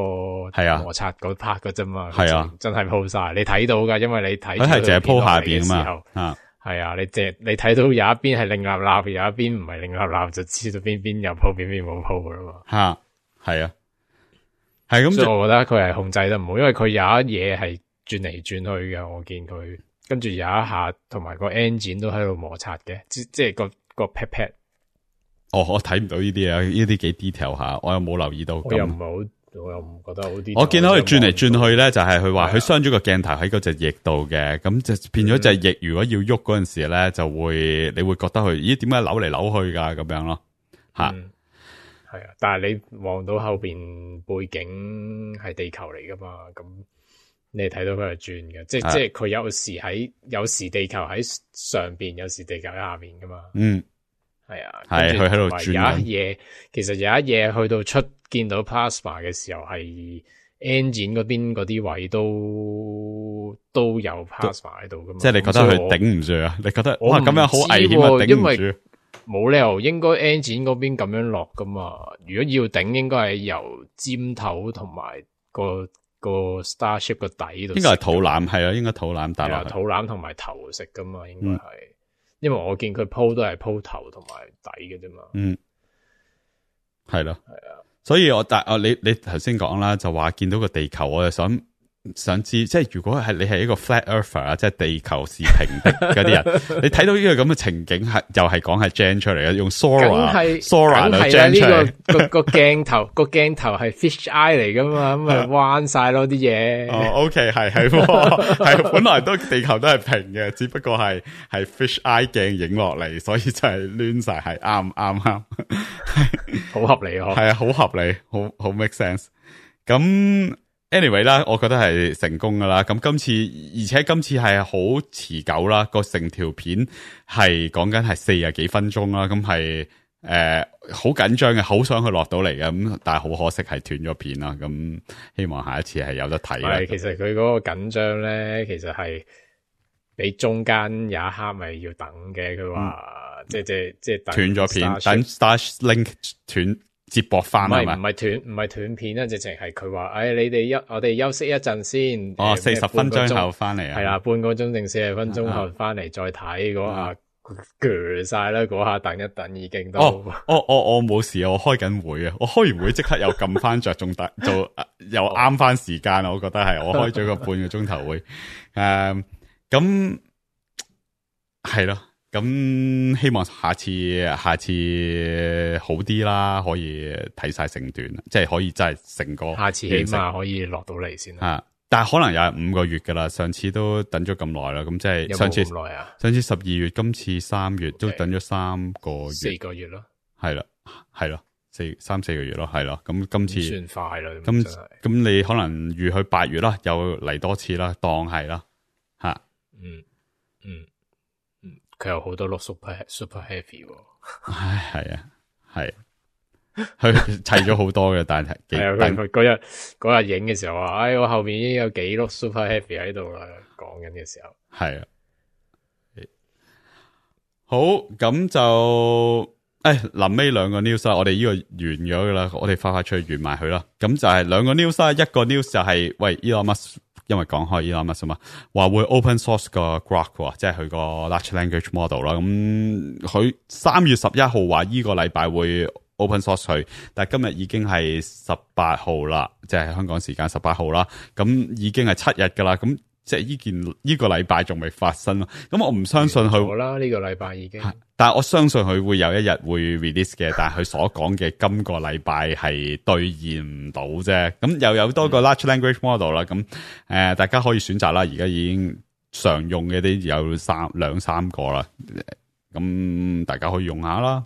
摩擦嗰 part 噶啫嘛。係啊，真係鋪晒，你睇到噶，因為你睇佢係淨係鋪下邊啊嘛。係啊，你睇到有一邊係另立立，有一邊唔係另立立，就知道邊邊有鋪，邊邊冇鋪噶啦嘛。係啊，係咁。所以我覺得佢係控制得唔好，因為佢有一嘢係轉嚟轉去嘅，我見佢跟住有一下同埋個 engine 都喺度摩擦嘅，即係個 pat pat。我睇唔到呢啲啊，呢啲幾 detail 下，我又冇留意到。我又唔覺得好啲。我見到佢轉嚟轉去咧，就係佢話佢傷咗個鏡頭喺嗰隻翼度嘅，咁就變咗隻翼。如果要喐嗰陣時咧，就會你會覺得佢咦點解扭嚟扭去噶咁樣咯吓。係啊，但係你望到後邊背景係地球嚟噶嘛？咁你睇到佢係轉嘅，即係佢有時地球喺上邊，有時地球喺下邊噶嘛？係啊，係佢喺度轉。有一夜，其實有一夜去到見到 plasma 嘅時候，係 engine 嗰邊嗰啲位都有 plasma 喺度噶嘛？即係你覺得佢頂唔住啊？你覺得哇咁樣好危險啊，頂唔住。冇理由應該 engine 嗰邊咁樣落噶嘛？如果要頂，應該係由尖頭同埋個 Starship 個底度。應該係肚腩，係啊，應該肚腩打落去。肚腩同埋頭食噶嘛，應該係。因為我見佢鋪都係鋪頭同埋底嘅啫嘛。係咯，係啊。所以你頭先講啦，就話見到個地球，我就想知，即係如果你係一個 flat earther 啊，即係地球是平的嗰啲人，你睇到呢個咁嘅情景又係講係 gen 出嚟嘅，用 Sora 嚟 gen 出嚟。呢個鏡頭係 fish eye 嚟噶嘛，咁咪彎晒咯啲嘢。OK 係本來地球都係平嘅，只不過係 fish eye 鏡影落嚟，所以就係亂晒，係啱，好合理啊，係啊，好合理，好 make sense。咁anyway 啦，我覺得係成功噶啦。咁今次係好持久啦，個成條片係講緊係40幾分鐘啦。咁係好緊張嘅，好想去落到嚟嘅。咁但係好可惜係斷咗片啦。咁希望下一次係有得睇啦。其實佢嗰個緊張咧，其實係俾中間有一刻咪要等嘅。佢話即係斷咗片，等 Starlink 斷。接駁翻係咪？唔係斷片啊！直情係佢話，我哋休息一陣先。 40分鐘後翻嚟啊！係啦，半個鐘定40分鐘後翻嚟再睇嗰下，鋸晒啦！嗰下等一等已經都。我冇事啊！我開緊會啊！我開完會即刻又撳翻着，仲就又啱翻時間啊！我覺得係我開咗個半個鐘頭會，咁係咯。咁希望下次好啲啦，可以睇晒成段，即係可以真係成個。下次起碼可以落到嚟先啦。但係可能又係5個月噶啦，上次都等咗咁耐啦，咁即係上次咁耐啊？上次12月，今次3月都等咗3個月。4個月咯。係啦，3-4個月咯，係咯。咁今次算快啦。咁你可能預去8月啦，又嚟多次啦，當係啦，吓。佢有好多碌 super heavy 喎。係啊，係佢砌咗好多嘅，但係佢嗰日影嘅時候話，我後面已經有幾碌 super heavy 喺度啦。講緊嘅時候係啊，好，咁就臨尾2個 news 啦，我哋呢個完咗噶啦，我哋快出去完埋佢啦。咁就係2個 news 啦，一個 news 就係喂 Elon Musk。因為講開 Elon Musk 嘛，話會 open source 個 Grok 即係佢個 large language model 啦。咁佢3月11號話呢個禮拜會 open source 佢，但係今日已經係18號啦，即係香港時間18號啦。咁已經係7日噶啦。咁即係呢個禮拜仲未發生咯。咁我唔相信佢啦，呢個禮拜已經。但係我相信佢會有一日會 release 嘅，但係佢所講嘅今個禮拜係兌現唔到啫。咁又有多個 large language model 啦。咁大家可以選擇啦。而家已經常用嘅啲有兩三個啦。咁大家可以用下啦。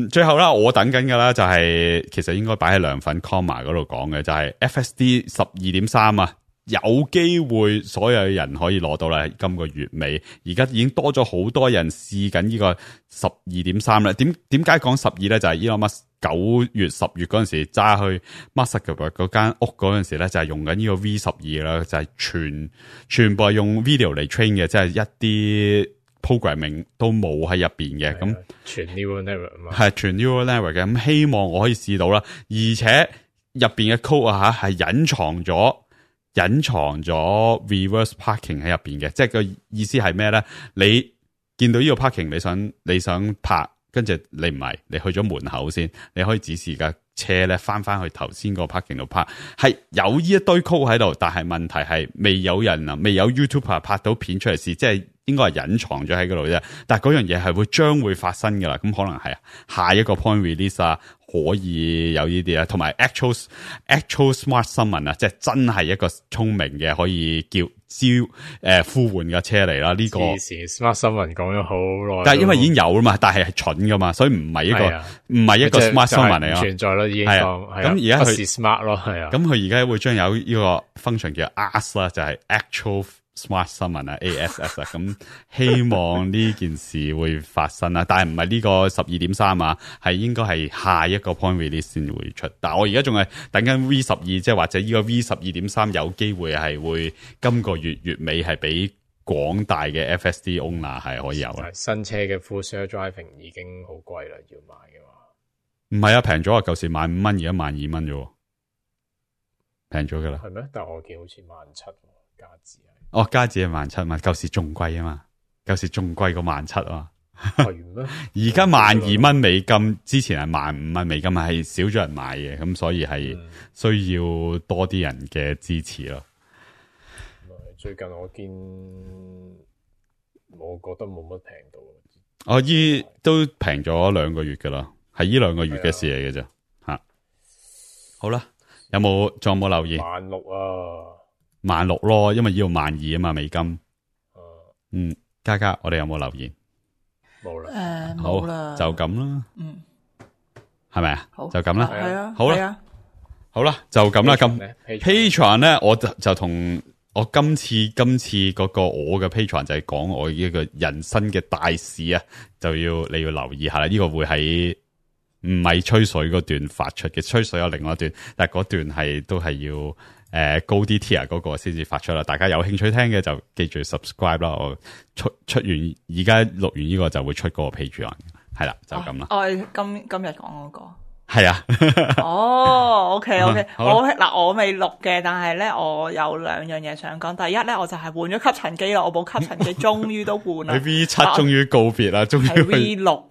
最後啦，我等緊嘅啦就係其實應該擺喺涼粉 comma 嗰度講嘅，就係 FSD 12.3啊。有機會所有人可以攞到啦，今個月尾而家已經多咗好多人試緊呢個 12.3 啦。點解講12咧？就係 Elon Musk 9月10月嗰陣時揸去 Musk 嗰間屋嗰陣時咧，就係用緊呢個 V12 啦，就係全部係用 video 嚟 train 嘅，即係一啲 programming 都冇喺入邊嘅。咁全 neural network 嘛，係全 neural network 嘅。咁希望我可以試到啦，而且入邊嘅 code 啊係隱藏咗 reverse parking 喺入邊嘅，即係個意思係咩咧？你見到呢個 parking， 你想泊，跟住你唔係，你去咗門口先，你可以指示架車咧翻去頭先個 parking 度泊，係有呢一堆 code 喺度，但係問題係未有人啊，未有 YouTuber 拍到片出嚟試，即係應該係隱藏咗喺嗰度啫。但係嗰樣嘢係將會發生噶啦，咁可能係下一個 point release 啊。可以有呢啲啊，同埋 actual smart summon啊，即係真係一個聰明嘅可以呼喚嘅車嚟啦。呢個 Smart 新聞講咗好耐，但係因為已經有啦嘛，但係蠢噶嘛，所以唔係一個 Smart 新聞嚟啊，存在咯已經係啊。咁而家佢 Smart 咯，係啊。咁佢而家會將有呢個 function 叫 AS 啦，就係 Actual Smart 新聞啊 ，ASS 啊。咁希望呢件事會發生啦，但係唔係呢個12.3啊，係應該係下一個 point release 先會出。但係我而家仲係等緊 V12，即係或者呢個 V12.3 有機會係會今個月尾係俾廣大嘅 FSD owner 係可以有啊。新車嘅 Full Self Driving 已經好貴啦，要買嘅話。唔係啊，平咗啊，舊時15,000，而家12,000蚊啫，平咗噶啦。係咩？但係我見好似17,000加紙。哦，加紙係17,000嘛，舊時仲貴啊嘛，舊時仲貴過17,000啊。係咩？而家12,000美金，之前係15,000美金，係少咗人買嘅，咁所以係需要多啲人嘅支持咯。最近我見，我覺得冇乜平到。哦，都平咗2個月噶啦，係呢2個月嘅事嚟嘅啫。吓，好啦，仲有冇留意？16,000啊，16,000咯，因為要12,000啊嘛美金。嘉，我哋有冇留意？冇啦。好啦，就咁啦。係咪啊？就咁啦。係啊。好啦，好啦，就咁啦。咁 Patreon 咧，我就同我今次嗰個我嘅 Patreon 就係講我呢個人生嘅大事啊，你要留意下啦。呢個會喺唔係吹水嗰段發出嘅，吹水有另外一段，但係嗰段都係要高啲 tier 嗰個先至發出啦。大家有興趣聽嘅就記住 subscribe 啦。我出完而家錄完呢個就會出嗰個 Patreon， 係啦，就咁啦。我今日講嗰個。係啊。OK，我未錄嘅，但係咧我有2樣嘢想講。第一咧，我就係換咗吸塵機啦，我部吸塵機終於都換啦。你 V7 終於告別啦，終於 V6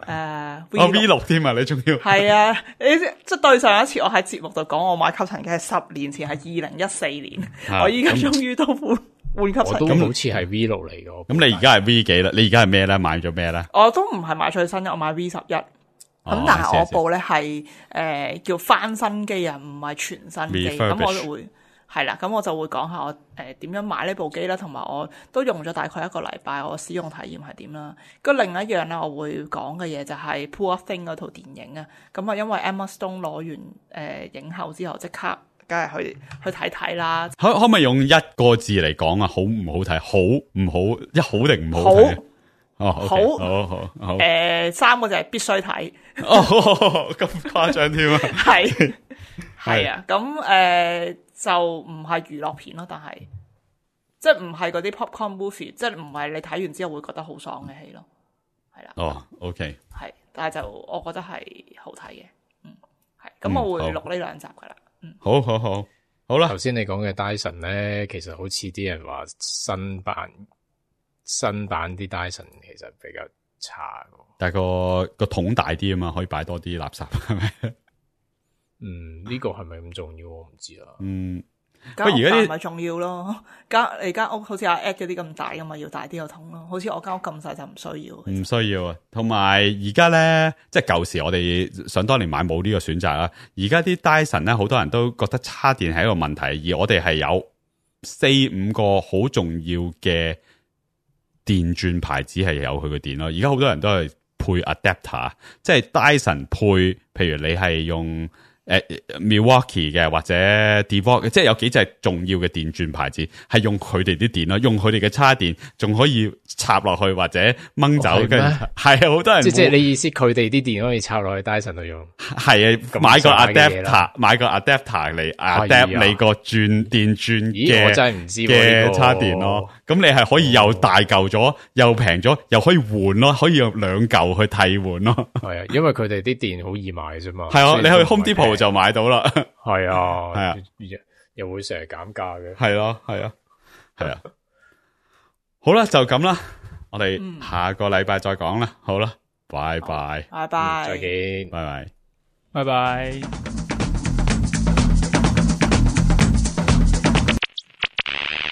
V6 添啊！你仲要係啊？你即係對上一次我喺節目度講我買吸塵機係10年前，係2014年，我依家終於都換吸塵機。咁好似係 V6 嚟嘅。咁你而家係 V 幾啦？你而家係咩咧？買咗咩咧？我都唔係買最新嘅，我買 V11。咁但係我部咧係叫翻新機啊，唔係全新機。咁我就會係啦，咁我就會講下我點樣買呢部機啦，同埋我都用咗大概1個禮拜，我使用體驗係點啦。另一樣咧，我會講嘅嘢就係 Poor Thing 嗰套電影啊。咁啊，因為 Emma Stone 攞完影后之後，即刻梗係去睇睇啦。可唔可以用1個字嚟講啊？好唔好睇？好唔好？好定唔好睇？好好3個字係必須睇。咁誇張添啊！係啊，咁就唔係娛樂片咯，但係即係唔係嗰啲 popcorn movie，即係唔係你睇完之後會覺得好爽嘅戲咯，係啦。OK， 係，但係就我覺得係好睇嘅，係，咁我會錄呢2集噶啦。好啦。頭先你講嘅 Dyson 咧，其實好似啲人話新版啲 Dyson 其實比較差，但係個桶大啲啊嘛，可以擺多啲垃圾，係咪？呢個係咪咁重要？我唔知啦。不過而家啲咪重要咯。你間屋好似阿 Ed 嗰啲咁大噶嘛，要大啲個桶咯。好似我間屋咁細就唔需要。唔需要啊。同埋而家咧，即係舊時我哋想當年買冇呢個選擇啦。而家啲 Dyson 咧，好多人都覺得叉電係一個問題，而我哋係有4-5個好重要嘅電鑽牌子係有佢個電咯。而家好多人都係配 adapter， 即係 Dyson 配，譬如你係用Milwaukee 嘅或者 DeWalt， 即係有幾隻重要嘅電鑽牌子係用佢哋啲電咯，用佢哋嘅叉電，仲可以插落去或者掹走。係啊，好多人即係你意思佢哋啲電可以插落去 Dyson 度用？係啊，買個 adapter 嚟 adapt 你個電鑽嘅，我真係唔知嘅叉電咯。咁你係可以又大嚿咗，又平咗，又可以換咯，可以用2嚿去替換咯。係啊，因為佢哋啲電好易買啫嘛。係啊，你去 Home Depot 就買到啦。係啊，又會成日減價嘅。係咯，係啊。好啦，就咁啦，我哋下個禮拜再講啦。好啦，拜拜，拜拜，再見，拜拜，拜拜。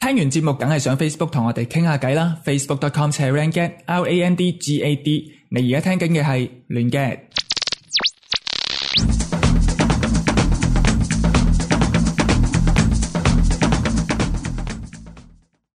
聽完節目梗係上 Facebook 同我哋傾下偈啦，facebook.com/randgad，RANDGAD。你而家聽緊嘅係亂 gad。